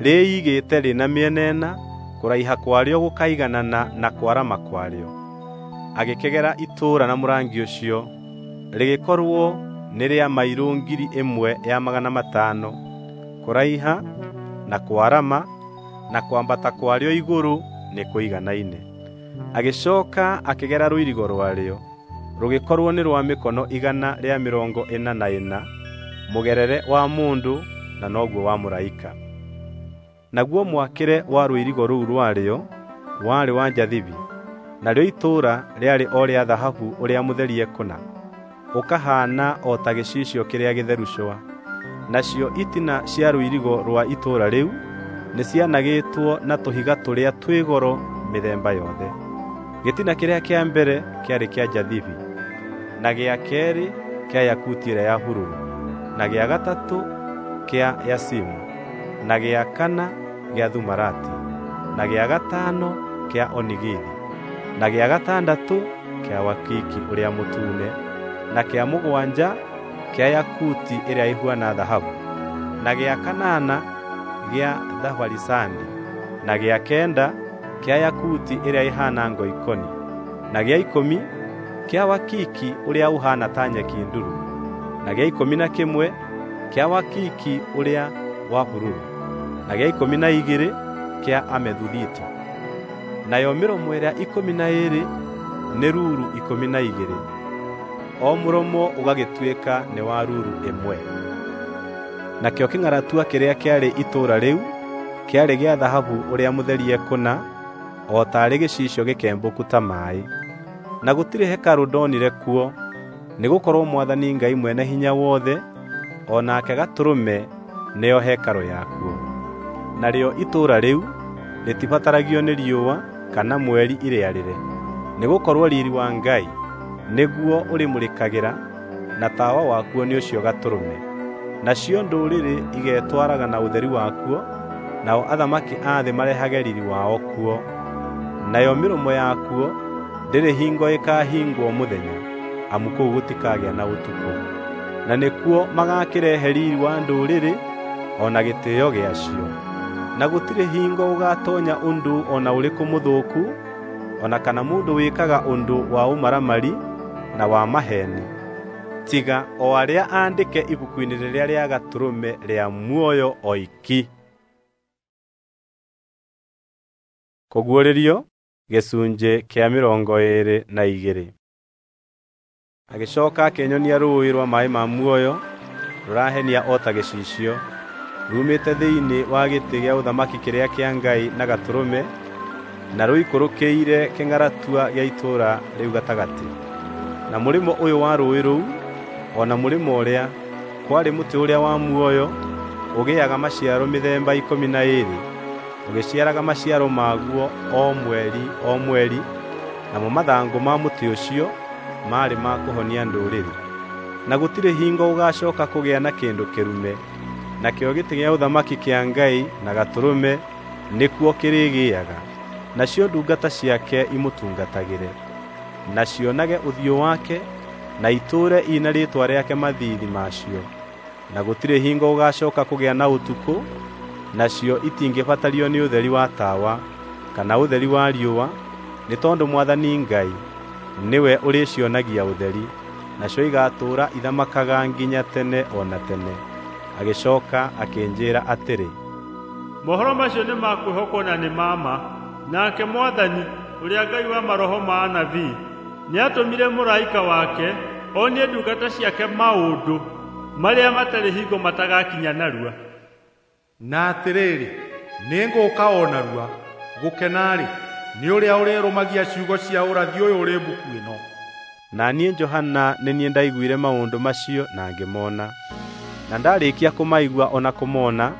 rĩĩigĩte rĩna mĩena ĩna, kũraiha kwarĩo gũkaiganana na kwarama kwarĩo. Agĩkĩgera itũũra na mũrangi ũcio, rĩgĩkorwo nĩ rĩa mairũ 1,500 kũraiha na kwarama na kwambata kwarĩo igũrũ nĩ kũiganaine. Agĩcooka akĩgera rũirigo rwarĩo, rũgĩkorwo nĩ rwa mĩkono 144, mũgerere wa mũndũ na noguo wa mũraika. Naguo mwakĩre wa rũirigo rũu rwarĩo warĩ wa njathibi, narĩo itũũra rĩarĩ o rĩa thahabu ũrĩa mũtherie kũna, ũkahaana o ta gĩcicio kĩrĩa gĩtheru cũa. Nacio itina cia rũirigo rwa itũũra rĩu nĩcianagĩtwo na tũhiga tũrĩa twĩ goro mĩthemba yothe. Gĩtina kĩrĩa kĩa mbere kĩarĩ kĩa njathibi, na gĩa keerĩ kĩa yakuti ĩrĩa ya bururu, na gĩa gatatũ kĩa yasimu, na gĩa kana gĩa thumarati, na gĩa gatano kĩa onigithi, na gĩa gatandatũ kĩa wakiki ũrĩa mũtune, na kĩa mũgwanja kĩa yakuti ĩrĩa ĩhuana thahabu, na gĩa kanana gĩa thabarisandi, na gĩa kenda kĩa yakuti ĩrĩa ĩhaana ngoikoni, na gĩa 10 kĩa wakiki ũrĩa ũhaana ta nyeki nduru, na gĩa 11 kĩa wakiki ũrĩa wa bururu, na gĩa 12 kĩa amethuthito. Nayo mĩromo ĩrĩa 12 nĩ ruru 12, o mũromo ũgagĩtuĩka nĩ wa ruru ĩmwe. Nakĩo kĩng'aratua kĩrĩa kĩarĩ itũũra rĩu kĩarĩ gĩa thahabu ũrĩa mũtherie kũna, o taarĩ gĩcicio gĩkembũku ta maaĩ. Na gũtirĩ hekarũ ndonire kuo, nĩgũkorwo Mwathani Ngai Mwene-Hinya-Wothe o nake Gatũrũme nĩo hekarũ yakuo. Narĩo itũũra rĩu rĩtibataragio nĩ riũa kana mweri irĩarĩre, nĩgũkorwo riiri wa Ngai nĩguo ũrĩmũrĩkagĩra, na tawa wakuo nĩ ũcio Gatũrũme. Nacio ndũrĩrĩ igetwaraga na ũtheri wakuo, nao athamaki a thĩ marehage riiri wao kuo. Nayo mĩromo yakuo ndĩrĩ hingo ĩkaahingwo mũthenya, amu kũu gũtikagĩa na ũtukũ. Na nĩkuo magaakĩrehe riiri wa ndũrĩrĩ o na gĩtĩĩo gĩacio. Na gũtirĩ hingo ũgaatoonya ũndũ o na ũrĩkũ mũthũku, o na kana mũndũ wĩkaga ũndũ wa ũmaramari na wa maheeni, tiga o arĩa aandĩke ibuku-inĩ rĩrĩa rĩa Gatũrũme rĩa muoyo oiki. Kũguũrĩrio gĩcunjĩ kĩa 22. Agĩcooka akĩnyonia rũũĩ rwa maaĩ ma muoyo rũrahenia o ta gĩcicio, ruumĩte thĩinĩ wa gĩtĩ gĩa ũthamaki kĩrĩa kĩa Ngai na Gatũrũme, na rũikũrũkĩire kĩng'aratua gĩa itũũra rĩu gatagatĩ. Na mũrĩmo ũyũ wa rũũĩ rũu, o na mũrĩmo ũrĩa, kwarĩ mũtĩ ũrĩa wa muoyo ũgĩaga maciaro mĩthemba 12, ũgĩciaraga maciaro maguo o mweri o mweri, namo mathangũ ma mũtĩ ũcio maarĩ ma kũhonia ndũrĩrĩ. Na gũtirĩ hingo ũgaacooka kũgĩa na kĩndũ kĩrume, nakĩo gĩtĩ gĩa ũthamaki kĩa Ngai na Gatũrũme nĩkuo kĩrĩgĩaga, nacio ndungata ciake imũtungatagĩre, na cionage ũthiũ wake, na itũũre ina rĩĩtwa rĩake mathiithi macio. Na gũtirĩ hingo gũgaacooka kũgĩa na ũtukũ, nacio itingĩbatario nĩ ũtheri wa tawa kana ũtheri wa riũa, nĩ tondũ Mwathani Ngai nĩwe ũrĩcionagia ũtheri, nacio igaatũũra ithamakaga nginya tene o na tene. Agĩcooka akĩnjĩĩra atĩrĩ, Mohoro macio nĩ ma kwĩhokwo na nĩ ma ma. Nake Mwathani, ũrĩa Ngai wa maroho ma anabii, nĩatũmire mũraika wake onie ndungata ciake maũndũ marĩa matarĩ hingo matagakinya narua. Na atĩrĩrĩ, nĩngũũka o narua. Gũkena-rĩ, nĩ ũrĩa ũrĩrũmagia ciugo cia ũrathi ũyũ ũrĩ mbuku ĩno. Na niĩ Johana nĩ niĩ ndaiguire maũndũ macio na ngĩmona. Na ndarĩkia kũmaigua o na kũmona,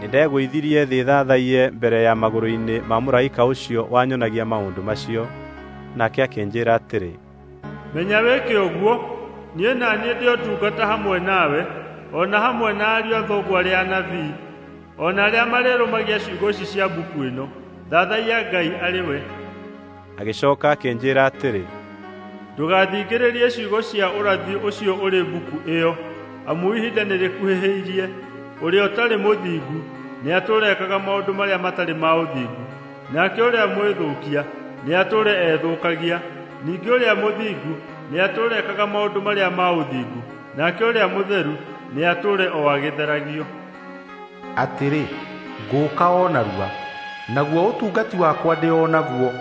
nĩndegũithirie thĩ thathaiye mbere ya magũrũ-inĩ ma mũraika ũcio wanyonagia maũndũ macio. Nake akĩnjĩĩra atĩrĩ, Menya wĩke ũguo, niĩ na niĩ ndĩ o ndungata hamwe nawe, o na hamwe na ariũ a thoguo arĩa anabii, o na arĩa marĩrũmagia ciugo ici cia mbuku ĩno. Thathaiya Ngai arĩ we. Agĩcooka akĩnjĩĩra atĩrĩ, Ndũgathingĩrĩrie ciugo cia ũrathi ũcio ũrĩ mbuku ĩyo, amu ihinda nĩrĩkuhĩhĩirie. Ũrĩa ũtarĩ mũthingu nĩatũũre ekaga maũndũ marĩa matarĩ ma ũthingu, nake ũrĩa mwĩthũkia nĩatũũre ethũkagia. Ningĩ ũrĩa mũthingu nĩatũũre ekaga maũndũ marĩa ma ũthingu, nake ũrĩa mũtheru nĩatũũre o agĩtheragio. Atĩrĩ, ngũũka o narua, naguo ũtungati wakwa ndĩ o naguo.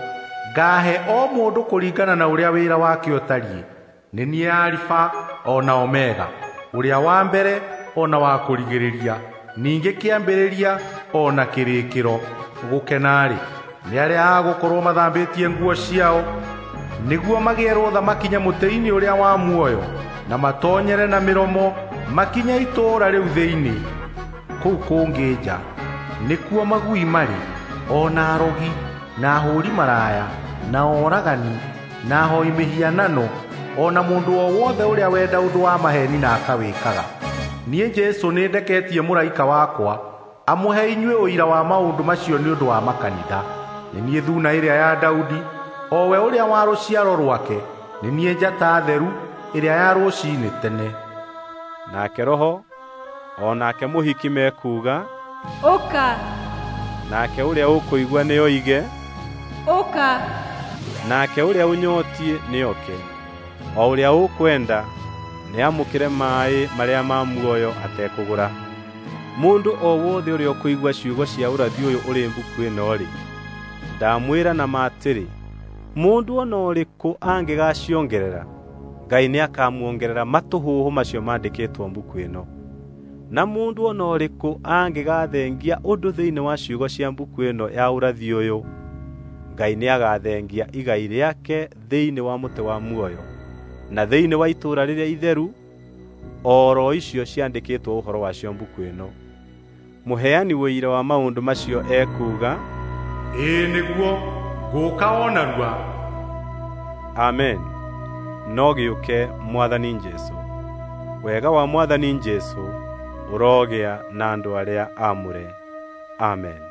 Ngaahe o mũndũ kũringana na ũrĩa wĩra wake ũtariĩ. Nĩ niĩ Alifa o na Omega, ũrĩa wa mbere o na wa kũrigĩrĩria, ningĩ kĩambĩrĩria o na kĩrĩkĩro. Gũkena-rĩ, nĩ arĩa a gũkorwo mathambĩtie nguo ciao, nĩguo magĩe rũtha makinye mũtĩ-inĩ ũrĩa wa muoyo, na matoonyere na mĩromo makinye itũũra rĩu thĩinĩ. Kũu kũngĩ nja nĩkuo magui marĩ, o na arogi, na ahũũri maraya, na oragani, na ahoi mĩhianano, o na mũndũ o wothe ũrĩa wenda ũndũ wa maheeni na akawĩkaga. Niĩ Jesũ nĩndeketie mũraika wakwa Amũhe inyuĩ ũira wa maũndũ macio nĩ ũndũ wa makanitha. Nĩ niĩ Thuuna ĩrĩa ya Daudi, o we ũrĩa wa rũciaro rwake, nĩ niĩ njata theru ĩrĩa ya rũciinĩ tene. Nake Roho o nake mũhiki mekuuga, Ũka! Nake ũrĩa ũkũigua nĩoige, Ũka! Nake ũrĩa ũnyotiĩ nĩoke, o ũrĩa ũkwenda nĩamũkĩre maaĩ marĩa ma muoyo atekũgũra. Mũndũ o wothe ũrĩa ũkũigua ciugo cia ũrathi ũyũ ũrĩ mbuku ĩno-rĩ, ndamwĩra na ma atĩrĩ, mũndũ o na ũrĩkũ angĩgaciongerera, Ngai nĩakamuongerera matũhũhũ macio mandĩkĩtwo mbuku ĩno. Na mũndũ o na ũrĩkũ angĩgathengia ũndũ thĩinĩ wa ciugo cia mbuku ĩno ya ũrathi ũyũ, Ngai nĩagathengia igai rĩake thĩinĩ wa mũtĩ wa muoyo, na thĩinĩ wa itũũra rĩrĩa itheru, o ro icio ciandĩkĩtwo ũhoro wacio mbuku ĩno. Mũheani ũira wa maũndũ macio ekuuga, Ĩĩ nĩguo, ngũũka o narua. Amen. No gĩũke Mwathani Jesũ. Wega wa Mwathani Jesũ ũrogĩa na andũ arĩa aamũre. Amen.